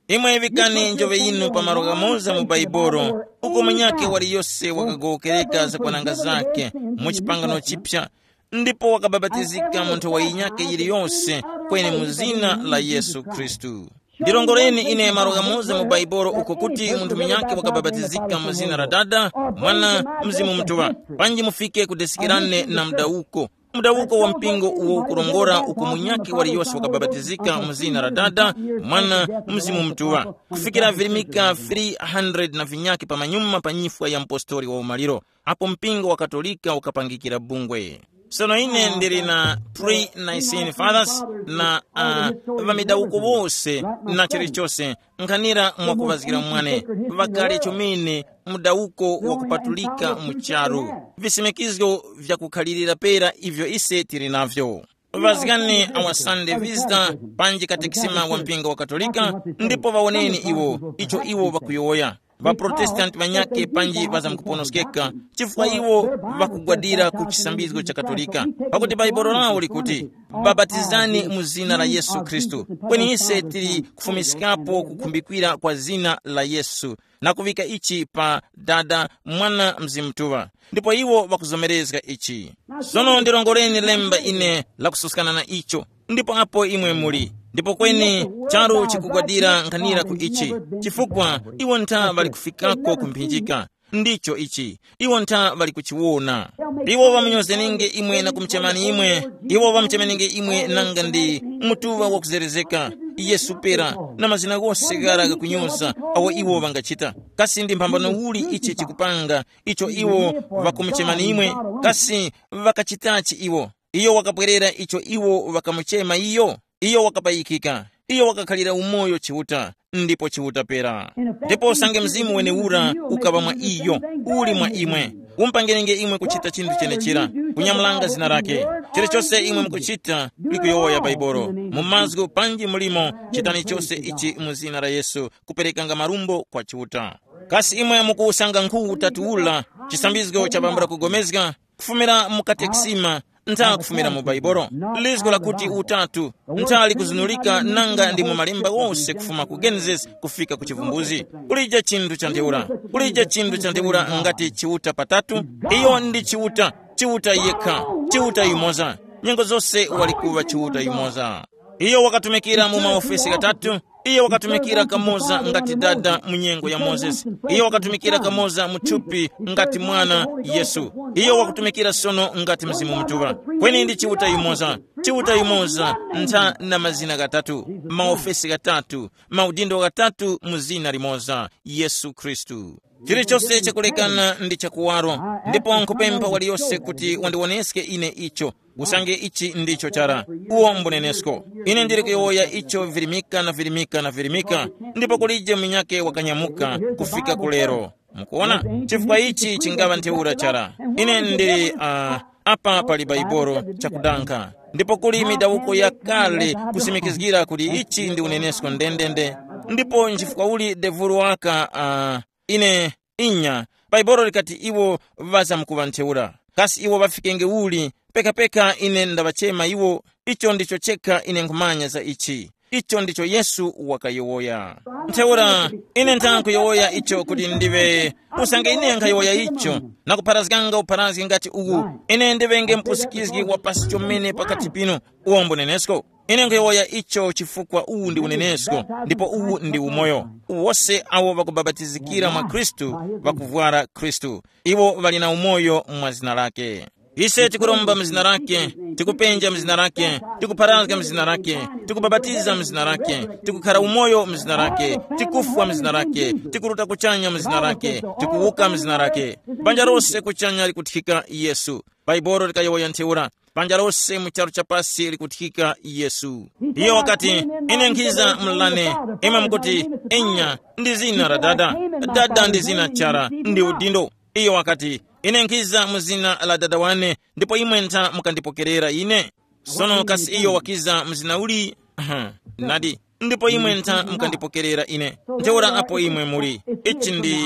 Imwe vikani njoŵe yinu pa malo ghamoza mu Baibolo, uko munyakhe waliyose wakagowokereka zakwananga zakhe mu chipangano chipya, ndipo wakabapatizika mu nthowa yinyakhe yiliyose kweni mu zina la Yesu Khristu. Ndilongoleni ine malo ghamoza mu Baibolo uko kuti munthu munyakhe wakabapatizika mu zina la Dada, Mwana, Mzimu Mutuŵa. Panji mufike kudesikirane na mudawuko. Mudawuko wa mpingo uwo ukurongora uku munyakhe waliyose wakabapatizika mu zina la Dada, Mwana, Mzimu Mutuŵa. Kufikira virimika three hundred na vinyakhe pamanyuma pa nyifwa ya mpostori wa umaliro, apo mpingo wa Katolika ukapangikira bungwe. Sono ine ndili na pre-Nicene Fathers na uh, ŵamidawuko wose na chilichose nkhanira mwakuŵazgira mwane ŵakale chomene mudawuko wakupatulika mu charu, visimikizgo vyakukhalirira pera ivyo ise tili navyo. Ŵazgani awa Sunday visitor panji katekisima wa mpingo wa Katolika, ndipo ŵawoneni iwo icho iwo ŵakuyowoya. Ŵaprotestanti ŵanyakhe panji ŵazamkuponoskeka chifukwa iwo ŵakugwadira ku chisambizgo cha Katolika, pakuti Bhaibuli lawo likuti, babatizani mu zina la Yesu Khristu. Kweni ise tili kufumiskapo kukhumbikira kwa zina la Yesu na kuŵika ichi pa Dada, Mwana, Mzimu Mutuŵa. Ndipo iwo ŵakuzomerezga ichi. Sono ndirongoreni lemba ine lakususkana na icho. Ndipo apo imwe muli, ndipo kweni charu chikugwadira nkhanira ku ichi, chifukwa iwo ntha ŵali kufikako ku mphinjika. Ndicho ichi, iwo ntha ŵali kuchiwona. Iwo ŵamunyozenenge imwe na kumuchemani imwe. Iwo ŵamuchemenenge imwe nanga ndi mutuŵa wakuzerezeka, Yesu pera, na mazina ghose ghara ghakunyoza awo iwo ŵangachita. Kasi ndi mphambano uli ichi chikupanga icho iwo ŵakumuchemani imwe? Kasi ŵakachitachi iwo? Iyo wakapwerera icho iwo ŵakamuchema iyo. Iyo wakapayikika. Iyo wakakhalira umoyo Chiuta, ndipo Chiuta pera. Ndipo usange Mzimu wenewura ukaŵa mwa iyo, uli mwa imwe, umpangiringe imwe kuchita chinthu chenechira, kunyamulanga zina lake. Chilichose imwe mukuchita likuyowoya Bhaibuli, mu mazgu panji mulimo, chitani chose ichi mu zina la Yesu, kuperekanga marumbo kwa Chiuta. Kasi imwe mukuwusanga nkhu utatu ula, chisambizgo cha bambula kugomezga, kufumira mu katekisima, ntha kufumira mu Bhaibuli. Lizgo lakuti utatu ntha likuzunulika nanga ndi mu malemba ghose kufuma ku Genesis kufika ku Chivumbuzi. Kulije chinthu cha ntheura. Kulije chinthu cha ntheura ngati Chiuta patatu. Iyo ndi Chiuta, Chiuta yekha, Chiuta yumoza. Nyengo zose wali kuŵa Chiuta yumoza. Iyo wakatumikira mu maofesi ghatatu. Iyo wakatumikira kamoza ngati dada mu nyengo ya Mozesi. Iyo wakatumikira kamoza mu thupi ngati mwana Yesu. Iyo wakutumikira sono ngati Mzimu Mutuŵa. Kweni ndi Chiuta yumoza. Chiuta yumoza ntha na mazina ghatatu, maofesi ghatatu, maudindo ghatatu mu zina limoza, Yesu Khristu. Chilichose chakulekana ndi chakuwaro, ndipo nkupempha waliyose kuti wandiwoneske ine icho. Usange ichi ndicho chara, uwo mbunenesko. Ine ndili kuyowoya icho virimika na virimika na virimika, ndipo kulije munyakhe wakanyamuka kufika ku lero. Mukuona? Chifukwa ichi chingaŵa ntheura chara. Ine ndili uh, apa pali Baibolo chakudankha. Ndipo kuli midawuko yakale kusimikizgira kuti ichi ndi unenesko ndendende. Ndipo nchifukwa uli devulu waka uh, ine inya, Baibolo likati iwo ŵazamkuŵa ntheura. Kasi iwo ŵafikenge uli? Pekapeka ine ndaŵachema iwo. Icho ndicho chekha ine nkhumanya za ichi. Icho ndicho Yesu wakayowoya. Ntheura ine ntha nkuyowoya icho kuti ndiwe, usange ine nkhayowoya icho, na kupharazganga upharazgi ngati uwu, ine ndiŵenge mpusikizgi wa pasi chomene pakati pinu. Uwombo nenesko. Ine nkhuyowoya icho chifukwa uwu ndi unenesko, ndipo uwu ndi umoyo. Wose awo ŵakubapatizikira mwa Khristu ŵakuvwara Khristu. Iwo ŵali na umoyo mwa zina lake. Ise tikuromba mu zina lake, tikupenja mu zina lake, tikupharazga mu zina lake, tikubapatiza mu zina lake, tikukhara umoyo mu zina lake, tikufwa mu zina lake, tikuruta kuchanya mu zina lake, tikuwuka mu zina lake. Banja lose kuchanya likuthika Yesu. Bhaibuli likayowoya ntheura. Panja lose mu charu cha pasi likuthika Yesu. Iyo wakati, ine nkhiza mlane. Imwe mukuti, enya, ndi zina la Dada. Dada ndi zina chara, ndi udindo. Iyo wakati, ine nkhiza mu zina la Dada wane, ndipo imwe ntha mukandipokerera ine. Sono kasi iyo wakiza mu zina uli? Aha, nadi, ndipo imwe ntha mukandipokerera ine. Ntheura apo imwe muli, ichi ndi,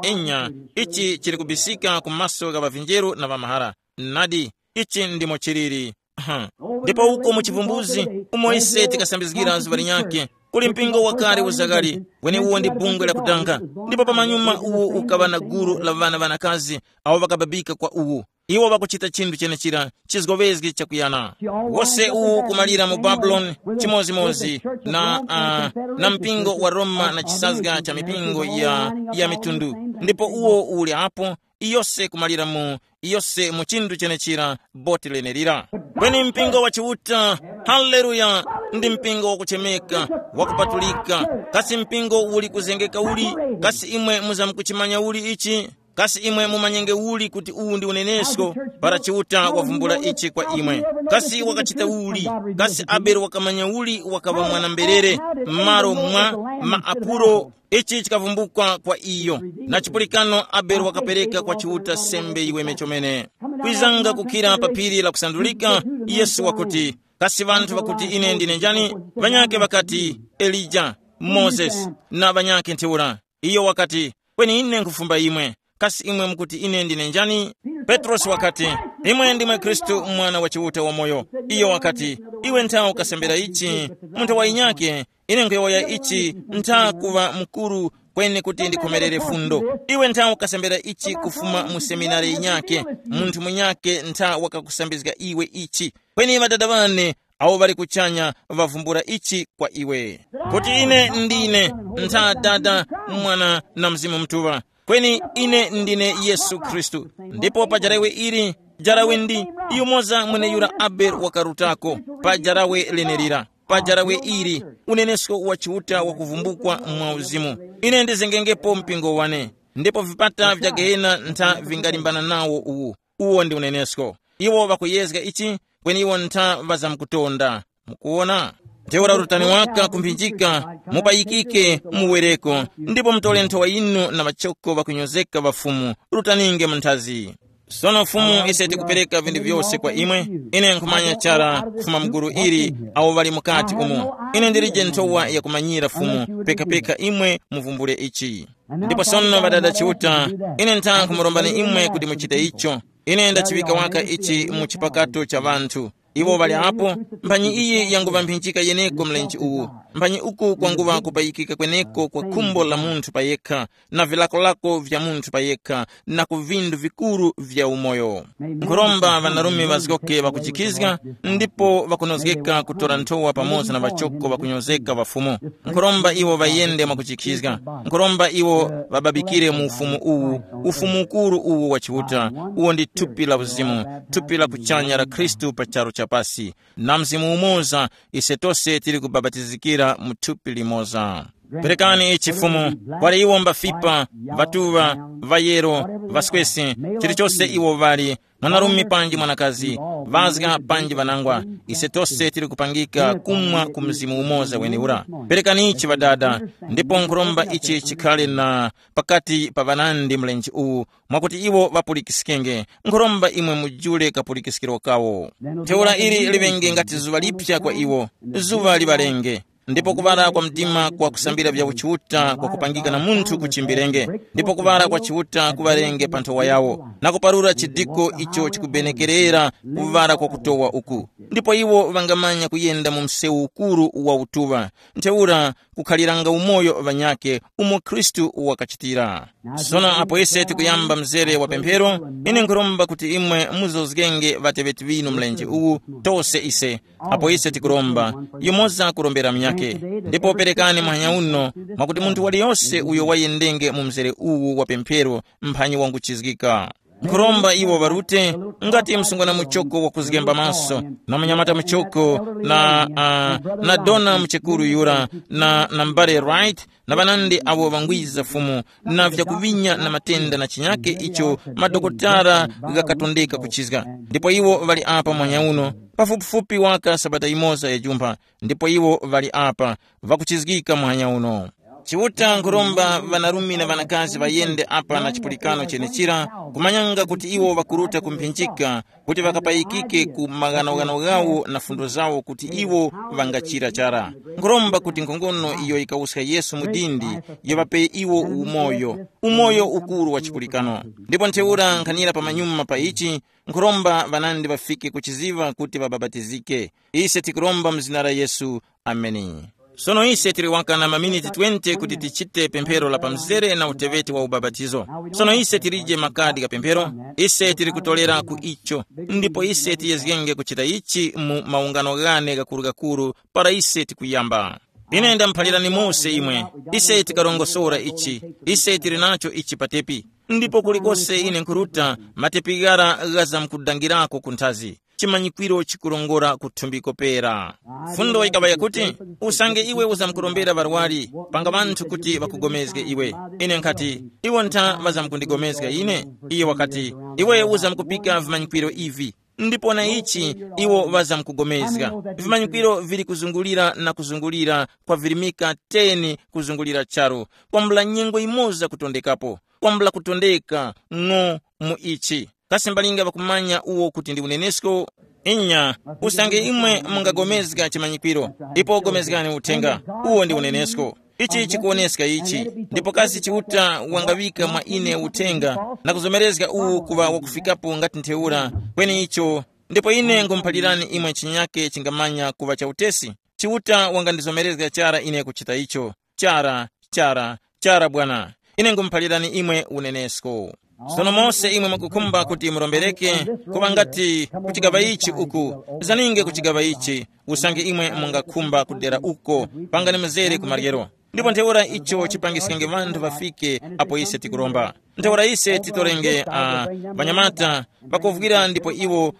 enya, ichi chili kubisika ku maso gha ŵavinjeru na ŵamahara. Nadi, ichi ndimo chiliri. Aha. Ndipo uko mu chivumbuzi, umo ise tikasambizgira zuŵa linyakhe, kuli mpingo wakale uzakali, kweni uwo ndi bungwe la kudanga. Ndipo pamanyuma uwo ukaŵa na gulu la ŵana ŵanakazi awo ŵakababika kwa uwu. Iwo ŵakuchita chinthu chenechira chizgoŵezgi chakuyana. Wose uwu kumalira mu Babuloni chimodzimodzi na, uh, na mpingo wa Roma na chisazga cha mipingo ya, ya mitundu. Ndipo uwo uli apo, iyose kumalira mu iyose mu chinthu chenechira boti lenelira. Kweni mpingo wa Chiuta, haleluya, ndi mpingo wakuchemeka, wakupatulika. Kasi mpingo uli kuzengeka uli? Kasi imwe muzamkuchimanya uli ichi? Kasi imwe mumanyenge uli kuti uwu ndi unenesko? Para Chiuta wavumbula ichi kwa imwe, kasi wakachita uli? Kasi Abele wakamanya uli wakaŵa mwana-mberere? M'malo mwa maapulo, ichi chikavumbukwa kwa iyo. Na chipulikano Abele wakapereka kwa Chiuta sembe yiweme chomene. Kwizanga kukhira pa phiri la kusandulika, Yesu wakuti, kasi ŵanthu ŵakuti ine ndine njani? Ŵanyakhe ŵakati, Elija, Mozesi, na ŵanyakhe ntheura. Iyo wakati, kweni ine nkhufumba imwe. Kasi imwe mukuti ine ndine njani? Petrosi wakati, imwe ndimwe Khristu, Mwana wa Chiuta wamoyo. Iyo wakati, iwe ntha ukasembera ichi, munthu wa inyake, ine nkhuyowoya ichi, ntha kuŵa mukuru kweni kuti ndikhomerere fundo. Iwe ntha ukasembera ichi kufuma mu seminari inyake, munthu munyake ntha wakakusambizga iwe ichi. Kweni ŵadada ŵane awo ŵali kuchanya ŵavumbula ichi kwa iwe, kuti ine ndine ntha Dada, Mwana na Mzimu Mutuŵa. Kweni ine ndine Yesu Khristu. Ndipo pa jarawe ili, jarawe ndi yumoza mweneyura Abele wakarutako, pa jarawe lenelira, pa jarawe ili, unenesko wa Chiuta wakuvumbukwa mwa uzimu. Ine ndizengengepo mpingo wane, ndipo vipata vya gehena ntha vingalimbana nawo uwu. Uwo ndi unenesko. Iwo ŵakuyezga ichi, kweni iwo ntha ŵazamkutonda. Mukuwona? Ntheura rutani waka kumphinjika, mupayikike muwereko, ndipo mutole nthowa yinu na machoko ŵakunyozeka ŵa Fumu, rutaninge mu nthazi. Sono Fumu, ise tikupereka vinthu vyose kwa imwe. Ine nkhumanya chara kufuma mgulu ili awo ŵali mukati umo. Ine ndilije nthowa yakumanyira Fumu, pekapeka imwe muvumbule ichi. Ndipo sono ŵadada Chiuta, ine ntha nkumurombani imwe kuti muchite icho. Ine ndachiŵika waka ichi mu chipakato cha ŵanthu. Iwo ŵali apo, mphanyi iyi yanguŵa mphinjika yeneko mlenje uwu. Mphanyi uku kwanguŵa kupayikika kweneko kwa khumbo la munthu payekha, na vilakolako vya munthu payekha, na ku vindu vikuru vya umoyo. Nkhuromba ŵanarume ŵazgoke ŵakujikhizga, ndipo ŵakunozgeka kutora nthowa pamoza na ŵachoko ŵakunyozeka ŵa Fumu. Nkhuromba iwo ŵayende mwakujikhizga. Nkhuromba iwo ŵababikire mu ufumu uwu, ufumu ukuru uwu wa Chiuta, uwo ndi thupi la uzimu, thupi la kuchanya la Khristu pa charu cha pasi. Na Mzimu umoza, ise tose tili kubapatizikira mu thupi limoza. Perekani ichi Fumu, kwali iwo mbafipa, ŵatuŵa, ŵayero, ŵaswesi, chilichose iwo ŵali, mwanarume panji mwanakazi, ŵazga panji ŵanangwa, ise tose tili kupangika kumwa ku Mzimu umoza weniura. Perekani ichi ŵadada, ndipo nkhuromba ichi chikhale na pakati pa ŵanandi mlenje uwu, mwakuti iwo ŵapulikiskenge. Nkhuromba imwe mujule kapulikiskiro kawo. Ntheura ili liŵenge ngati zuŵa lipya kwa iwo, zuŵa liŵalenge. Ndipo kuŵala kwa mdima kwa kusambira vya uchiuta kwa kupangika na munthu kuchimbirenge, ndipo kuŵala kwa chiuta kuŵarenge pa nthowa yawo, na kuparura chidiko icho chikubenekerera kuŵala kwa kutowa uku. Ndipo iwo ŵangamanya kuyenda mu msewu ukuru wa utuŵa. Ntheura kukhaliranga umoyo ŵanyakhe umo Khristu wakachitira. Sono apo ise tikuyamba mzere wa pemphero, ine nkhuromba kuti imwe muzozgenge ŵateŵeti ŵinu mlenje uwu, tose ise, apo ise tikuromba, yumoza kurombera munyakhe. Ndipo perekani muhanya uno, mwakuti munthu waliyose uyo wayendenge mu mzere uwu wa pemphero, mphanyi wanguchizgika. Nkhuromba iwo ŵarute, ngati msungwana muchoko wakuzgemba maso, na munyamata muchoko, na, uh, na dona muchekuru yura, na, na mbale Wright, na ŵanandi awo ŵangwiza Fumu, na vyakuvinya na matenda na chinyake icho madokotala ghakatondeka kuchizga. Ndipo iwo ŵali apa muhanya uno, pafupifupi waka sabata imoza ya jumpha, ndipo iwo ŵali apa, ŵakuchizgika muhanya uno. Chiuta nkhuromba ŵanarume na ŵanakazi ŵayende apa na chipulikano chenechira, kumanyanga kuti iwo ŵakuruta kumphinjika, kuti ŵakapayikike ku maghanoghano ghawo na fundo zawo kuti iwo ŵangachira chara. Nkhuromba kuti nkhongono iyo yikawuska Yesu mu dindi, yiŵape iwo umoyo, umoyo ukuru wa chipulikano. Ndipo ntheura nkhanira pamanyuma pa ichi, nkhuromba ŵanandi ŵafike kuchiziŵa kuti ŵabapatizike. Ise tikuromba mu zina la Yesu. Ameni. Sono ise tili waka na maminiti twenty kuti tichite pemphero la pamzere na uteweti wa ubapatizo. Sono ise tilije makadi gha pemphero, ise tili kutolera ku icho, ndipo ise tiyezgenge kuchita ichi mu maungano ghane ghakurugakuru para ise tikuyamba. Ine ndamuphalirani mose imwe, ise tikarongosora ichi, ise tili nacho ichi patepi, ndipo kulikose ine nkhuruta, matepi ghara ghazamkudangirako ku nthazi. chimanyikwiro chikurongora kuthumbiko pera. Fundo yikaŵa yakuti, usange iwe uzamkurombera ŵarwari, panga ŵanthu kuti ŵakugomezge iwe. Ine nkhati, iwo ntha ŵazamkundigomezga ine? Iye wakati, iwe uzamkupika vimanyikwiro ivi, ndipo na ichi iwo ŵazamkugomezga. Vimanyikwiro vili kuzungulira na kuzungulira kwa virimika teni kuzungulira charu, kwambula nyengo imoza kutondekapo, kwambula kutondeka ng'o mu ichi. Kasi mbalinga ŵakumanya uwo kuti ndi unenesko? Inya, usange imwe mungagomezga chimanyikwiro, ipo gomezgani uthenga, uwo ndi unenesko. Ichi chikuwoneska ichi, ndipo kasi Chiuta wangaŵika mwa ine uthenga na kuzomerezga uwu kuŵa wakufikapo ngati ntheura, kweni icho, ndipo ine nkhumuphalirani imwe chinyake chingamanya kuŵa cha utesi. Chiuta wangandizomerezga chara ine kuchita icho. Chara, chara, chara bwana. Ine nkhumuphalirani imwe unenesko. Sono mose imwe mukukhumba kuti murombereke, kuŵa ngati kuchigaŵa ichi uku, zaninge kuchigaŵa ichi, usange imwe mungakhumba kudera uko, pangani mzere ku maryero. Ndipo ntheura icho chipangiskenge ŵanthu ŵafike apo ise tikuromba. Ntheura ise titorenge uh, ŵanyamata, ŵakovwira ndipo iwo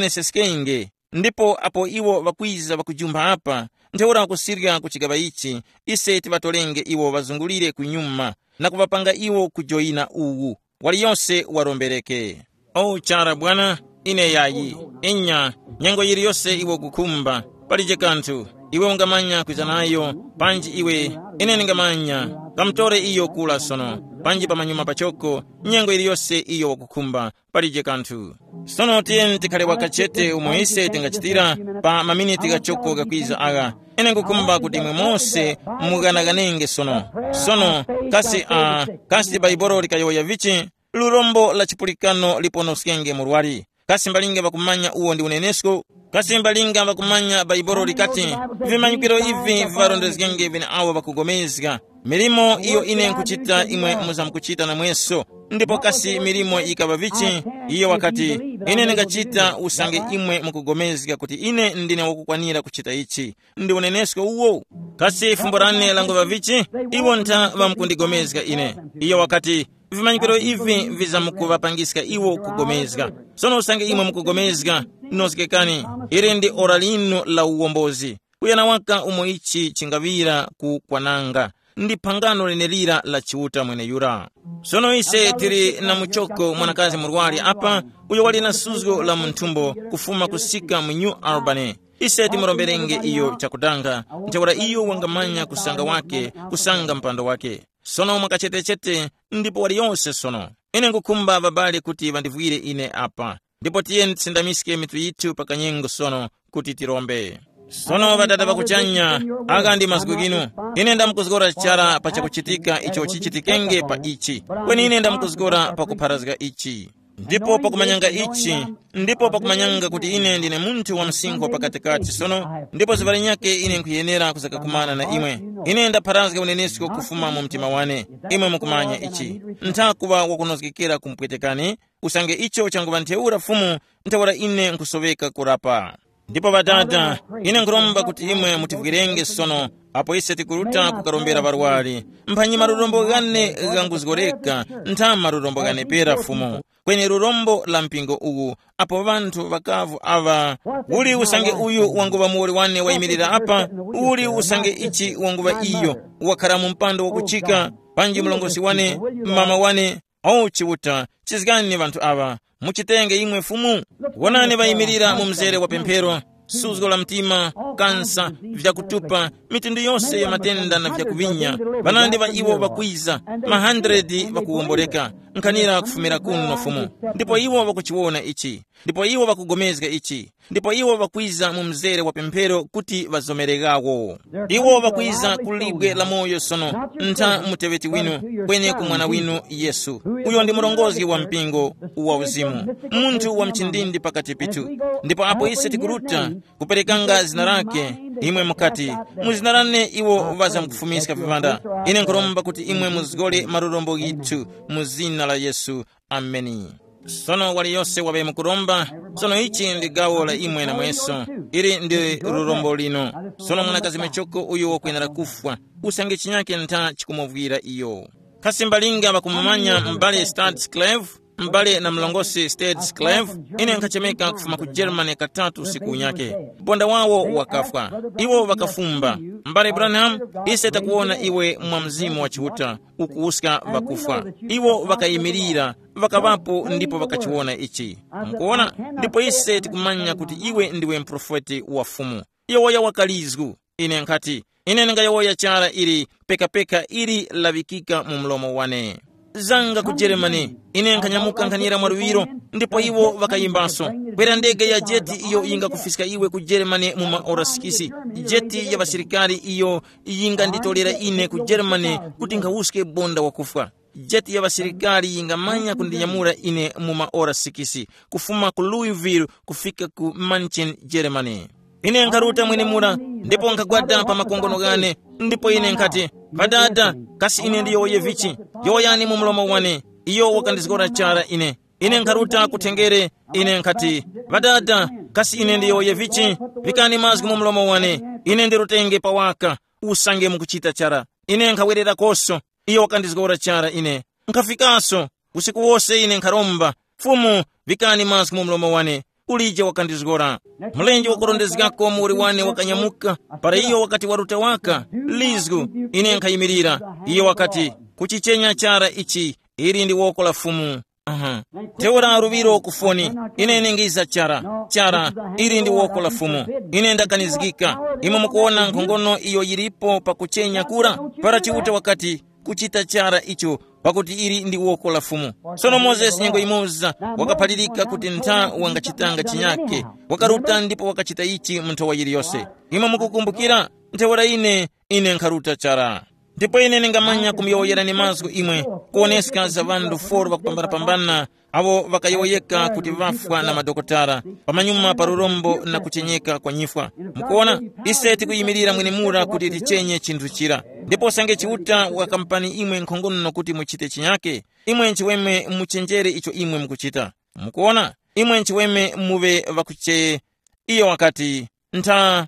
ŵawoneseskenge. Ndipo apo iwo ŵakwiza ŵakujumba apa, ntheura kusirya ku chigaŵa ichi, ise tiŵatorenge iwo ŵazungulire kunyuma, na kuŵapanga iwo kujoyina uwu. Waliyose warombereke. O chara bwana, ine yayi. Inya, nyengo yiliyose iwe kukhumba, palije kanthu. Iwe ungamanya kwiza nayo, panji iwe, ine ndingamanya. Kamutore iyo kula sono, panji pamanyuma pachoko, nyengo yiliyose iyo wakukhumba, palije kanthu. Sono tiyeni tikhale wakachete umo ise tingachitira pa maminiti ghachoko ghakwiza agha. Ine nkukhumba kuti imwe mose mughanaghanenge sono. Sono, kasi uh, kasi Baibolo likayowoya vichi? Lurombo la chipulikano liponoskenge murwari. Kasi mbalinga ŵakumanya uwo ndi unenesko? Kasi mbalinga ŵakumanya Baibolo likati, vimanyikiro ivi viŵarondezgenge ŵeneawo ŵakugomezga? Milimo iyo ine nkuchita imwe muzamkuchita namweso. Ndipo kasi milimo yikaŵa vichi? Iyo wakati, ine ndingachita usange imwe mukugomezga kuti ine ndine wakukwanira kuchita ichi. Ndi unenesko uwo. Kasi fumbo lane languŵa vichi? Iwo ntha ŵamkundigomezga ine. Iyo wakati, vimanyikiro ivi vizamkuŵapangiska iwo kugomezga. Sono usange imwe mukugomezga, nozgekani. Ili ndi ora linu la uwombozi. Kuyana waka umo ichi chingaŵira ku kwananga, ndi phangano lenelira la Chiuta mweneyura. Sono ise tili na muchoko mwanakazi murwari apa, uyo wali na suzgo la munthumbo kufuma kusika mu New Albany. Ise timuromberenge iyo chakutanga, ntheura iyo wangamanya kusanga wake, kusanga mpando wake. Sono mwakachetechete, ndipo wali yonse sono. Ine ngukhumba babale kuti ŵandivwire ine apa. Ndipo tiyeni tisindamiske mitu yithu pa kanyengo sono kuti tirombe. Sono ŵadada ŵakuchanya, aka ndi mazgu ghinu. Ine ndamkuzgora chara pa chakuchitika icho chichitikenge pa ichi. Kweni ine ndamkuzgora pa kupharazga ichi. Ndipo pakumanyanga ichi, ndipo pakumanyanga kuti ine ndine munthu wa msinkhu wa pakatikati sono, ndipo zuŵa linyakhe ine nkhuyenera kuzakakumana na imwe. Ine ndapharazga unenesko kufuma mu mtima wane. Imwe mukumanya ichi. Nthakuŵa wakunozgekera kumpwetekani, usange icho changuŵa ntheura Fumu, ntheura ine nkhusoweka kurapa. Ndipo Ŵadada, ine nkhuromba kuti imwe mutivwirenge sono, apo ise tikuruta kukarombera ŵarwari. Mphanyi marurombo ghane ghanguzgoreka, ntha marurombo ghane pera Fumu. Kweni lurombo la mpingo uwu, apo ŵanthu ŵakavu aŵa, uli usange uyu wanguŵa muwoli wane wayimirira apa, uli usange ichi wanguŵa iyo, wakhara mu mpando wakuchika, panji mlongosi wane, mama wane, O Chiuta, chizgani ŵanthu aŵa, muchitenge imwe Fumu. Wonani ŵayimirira mu mzere wa pemphero, suzgo la mtima, kansa, vyakutupa, mitundu yose ya matenda na vyakuvinya. Ŵanandi ŵa iwo ŵakwiza, ma hundred ŵakuwomboreka, nkhanira kufumira kuno Fumu. Ndipo iwo ŵakuchiwona ichi, ndipo iwo ŵakugomezga ichi. Ndipo iwo ŵakwiza mu mzere wa pemphero kuti ŵazomereghawo. Iwo ŵakwiza ku libwe la moyo sono, ntha muteŵeti winu, kweni ku mwana winu Yesu, uyo ndi murongozgi wa mpingo wa uzimu, munthu wa mchindindi pakati pithu. Ndipo apo ise tikuruta kuperekanga zina lake, imwe mukati, mu zina lane iwo ŵazamkufumiska viŵanda. Ine nkhuromba kuti imwe muzgole malurombo ghithu mu zina la Yesu. Ameni. Sono waliyose waŵe mukuromba, sono ichi ndi gawo la imwe namweso, ili ndi lurombo lino. Sono mwanakazi mechoko uyo wakwenera kufwa, usange chinyake ntha chikumuvwira iyo. Kasi mbalinga ŵakumumanya m'bale Stansclave? M'bale na mlongosi Sted Sclave, ine nkhachemeka kufuma ku Germany katatu usiku unyake. Bonda wawo wakafwa. Iwo ŵakafumba. M'bale Branham, ise takuwona iwe mwa Mzimu wa Chiuta ukuwuska ŵakufwa. Iwo ŵakayimirira, ŵakaŵapo ndipo ŵakachiwona ichi. Mukuwona? Ndipo ise tikumanya kuti iwe ndiwe mprofeti wa Fumu. Yowoya wakalizgu. Ine nkhati, ine ndingayowoya chara ili pekapeka ili laŵikika mu mlomo wane. Zanga ku Jeremani, ine nkhanyamuka nkhanira mwaluŵiro, ndipo iwo ŵakayimbaso, kwera ndege ya jeti iyo yingakufiska iwe ku Jeremani mu maora sikisi. Jeti ya ŵasilikari iyo yinganditolera ine ku Jeremani kuti nkhawuske bonda wakufwa. Jeti ya ŵasilikari yingamanya kundinyamula ine mu maora sikisi, kufuma ku Louisville kufika ku München, Germany. Ine nkharuta mwenemura, ndipo nkhagwada pa makongono ghane, ndipo ine nkhati, "Ŵadada, kasi ine ndiyowoye vichi? Yowoyani mu mlomo wane." Iyo wakandizgora chara ine. Ine nkharuta kuthengere, ine nkhati, "Ŵadada, kasi ine ndiyowoye vichi? Vikani mazgu mu mlomo wane, ine ndirutenge pawaka, usange mukuchita chara." Ine nkhawererakoso, iyo wakandizgora chara ine. Nkhafikaso, usiku wose ine nkharomba, "Fumu, vikani mazgu mu mlomo wane." Ulije wakandizgora. Mlenje wakurondezgako muwoli wane wakanyamuka, para iyo wakati waruta waka, lizgu, ine nkhayimirira. Iyo wakati, "Kuchichenya chara ichi, ili ndi woko la Fumu." Aha. Ntheura luŵiro ku foni, ine ningiza chara, chara, ili ndi woko la Fumu. Ine ndakanizgika. Imwe mukuwona nkhongono iyo yilipo pakuchenya kura? Para Chiuta wakati, "Kuchita chara icho, pakuti ili ndi woko la Fumu." Sono Mozesi nyengo yimoza wakaphalirika kuti ntha wangachitanga chinyake, wakaruta ndipo wakachita ichi mu nthowa yiliyose. Imwe mukukumbukira, ntheura ine, ine nkharuta chara. Ndipo ine ningamanya kumuyowoyerani mazgu imwe, kuwoneska za ŵanthu foro ŵakupambanapambana, awo ŵakayowoyeka kuti ŵafwa na madokotala, pamanyuma pa lurombo na kuchenyeka kwa nyifwa. Mukuona, ise tikuyimirira mwenemura kuti tichenye chinthu chira. Ndipo usange Chiuta wakampani imwe nkhongono kuti muchite chinyake, imwe nchiweme muchenjere icho imwe mukuchita. Mukuona, imwe nchiweme muŵe ŵakuche. Iyo wakati, "Ntha."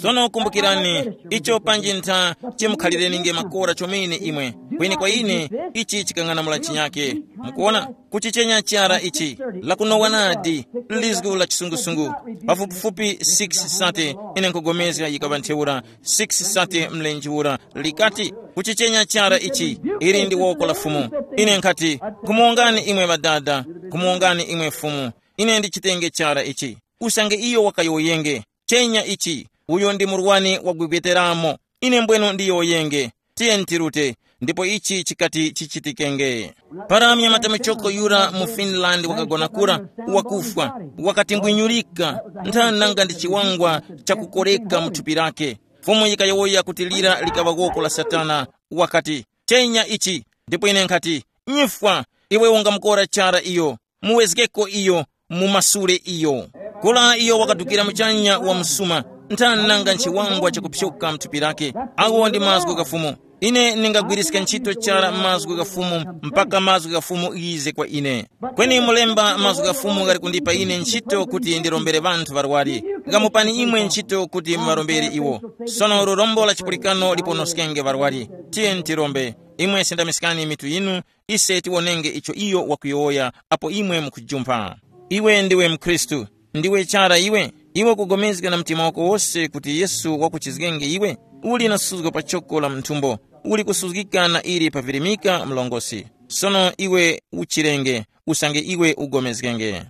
Sono kumbukirani, icho panji ntha chimukhalirenge makora chomene imwe. Kweni kwa ine, ichi chikang'anamula chinyake. Mukuona, kuchichenya chara ichi, lakunowa nadi, lizgu la chisungusungu, pafupifupi six sate, ine nkugomezga yikaŵa ntheura, six sate mlenje ura, likati, "Kuchichenya chara ichi, ili ndi woko la Fumu." Ine nkhati, "Khumuwongani imwe ŵadada, khumuwongani imwe Fumu, ine ndichitenge chara ichi." Usange iyo wakayowoyenge, "Chenya ichi, uyo ndi murwani wagwegweteramo, ine mbwenu ndiyowoyenge, tiyeni tirute," ndipo ichi chikati chichitikenge. Para mnyamata muchoko yura mu Finland wakagona kura, wakufwa, wakatimbwinyulika, ntha nanga ndi chiwangwa chakukoreka mu thupi lake. Fumu yikayowoya kuti lira likaŵa woko la Satana, wakati, "Chenya ichi," ndipo ine nkhati, "Nyifwa, iwe ungamukora chara iyo, muwezgeko iyo, mumasule iyo." Kula iyo wakadukira muchanya wa msuma, ntha nanga nchiwangwa chakupyoka mthupi lake. Awo ndi mazgu gha Fumu. Ine ningagwiriska ntchito chara mazgu gha Fumu mpaka mazgu gha Fumu ghize kwa ine. Kweni mulemba mazgu gha Fumu ghali kundipa ine ntchito kuti ndirombere ŵanthu ŵarwari. Ghamupani imwe ntchito kuti muŵarombere iwo. Sono lurombo la chipulikano liponoskenge ŵarwari. Tiyeni tirombe. Imwe sindamiskani mitu yinu, ise tiwonenge icho iyo wakuyowoya apo imwe mukujumpha. Iwe ndiwe mkhristu, ndiwe chara iwe? Iwe ukugomezga na mtima wako wose kuti Yesu wakuchizgenge iwe? Uli na suzgo pa choko la mthumbo, uli kusuzgika na ili pavirimika mlongosi. Sono iwe uchirenge, usange iwe ugomezgenge.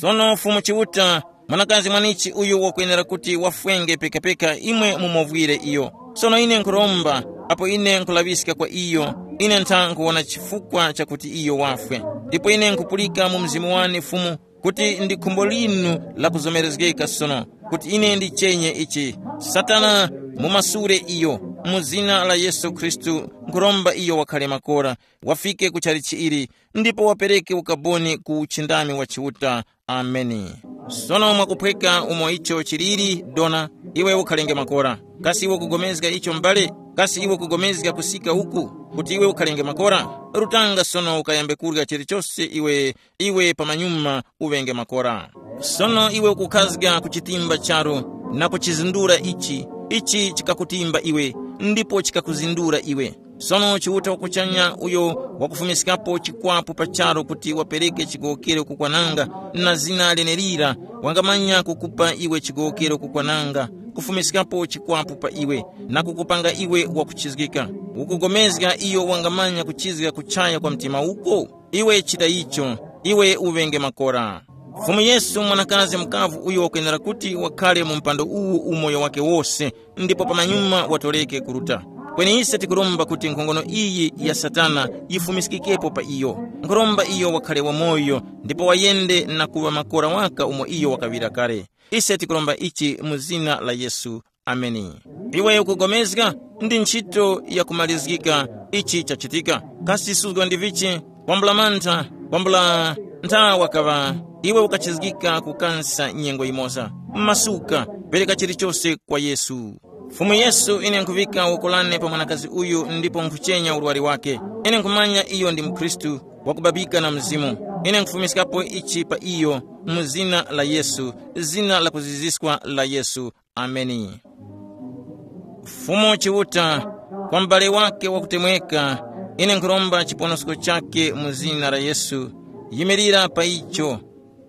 Sono Fumu Chiuta, mwanakazi mwanichi uyu wakwenera kuti wafwenge pekapeka imwe mumovwire iyo. Sono ine nkhuromba, apo ine nkhulaŵiska kwa iyo, ine ntha nkhuwona chifukwa chakuti iyo wafwe. Ndipo ine nkhupulika mu mzimu wane Fumu, kuti ndi khumbo linu lakuzomerezgeka sono, kuti ine ndichenye ichi. Satana, mumasule iyo, mu zina la Yesu Khristu, nkhuromba iyo wakhale makora, wafike ku chalichi ili, ndipo wapereke ukaboni ku uchindami wa Chiuta. Ameni. Sono mwakuphweka umo icho chiliri, dona, iwe ukhalenge makora. Kasi iwe kugomezga icho m'bale? Kasi iwe kugomezga kusika uku, kuti iwe ukhalenge makora? Rutanga sono ukayambe kurya chilichose iwe, iwe pamanyuma uŵenge makora. Sono iwe ukukhazga ku chitimba charo, na kuchizindura ichi, ichi chikakutimba iwe, ndipo chikakuzindura iwe. Sono Chiuta wakuchanya uyo wakufumiskapo chikwapu pa charu kuti wapereke chigowokero kukwananga, na zina lenelira wangamanya kukupa iwe chigowokero kukwananga, kufumiskapo chikwapu pa iwe, na kukupanga iwe wakuchizgika. Ukugomezga iyo wangamanya kuchizga kuchaya kwa mtima uko? Iwe chita icho, iwe uŵenge makora. Fumu Yesu, mwanakazi mukavu uyo wakwenera kuti wakhale mu mpando uwu umoyo wake wose, ndipo pamanyuma watoreke kuruta. Kweni ise tikuromba kuti nkhongono iyi ya Satana yifumiskikepo pa iyo. Nkhuromba iyo wakhale wamoyo, ndipo wayende na kuŵa makora waka umo iyo wakaŵira kale. Ise tikuromba ichi mu zina la Yesu. Ameni. Iwe ukugomezga, ndi ntchito yakumalizgika. Ichi chachitika. Kasi suzgo ndi vichi? Kwambula mantha, kwambula nthawa kaŵa. Iwe ukachizgika kukansa nyengo yimoza. Masuka, pereka chilichose kwa Yesu. Fumu Yesu, ine nkhuŵika woko lane pa mwanakazi uyu ndipo nkhuchenya urwari wake. Ine nkhumanya iyo ndi mkhristu wakubabika na mzimu. Ine nkhufumiskapo ichi pa iyo, mu zina la Yesu, zina la kuziziswa la Yesu. Ameni. Fumu Chiuta, kwa m'bale wake wakutemweka, ine nkhuromba chiponosko chake mu zina la Yesu. Yimirira pa icho.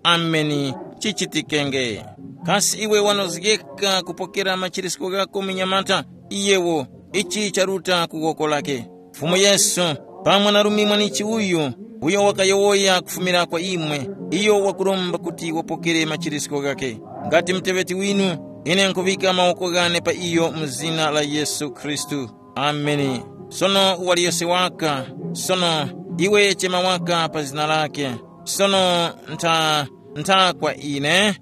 Ameni. Chichitikenge. Kasi iwe wanozgeka kupokera machirisko ghako munyamata? Iyewo, ichi charuta ku woko lake. Fumu Yesu, pamwe na rumi mwanichi uyu, uyo wakayowoya kufumira kwa imwe, iyo wakuromba kuti wapokere machirisko ghakhe. Ngati muteŵeti winu, ine nkuŵika mawoko ghane pa iyo mu zina la Yesu Khristu. Ameni. Sono waliyose waka, sono iwe chema waka pa zina lake. Sono ntha, ntha kwa ine.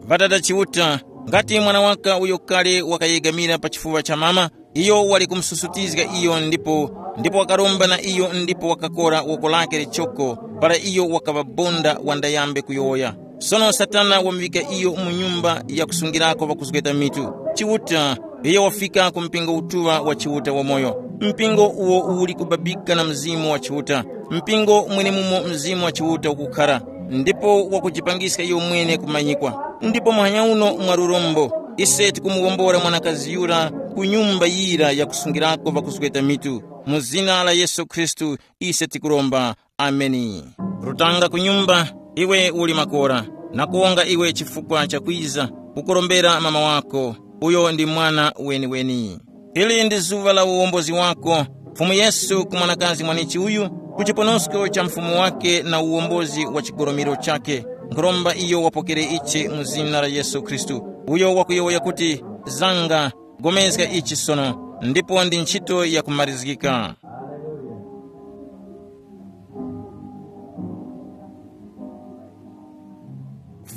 Ŵadada Chiuta, ngati mwana waka uyo kale wakayegamira pa chifuŵa cha mama, iyo wali kumususutizga iyo ndipo, ndipo wakaromba na iyo ndipo wakakora woko lake lichoko, para iyo wakaŵa bonda wandayambe kuyowoya. Sono Satana wamuŵika iyo mu nyumba ya kusungirako ŵakuzgeta mitu. Chiuta, iyo wafika ku mpingo utuŵa wa Chiuta wamoyo. Mpingo uwo uli kubabika na Mzimu wa Chiuta. Mpingo mwenemumo Mzimu wa Chiuta ukukhara, ndipo wakujipangiska iyo mwene kumanyikwa. Ndipo muhanya uno mwa lurombo, ise tikumuwombora mwanakazi yura ku nyumba yira yakusungirako ŵakuzgeta mitu. Mu zina la Yesu Khristu, ise tikuromba. Ameni. Rutanga ku nyumba, iwe uli makora, na kuwonga iwe chifukwa cha kwiza kukurombera mama wako, uyo ndi mwana weni-weni. Ili ndi zuŵa la uwombozi wako, Fumu Yesu, ku mwanakazi mwanichi uyu, ku chiponosko cha mfumu wake na uwombozi wa chigoromiro chake. Nkhuromba iyo wapokere ichi mu zina la Yesu Khristu, uyo wakuyowoya kuti, zanga, gomezga ichi sono, ndipo ndi ntchito yakumarizgika.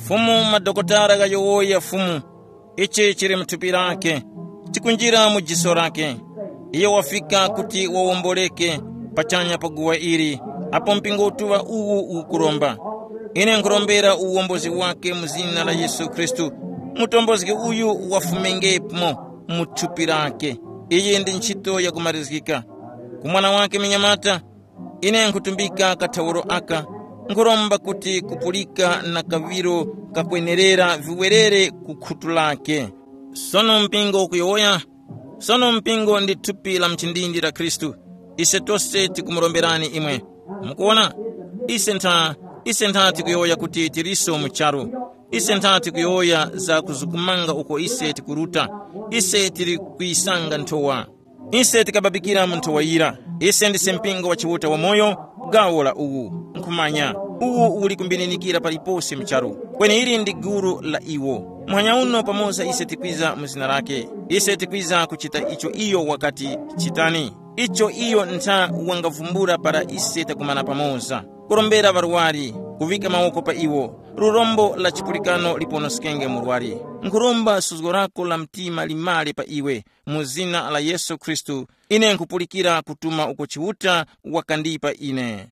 Fumu, madokotala ghayowoya Fumu, ichi chili mu thupi lake, chikunjira mu jiso lake. Iyo wafika kuti wawomboleke pachanya pa guwa ili, apo mpingo utuŵa uwu ukukuromba. Ine nkurombera uwombozi wake mu zina la Yesu Khristu, mutombozgi uyu wafumengemo mu thupi lake. Iyi ndi ntchito yakumarizgika. Ku mwana wake minyamata, ine nkhutumbika kathawuro aka, nkhuromba kuti kupulika na kaŵiro kakwenerera viwerere ku khutu lake. Sono mpingo ukuyowoya, sono mpingo ndi thupi la mchindindi la Khristu. Ise tose tikumuromberani imwe. Mukuwona? Ise ntha, ise ntha tikuyowoya kuti tiliso mu charu. Ise ntha tikuyowoya za kuzukumanga uko ise tikuruta. Ise tili kuyisanga nthowa. Ise tikababikira mu nthowa yira. Ise ndise mpingo wa Chiuta wamoyo, gawo la uwu. Nkhumanya, uwu uli kumbininikira palipose mu charu. Kweni ili ndi gulu la iwo. Muhanya uno pamoza ise tikwiza mu zina lake. Ise tikwiza kuchita icho iyo wakati, chitani. Icho iyo ntha wangavumbula para ise takumana pamoza. Kurombera ŵarwari, kuŵika mawoko pa iwo. Lurombo la chipulikano liponoskenge murwari. Nkhuromba suzgo lako la mtima limale pa iwe. Mu zina la Yesu Khristu, ine nkhupulikira kutuma uko Chiuta wakandipa ine.